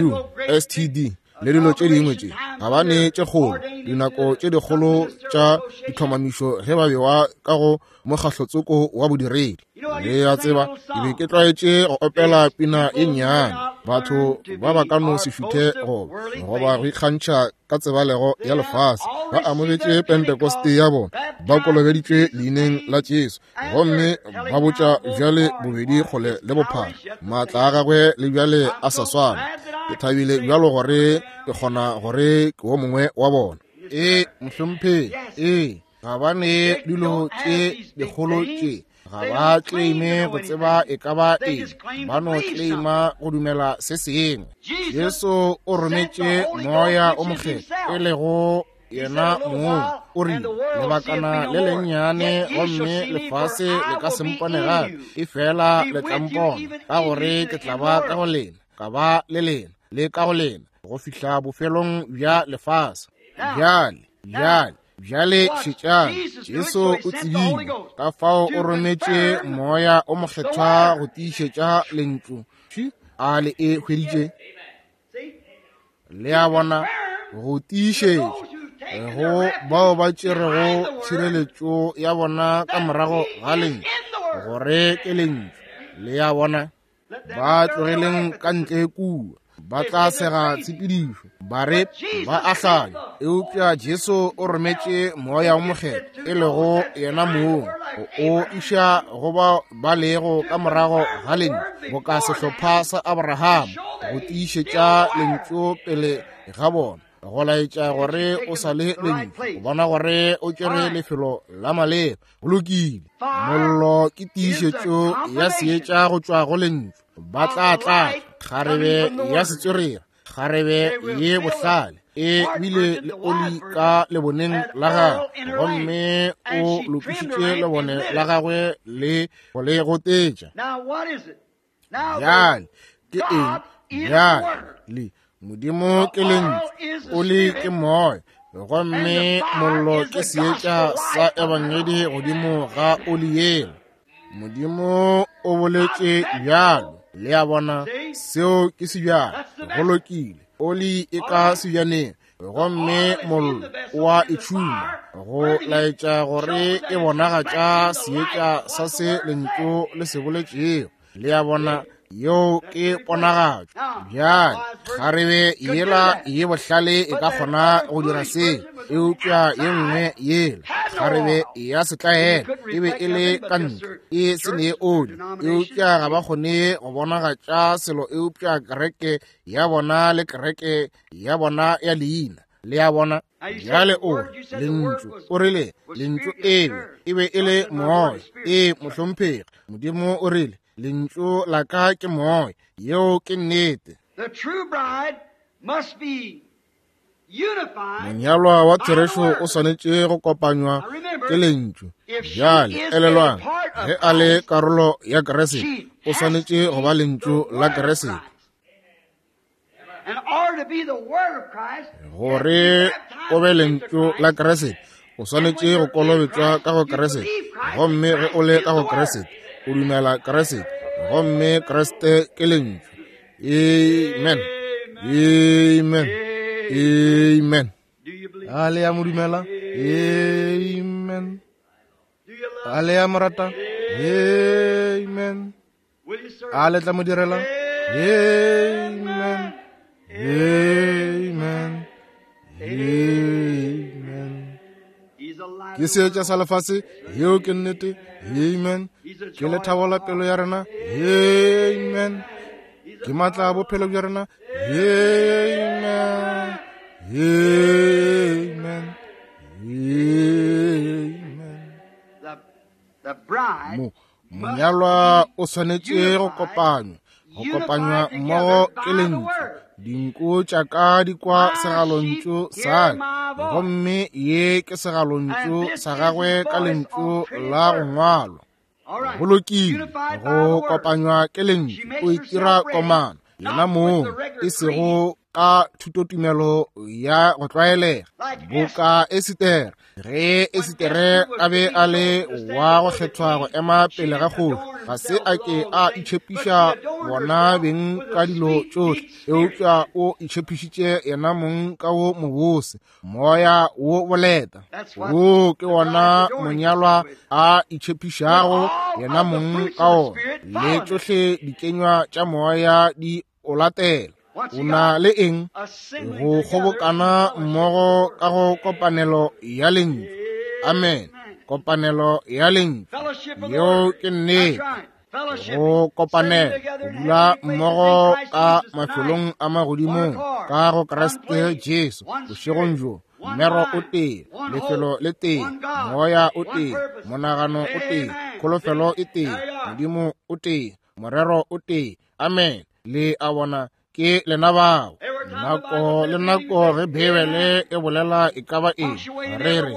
U S T D le dilo tše dingwe tše. Ga ba ne tše kgolo, dinako tše dikgolo tša ditlhomamišo ge ba bewa ka go mokgahlotsoko wa bodiredi. Le a tseba, ke be ke tlwaetše go opela pina ye nnyane. Batho ba ba ka no se šuthe goba go ikgantšha ka tsebalego ya lefase. Ba amogetše Pentekoste ya bona, ba kolobeditšwe leineng la Jesu, gomme ba botša bjale bobedi kgole le bophara. Maatla a gagwe le bjale a sa swana. Ke thabile bjalo gore ke kgona gore ke wo mongwe wa bona. Ee, mohlomphegi, ee, ga ba ne dilo tše dikgolo tše. Ga ba claime go tseba e ka ba eng, ba no claima go dumela se sengwe. Jesu o rometše moya o mokgethwa, e lego yena mong. O rile, lebakana le lennyane gomme lefase le ka se mpone gape, efela le tla mpona, ka gore ke tla ba ka go lena, ka ba le lena, le ka go lena, go fihla bofelong bja lefase. Bjale, bjale, bjale šetšang. Jesu o tsebile, ka fao o rometše moya o mokgethwa go tiišetša lentšu. A le e hweditše? Le a bona, go tiišetša go bao ba tšerego tšhireletšo ya bona ka morago ga lentšu, gore ke lentšu. Le a bona, ba tlogeleng ka ntle kua, ba tla sega tshepedišo, ba re ba a hlanya. Eupša Jesu o rometše moya o mokgethwa, e lego yena mong, o iša go bao ba lego ka morago ga lentšu, boka sehlopha sa Abraham, go tiišetša lentšu pele ga bona, go laetša gore o sa le lentšu, go bona gore o tšere lefelo la maleba. Go lokile. Mollo ke tiišetšo ya seetša go tšwa go lentšu. Ba tla tlatša kgarebe ya setswerere, kgarebe ye bohlale, e bile le oli ka leboneng la gagwe, gomme o lokišitše lebone la gagwe le go le gotetša. Bjale ke eng? Bjale Modimo ke lentšu, oli ke moya. Gomme mollo ke seetša sa ebangedi godimo ga oli yela. Modimo o boletše bjalo. Le a bona, seo ke sebjana. Go lokile. Oli e ka sebjaneng, gomme mollo o a e tšhuma, go laetša gore e bonagatša seetša sa se lentšu le se boletšego. Le a bona, yeo ke ponagatšo. Bjale kgarebe yela ye bohlale e ka kgona go dira se, eupša ye nngwe yela kgarebe ya setlaela e be e le ka ntle e se ne oli, eupša ga ba kgone go bonagatša selo eupša kereke ya bona le kereke ya bona ya leina. Le a bona? Bjale o lentšu, o rile lentšu ebe e be e le moya. Ee, mohlomphegi, Modimo o rile lentšu la ka ke moya. Yeo ke nnete. Monyalwa wa therešo o swanetše go kopanywa ke lentšu. Bjale elelwang, ge a le karolo ya Kriste, o swanetše go ba lentšu la Kriste. Gore o be lentšu la Kriste, o swanetše go kolobetšwa ka go Kriste. Gomme ge o le ka go Kriste, o dumela Kriste, gomme Kriste ke lentšu. Amen. Amen. Amen. A le ya mo dumela? Amen. A le ya mo rata? Amen. A le tla mo direla? Amen. Amen. Amen. Ke seetša sa lefase, yeo ke nnete. Amen. Ke lethabo la pelo ya rena. Amen. Ke matla a bophelo bja rena. Amen. Amen. Amen. Monyalwa o swanetše go kopanywa, go kopanywa mmogo ke lentšu. Dinku tša ka di kwa segalontšu sa ka, gomme ye ke segalontšu sa gagwe ka lentšu la go ngwalwa. Go lokile, go kopanywa ke lentšu, o itira komana yena mong, e sego ka thutotumelo ya go tlwaelega boka Esitere. Ge Esitere a be a le wa go kgethwa go ema pele ga kgoši, ga se a ke a itšhepiša bona beng ka dilo tšohle, eupša o itšhepišitše yena mong ka wo mobose, moya wo boleta. Wo ke wona monyalwa a itšhepišago yena mong ka ona, le tšohle dikenywa tša moya di o latela. O na le eng? Go kgobokana mmogo ka go kopanelo ya lentšu. Amen. Kopanelo ya lentšu. Yeo ke nnete. Go kopanela, go dula mmogo ka mafelong a magodimong ka go Kriste Jesu bošegong bjo. Mmero o tee, lefelo le tee, moya o tee, monagano o tee, kholofelo e tee, Modimo o tee, morero o tee. Amen. Le a bona, ke lena bao. Nako le nako ge Beibele e bolela e ka ba eng, re re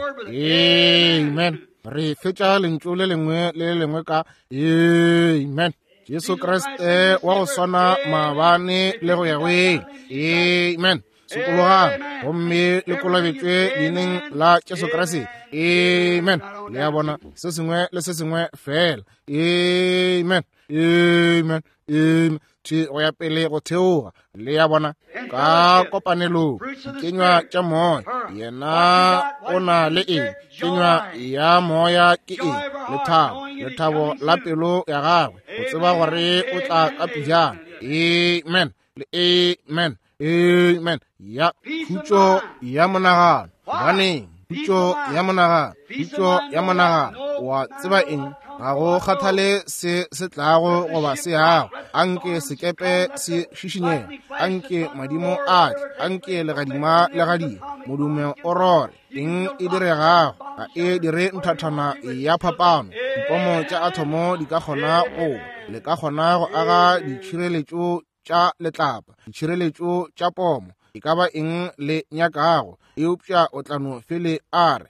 amen. Re fetša lentšu le lengwe le le lengwe ka amen. Jesu Kriste wa go swana maabane le go ya go ile. Amen. Sokologang gomme le kolobetšwe leineng la Jesu Kriste. Amen. Le a bona, se sengwe le se sengwe fela. Amen. Amen. Amen. Thwi go ya pele go theoga. Le a bona, ka kopanelong dikenywa tša moya. Yena o na le eng? Kenywa ya moya ke eng? Lethabo, lethabo la pelo ya gagwe, go tseba gore o tla ka pejana. Amen. Le amen. Amen. Ya khutšo ya monagano. Gobaneng? Khutšo ya monagano, khutšo ya monagano. Wa tseba eng? Ga go kgathale se se tlago goba se yago, anke sekepe se šišinyege, anke madimo a tle, anke legadima le gadime, modumo o rore, eng e diregago ga e dire nthathana ya phapano. Dipomo tša athomo di ka kgona go, le ka kgona go aga ditšhireletšo tša letlapa, ditšhireletšo tša pomo, e ka ba eng le nyakago, eupša o tla no fele a re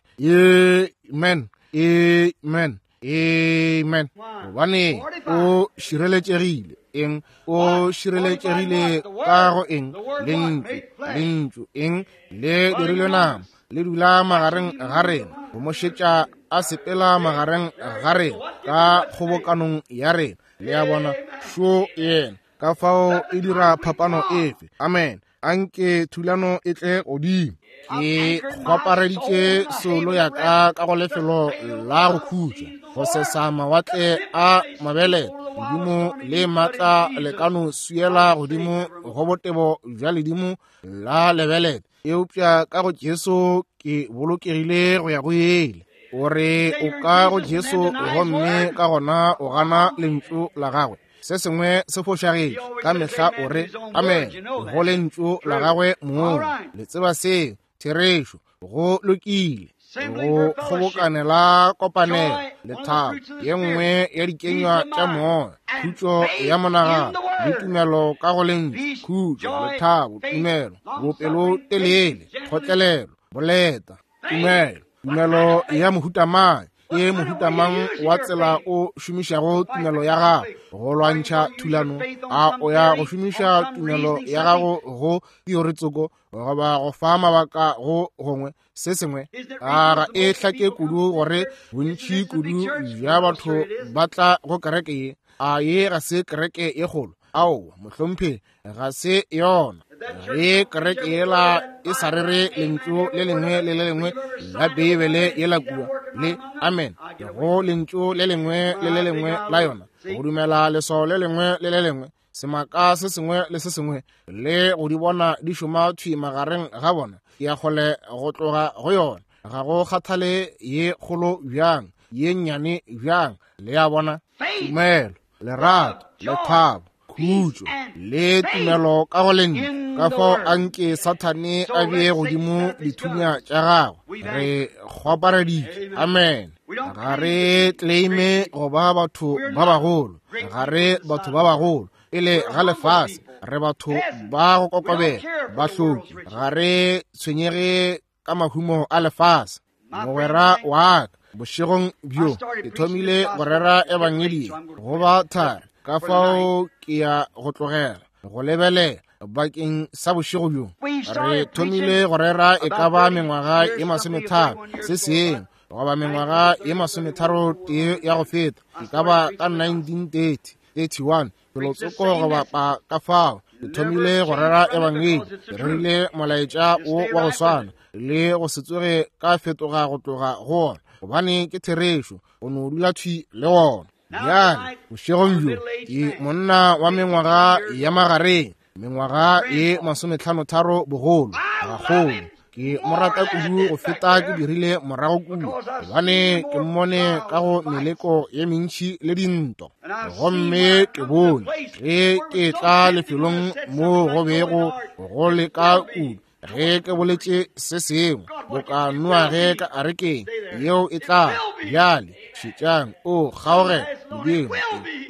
amen, amen, amen. Gobane o šireletšegile. Eng? O šireletšegile ka go eng? Lentšu. Lentšu eng? Le dirilwe nama. le dula magareng ga rena, go mo šetša a sepela magareng ga rena ka kgobokanong ya rena. Le a bona, šo yena. Ka fao e dira phapano efe? Amen. Anke thulano e tle godimo. Ke kgwapareditše soulo ya ka ka go lefelo la go khutša, go sesa mawatle a mabelete. Ledimo le maatla le ka no swiela godimo go botebo bja ledimo la lebelete, eupša ka go Jesu ke bolokegile go ya go ile. O re o ka go Jesu gomme ka gona o gana lentšu la gagwe. Se sengwe se fošagetše. Ka mehla o re amen go lentšu la gagwe mong. Le tseba seo, therešo. Go lokile. Go kgobokanela kopanelo, lethabo, ye nngwe ya dikenywa tša moya, khutšo ya monagano le tumelo ka go lentšu. Khutšo, lethabo, tumelo, bopelotelele, kgotlelelo, boleta, tumelo. Tumelo ya mohuta mang? Ke mohuta mang wa tsela o šomišago tumelo ya gago go lwantšha thulano? A o ya go šomiša tumelo ya gago go teoritsoko goba go fa mabaka go gongwe se sengwe? A ga e hlake kudu gore bontši kudu bja batho ba tla go kereke ye? A ye ga se kereke ye kgolo? Aowa, mohlomphegi, ga se yona. Ge kereke yela e sa rere lentšu le lengwe le le lengwe la Beibele yela kua, le amen go lentšu le lengwe le le lengwe la yona, go dumela leswao le lengwe le le lengwe, semaka se sengwe le se sengwe, le go di bona di šoma thwi magareng ga bona, ke ya kgole go tloga go yona. Ga go kgathale ye kgolo bjang, ye nnyane bjang. Le a bona? Tumelo, lerato, lethabo, khutšo le tumelo ka go lentšu. Ka fao anke Sathane a bee godimo dithunya tša gagwe. Re kgwapareditše. Amen. Ga re claime go ba batho ba bagolo. Ga re batho ba bagolo pele ga lefase. Re batho ba go kokobela, bahloki. Ga re tshwenyege ka mahumo a lefase. Mogwera wa ka, bošegong bjo ke thomile go rera ebangedi go ba thari, ka fao ke ya go tlogela go lebelela bakeng sa bošego bjo. Re thomile go rera e ka ba mengwaga ye 30 se sengwe goba mengwaga ye 33 ya go feta, e ka ba ka 1930 31 felotsoko go bapa. Ka fao ke thomile go rera ebangedi, ke rerile molaetša wo wa go swana le go se tsoge ka fetoga go tloga go ona, gobane ke therešo. O no dula thwi le wona. Bjale bošegong bjo ke monna wa mengwaga ya magareng, mengwaga ye 53 bogolo, gagolo. Ke mo rata kudu go feta ke dirile morago kua, gobane ke mmone ka go meleko ye mentši le dinto. Gomme ke bone ge ke tla lefelong moo go bego go leka kudu, ge ke boletše se sengwe boka Noage ka arekeng yeo e tla. Bjale šetšang, o kgaogela Modimo,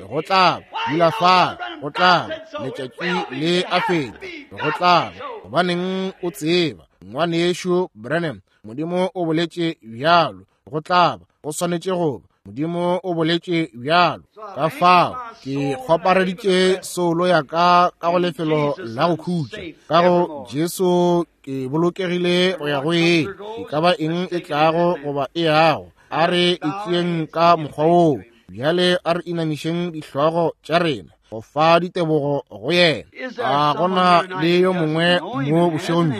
go tla dula fa, go tla letšatši le a feta, go tla. Gobaneng o tseba, ngwanešu Branham, Modimo o boletše bjalo, go tla ba, go swanetše go ba. Modimo o boletše bjalo. Ka fao ke kgwapareditše soulo ya ka ka go lefelo la go khutša. Ka go Jesu ke bolokegile go ya go eng, e ka ba eng e tlago goba e yago. A re e tšeeng ka mokgwa woo. Bjale a re inamišeng dihlogo tša rena go fa ditebogo go yena. A gona le yo mongwe mo bošegong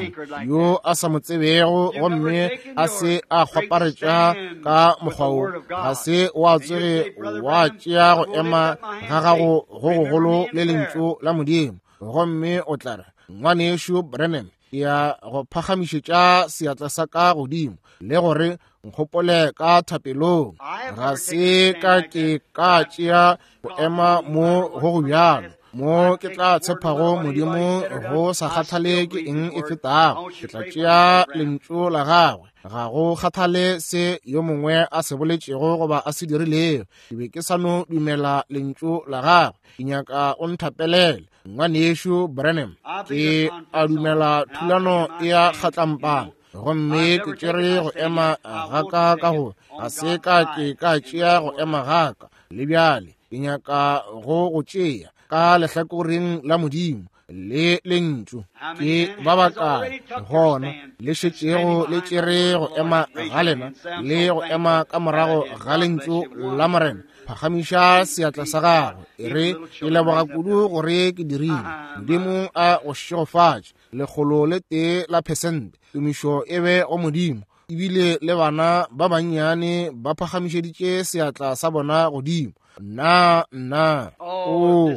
bjo yo a sa mo tsebego gomme a se a kgwaparetša ka mokgwa wo? Ga se wa tsoge wa tšea go ema ga gago go gogolo le lentšu la Modimo, gomme o tla re, Ngwanešu Branham, ke ya go phagamišetša seatla sa ka godimo le gore nkgopole ka thapelong. Ga se ka ke ka tšea go ema mo go go bjalo, mo ke tla tshepago Modimo go sa kgathale ke eng e fetago. Ke tla tšea lentšu la gagwe, ga go kgathale se yo mongwe a se boletšego goba a se dirilego. Ke be ke sa no dumela lentšu la gagwe. Ke nyaka o nthapelele, ngwanešu Branham. Ke a dumela thulano e ya kgatlampana, gomme ke tšere go ema ga ka ka go ga se ka ke ka tšea go ema ga ka le bjale. Ke nyaka go go tšea ka lehlakoreng la Modimo. le lentšu. Ke ba bakae gona le šetšego le tšere go ema ga lena le go ema ka morago ga lentšu la Morena? Phagamiša seatla sa gago, e re, ke leboga kudu gore ke dirile. Modimo a go šegofatše. 101%. Tumišo e be go Modimo. Ebile le bana ba bannyane ba phagamišeditše seatla sa bona godimo. Nna, nna, o,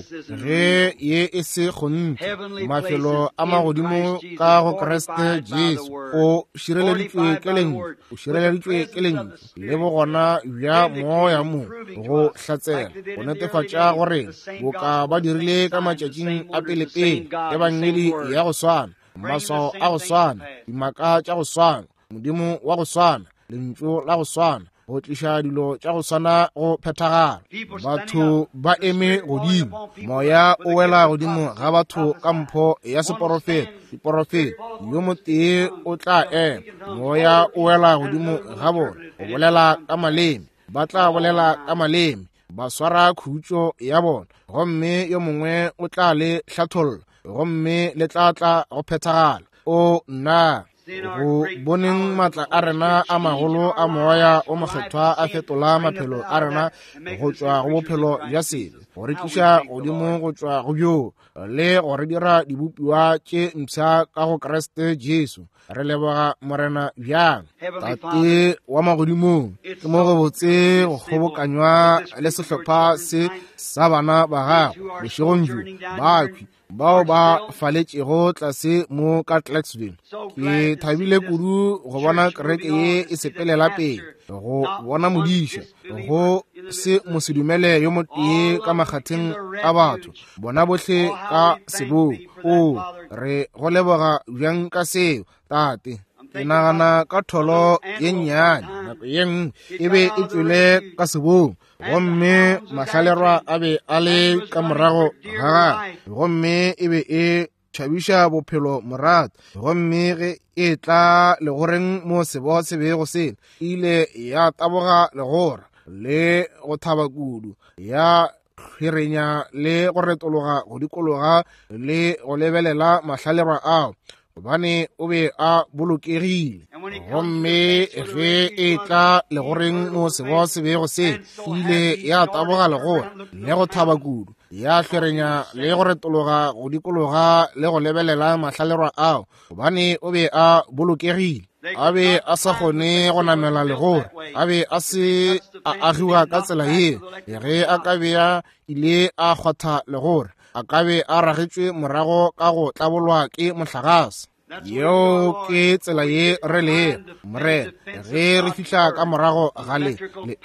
ge ye e se kgonthe, mafelo a magodimo ka go Kriste Jesu, o šireleditšwe ke lentšu, o šireleditšwe ke lentšu, le bogona bja moya mo go hlatsela, go netefatša gore boka ba dirile ka matšatšing a pelepele, ebangedi ya go swana, maswao a go swana, dimaka tša go swana, Modimo wa go swana, lentšu la go swana, go tliša dilo tša go swana go phethagala. Batho ba eme godimo, moya o wela godimo ga batho ka mpho ya seporofeta, diporofeta. Yo motee o tla ema, moya o wela godimo ga bona, go bolela ka maleme, ba tla bolela ka maleme, ba swara khutšo ya bona, gomme yo mongwe o tla le hlatholla, gomme le tla tla go phethagala. O nna, go boneng matla a rena a magolo a moya o mokgethwa a fetola maphelo a rena go tšwa go bophelo bja sebe, go re tliša godimo go tšwa go bjo, le go re dira dibopiwa tše mpsha ka go Kriste Jesu. Re leboga Morena bjang. Tate wa magodimong, ke mo go botse go kgobokanywa le sehlopha se sa bana ba gago bošegong bjo, bakhwi bao ba faletšego tlase mo ka Clarksville. Ke thabile kudu go bona kereke ye e sepelela pele, go bona modiša, go se mosedumele yo motee ka makgatheng a batho, bona bohle ka sebong. O, re go leboga bjang ka seo, Tate. Ke nagana ka tholo ye nnyane nako ye nngwe e be e tšwele ka sebong, gomme mahlalerwa a be a le ka morago ga gagwe, gomme e be e tšhabiša bophelo morato. Gomme ge e tla legoreng mo sebo se bego se ile ya taboga legora le go thaba kudu, ya hlwerenya le go retologa go dikologa le go lebelela mahlalerwa ao, gobane o be a bolokegile. Gomme ge e tla legoreng mo sebo se bego se ile ya taboga legora le go thaba kudu, ya hlwerenya le go retologa go dikologa le go lebelela mahlalerwa ao, gobane o be a bolokegile. A be a sa kgone go namela legora, a be a se a agiwa ka tsela yeo. Ge a ka be a ile a kgwatha legora, a ka be a ragetšwe morago ka go tlabolwa ke mohlagase. Yeo ke tsela ye re lego, Morena, ge re fihla ka morago ga le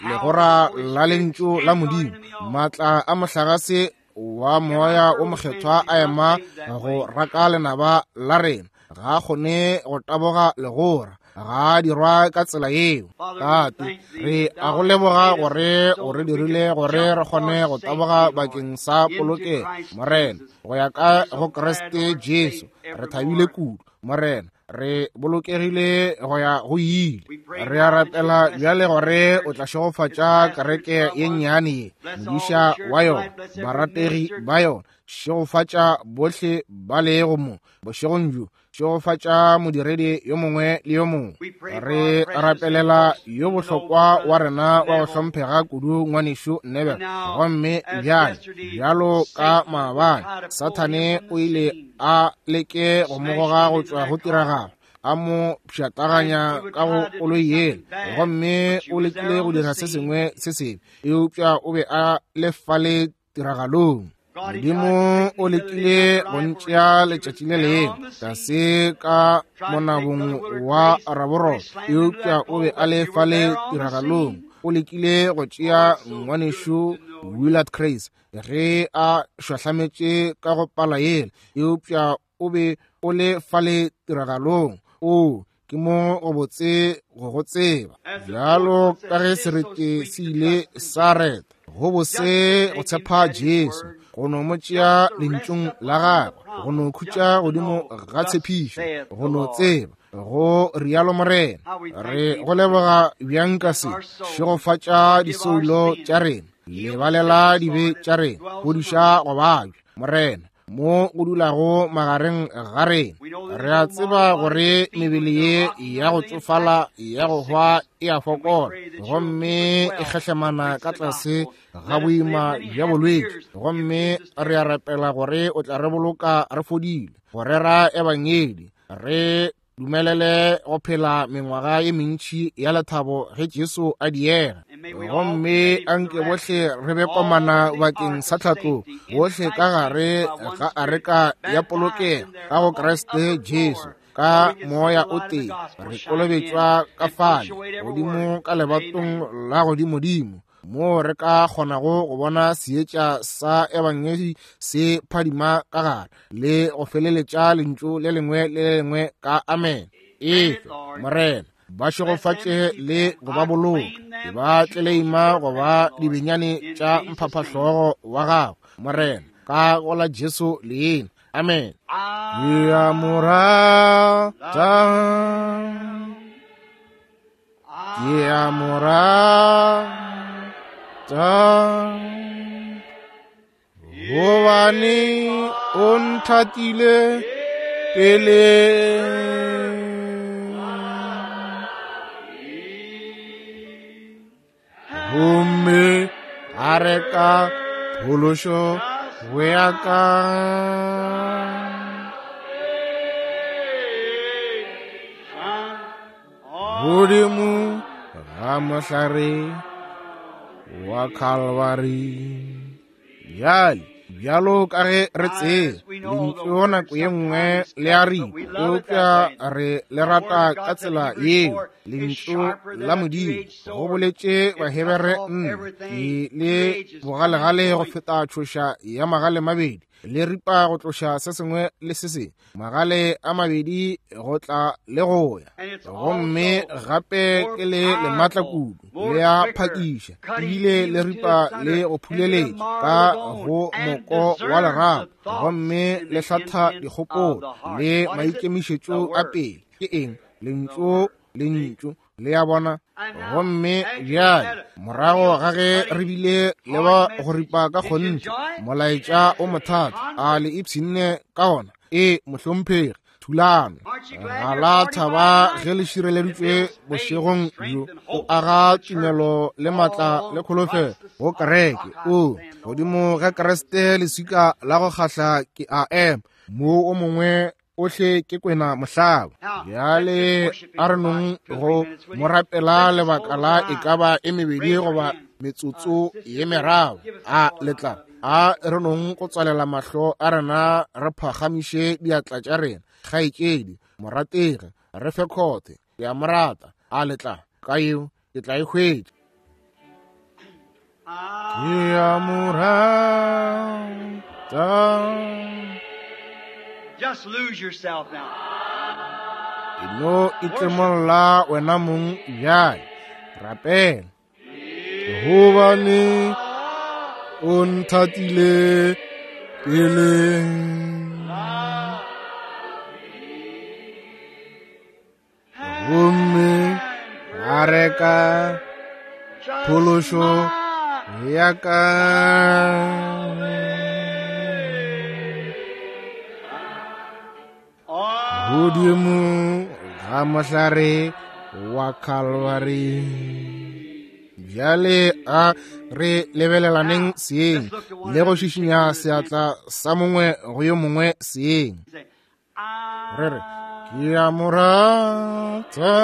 legora la lentšu la Modimo, maatla a mohlagase wa moya o mokgethwa a ema go raka lenaba la rena. Ga a kgone go taboga legora, ga a dirwa ka tsela yeo. Tate, re a go leboga gore o re dirile gore re kgone go taboga bakeng sa polokego, Morena, go ya ka go Kriste Jesu. Re thabile kudu, Morena, re bolokegile go ya go ile. Re a rapela bjale gore o tla šegofatša kereke ye nnyane ye, modiša wa yona, barategi ba yona. Šegofatša bohle ba lego mo bošegong bjo. Šegofatša modiredi yo mongwe le yo mongwe. Re rapelela yo bohlokwa wa rena wa go hlomphega kudu, ngwanešu Nebel. Gomme bjale, bjalo ka maabane, Sathane o ile a leke go mo goga go tšwa go tiragalo, a mo pšhatlaganya ka go koloi yela, gomme o lekile go dira se sengwe se sebe, eupša o be a le fale tiragalong. Modimo o lekile go ntšea letšatši le lengwe tlase ka monabong wa raborolo, eupša o be a le fale tiragalong. O lekile go tšea ngwanešu Willard Craze ge a šwahlametše ka go pala yela, eupša o be o le fale tiragalong. O ke mo go botse go go tseba, bjalo ka ge serete se ile sa reta, go bose go tshepa Jesu, go no mo tšea lentšung la gagwe, go no khutša godimo ga tshepišo, go no tseba go rialo Morena. Re go leboga bjang ka se. Šegofatša disoulo tša rena, lebalela dibe tša rena, fodiša go babja, Morena. mo go dulago magareng ga rena. Re a tseba gore mebele ye ya go tsofala ya go hwa e a fokola, gomme e kgehlemana ka tlase ga boima bja bolwetši, gomme re a rapela gore o tla re boloka re fodile go rera ebangedi, re dumelele go phela mengwaga ye mentši ya lethabo ge Jesu a diega. Gomme anke bohle re be komana bakeng sa tlhatlo, bohle ka gare ga areka ya polokego ka go Kriste Jesu, ka moya o tee re kolobetšwa ka fale godimo ka lebatong la godimodimo, moo re ka kgonago go bona seetša sa ebangedi se phadima ka gare le go feleletša lentšu le lengwe le le lengwe ka amen. Efe Morena, ba šegofatše le go ba boloka, ke ba tleleima go ba dibenyane tša mphaphahlogo wa gago, Morena, ka go la Jesu leina. Amen. Ke a mo rata, ke a mo rata, gobane o nthatile pele. Gomme a reka phološo go ya ka. Godimo ga mohlare wa Calvary. Bjale, bjalo ka ge re tseba, lentšu nako ye nngwe le a ripa, eupša re le rata ka tsela yeo. Lentšu la Modimo, go boletše Bahebere 4, ke le bogalegale go feta tšhoša ya magale mabedi, le ripa go tloša se sengwe le se sengwe, magale a mabedi go tla le go ya, gomme gape ke le lematla kudu, le a phakiša, ebile le ripa le go phuleletša ka go moko wa lerapo, gomme le hlatha dikgopolo le maikemišetšo a pele. Ke eng? Lentšu, lentšu, le a bona. Gomme bjale morago ga ge re bile le ba go ripa ka kgonthe molaetša o mothata, a le ipshinne ka ona? Ee, mohlomphegi. Thulano ga la thaba ge le šireleditšwe bošegong bjo, o aga tumelo le matla le kholofelo go kereke. O godimo ga Kriste leswika la go kgahla ke a ema, mo o mongwe ohle ke kwena mohlaba. Bjale a re nong go mo rapela lebaka la e ka ba e mebedi goba metsotso ye meraro. A letla, a re nong go tswalela mahlo a rena, re phagamiše diatla tša rena. Kgaetšedi morategi, re fe khothe, ke a mo rata. A letla, ka yeo ke tla e hwetša. Ke a mo rata. Just lose yourself now. E no itlemolla wena mong bjale. Rapela. Gobane o nthatile pele. Gomme a reka phološo ya ka. Godimo ga mohlare wa Calvary. Bjale a re lebelelaneng seeng le go šišinya seatla sa mongwe go yo mongwe seeng. Re re, ke a mo rata,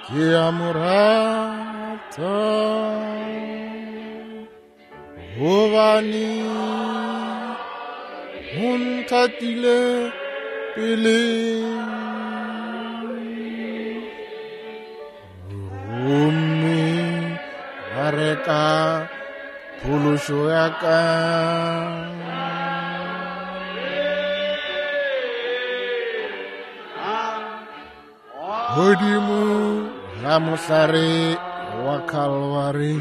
ke a mo rata, gobane o nthatile pele. Gomme a reka phološo ya ka. Godimo ga mohlare wa Calvary.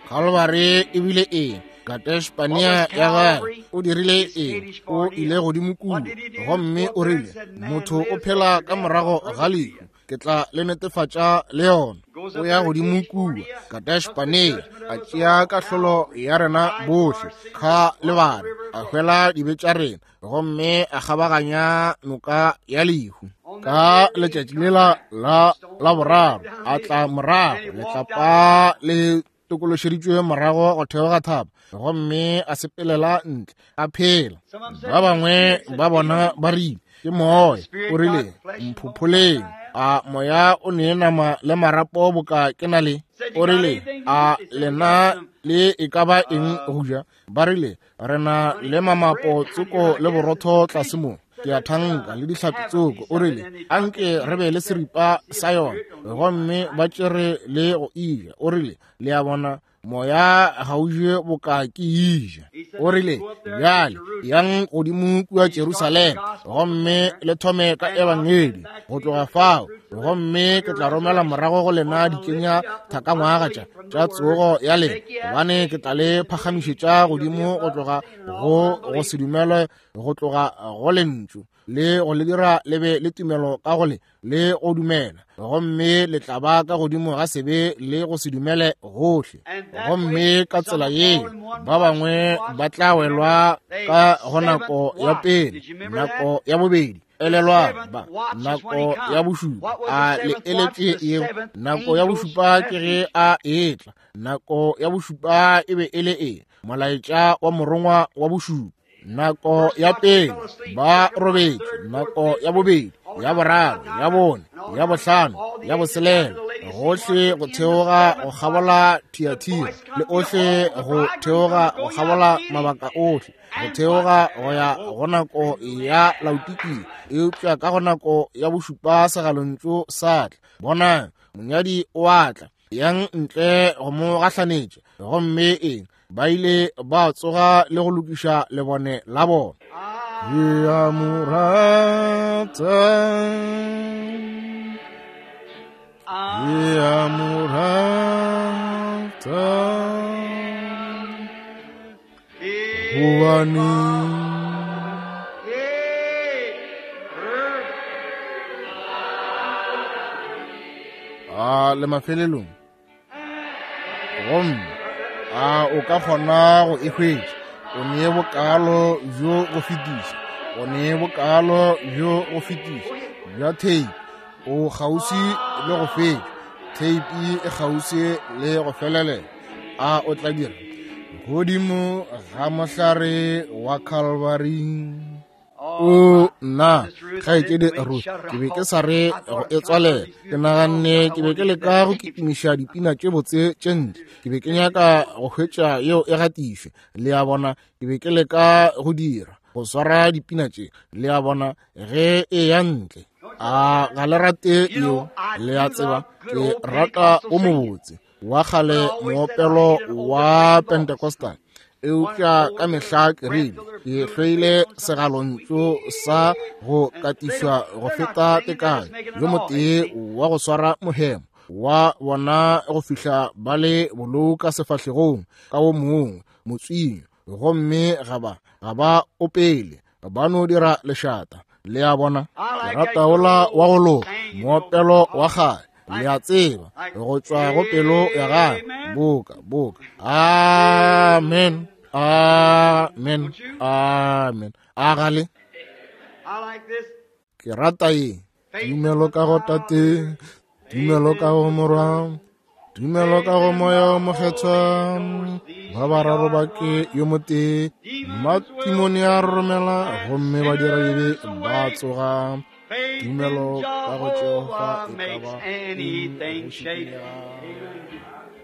Calvary e bile eng? Kadesh Barnea ya gagwe o dirile eng? O ile godimo kudu, gomme o rile, motho o phela ka morago ga lehu, ke tla le netefatša le yona. O ya godimo kua Kadesh-Barnea, a tšea kahlolo ya rena bohle, kga le bana, a hwela dibe tša rena, gomme a kgabaganya noka ya lehu. Ka letšatši lela la laboraro a tla morago, letlapa le tokološeditšwe morago go theoga thaba, gomme a sepelela ntle a phela. Ba bangwe ba bona ba rile, ke moya. O rile, mphopholeng. A moya o ne nama le marapo boka ke na le? O rile, a lena le e ka ba eng go ja? Ba rile, re na le mamapo tsoko le borotho tlase mo, ke a thanka, le dihlapi tsoko. O rile, anke re be le seripa sa yona, gomme ba tšere le go ija. O rile, le a bona, moya ga o je boka ke ija. O rile, bjale yang godimo kua Jerusalema, gomme le thome ka ebangedi go tloga fao, gomme ke tla romela morago go lena dikenya thakangwaga tša tsogo ya lena, gobane ke tla le phagamišetša godimo go tloga go se dumele, go tloga go lentšu, le go le dira le be le tumelo ka go le le go dumela, gomme le tla ba ka godimo ga sebe le go se dumele gohle. Gomme ka tsela ye ba bangwe ba tla welwa ka go nako ya pele, nako ya bobedi, elelwang ba nako ya bošupa. A le eletše yeo? Nako ya bošupa ke ge a etla. Nako ya bošupa e be e le eng? Molaetša wa morongwa wa bošupa. Nako ya pele ba robetše, nako ya bobedi, ya boraro, ya bone, ya bohlano, ya boselela, gohle go theoga go kgabola Thiatira, le ohle go theoga go kgabola mabaka ohle, go theoga go ya go nako ya Laodikia. Eupša ka go nako ya bošupa segalontšu sa tla, bonang, monyadi o a tla, yang ntle go mo gahlanetša. Gomme eng? Ba ile ba tsoga le go lokiša lebone la bona. Ke a mo rata, ke a mo rata, gobane a le mafelelong. Gomme a o ka kgona go e hwetša? O nee bokalo bjo go fetiša, o nee bokalo bjo go fetiša bja theipi. O kgauswi le go fetša, theipi e kgauswi le go felelela. A o tla dira godimo ga mohlare wa Calvary? O nna, kgaetšedi Ruth, ke be ke sa re go e tswalela. Ke naganne ke be ke leka go kitimiša dipina tše botse tše ntle. Ke be ke nyaka go hwetša yeo e gatišwe. Le a bona, ke be ke leka go dira go swara dipina tše, le a bona, ge e ya ntle. A ga le rate yeo? Le a tseba, ke rata o mobotse wa kgale moopelo wa Pentecostal, eupša ka mehla ke rile ke hloile segalontšu sa go katišwa go feta tekanyo. Yo motee wa go swara mohemo wa bona go fihla ba le bolou ka sefahlegong ka wo mongwe motswinyo, gomme ga ba opele, ba no dira lešata. Le a bona, ke rata ola wa go loka, moopelo wa kgale, le a tseba, go tšwa go pelo ya gagwe, boka boka. Amen, amen, amen. A gale ke rata ye. Tumelo ka go Tate, tumelo ka go Morwa, tumelo ka go Moya o Mokgethwa, ba bararo ba ke yo motee. Matimone a romela, gomme ba dira dibe ba tsoga. Tumelo ka go Jehofa e ka ba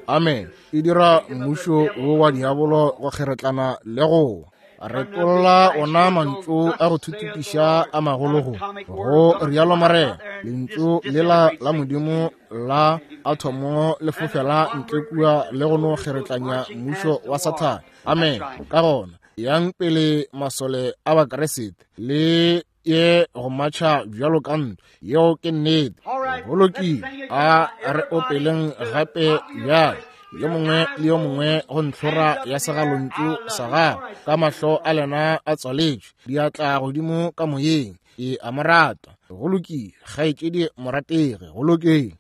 amen. E dira mmušo wo wa diabolo go kgeretlana le go retolla ona mantšu a go thuthupiša a magologo. Go rialo Morena, lentšu lela la Modimo la athomo le fofela ntle kua le go no kgeretlanya mmušo wa Sathane. Amen. Ka gona yang pele masole a Bakeresete le ye go matšha bjalo ka ntwa. Yeo ke nnete. Go lokile, a re opeleng gape bjale, yo mongwe le yo mongwe go ntlhora ya segalontšu sa gagwe, ka mahlo a lena a tswaletšwe, diatla godimo ka moyeng. Ke a mo rata. Go lokile, kgaetšedi morategi, go lokile.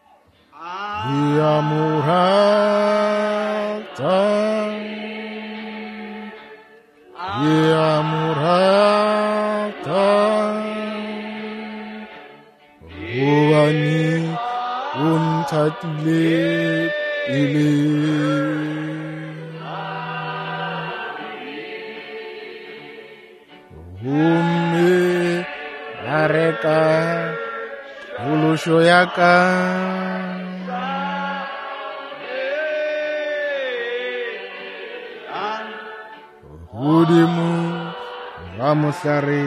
Ke a mo rata. Ke a mo rata. Gobane o nthatile pele. Gomme a reka phološo ya ka. Godimo ga mohlare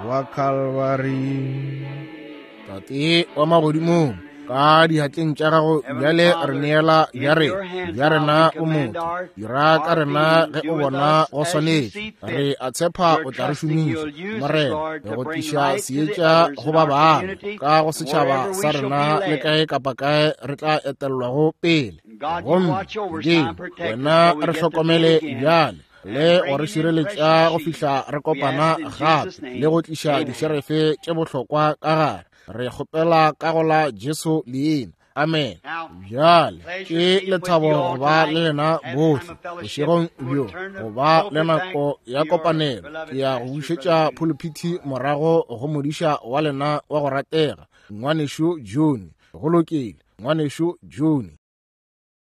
wa Kalvari. Tate wa magodimong, ka diatleng tša gago bjale re neela bja rena, bja rena o motho. Dira ka rena ge o bona go swanetše. Re a tshepa o tla re šomiša, Morena, go tliša seetša go ba bangwe ka go setšhaba sa rena le kae kapa kae re tla etelelwago pele. Gomme Modimo, wena re hlokomele bjale le go re šireletša go fihla re kopana gape le go tliša dišerefe tše bohlokwa ka gare. Re kgopela ka go la Jesu leina. Amen. Bjale ke lethabo go ba le lena bohle bošegong bjo, go ba le nako ya kopanelo. Ke ya go bušetša phuluphithi morago go modiša wa lena wa go ratega, ngwanešu June. Go lokile, ngwanešu June.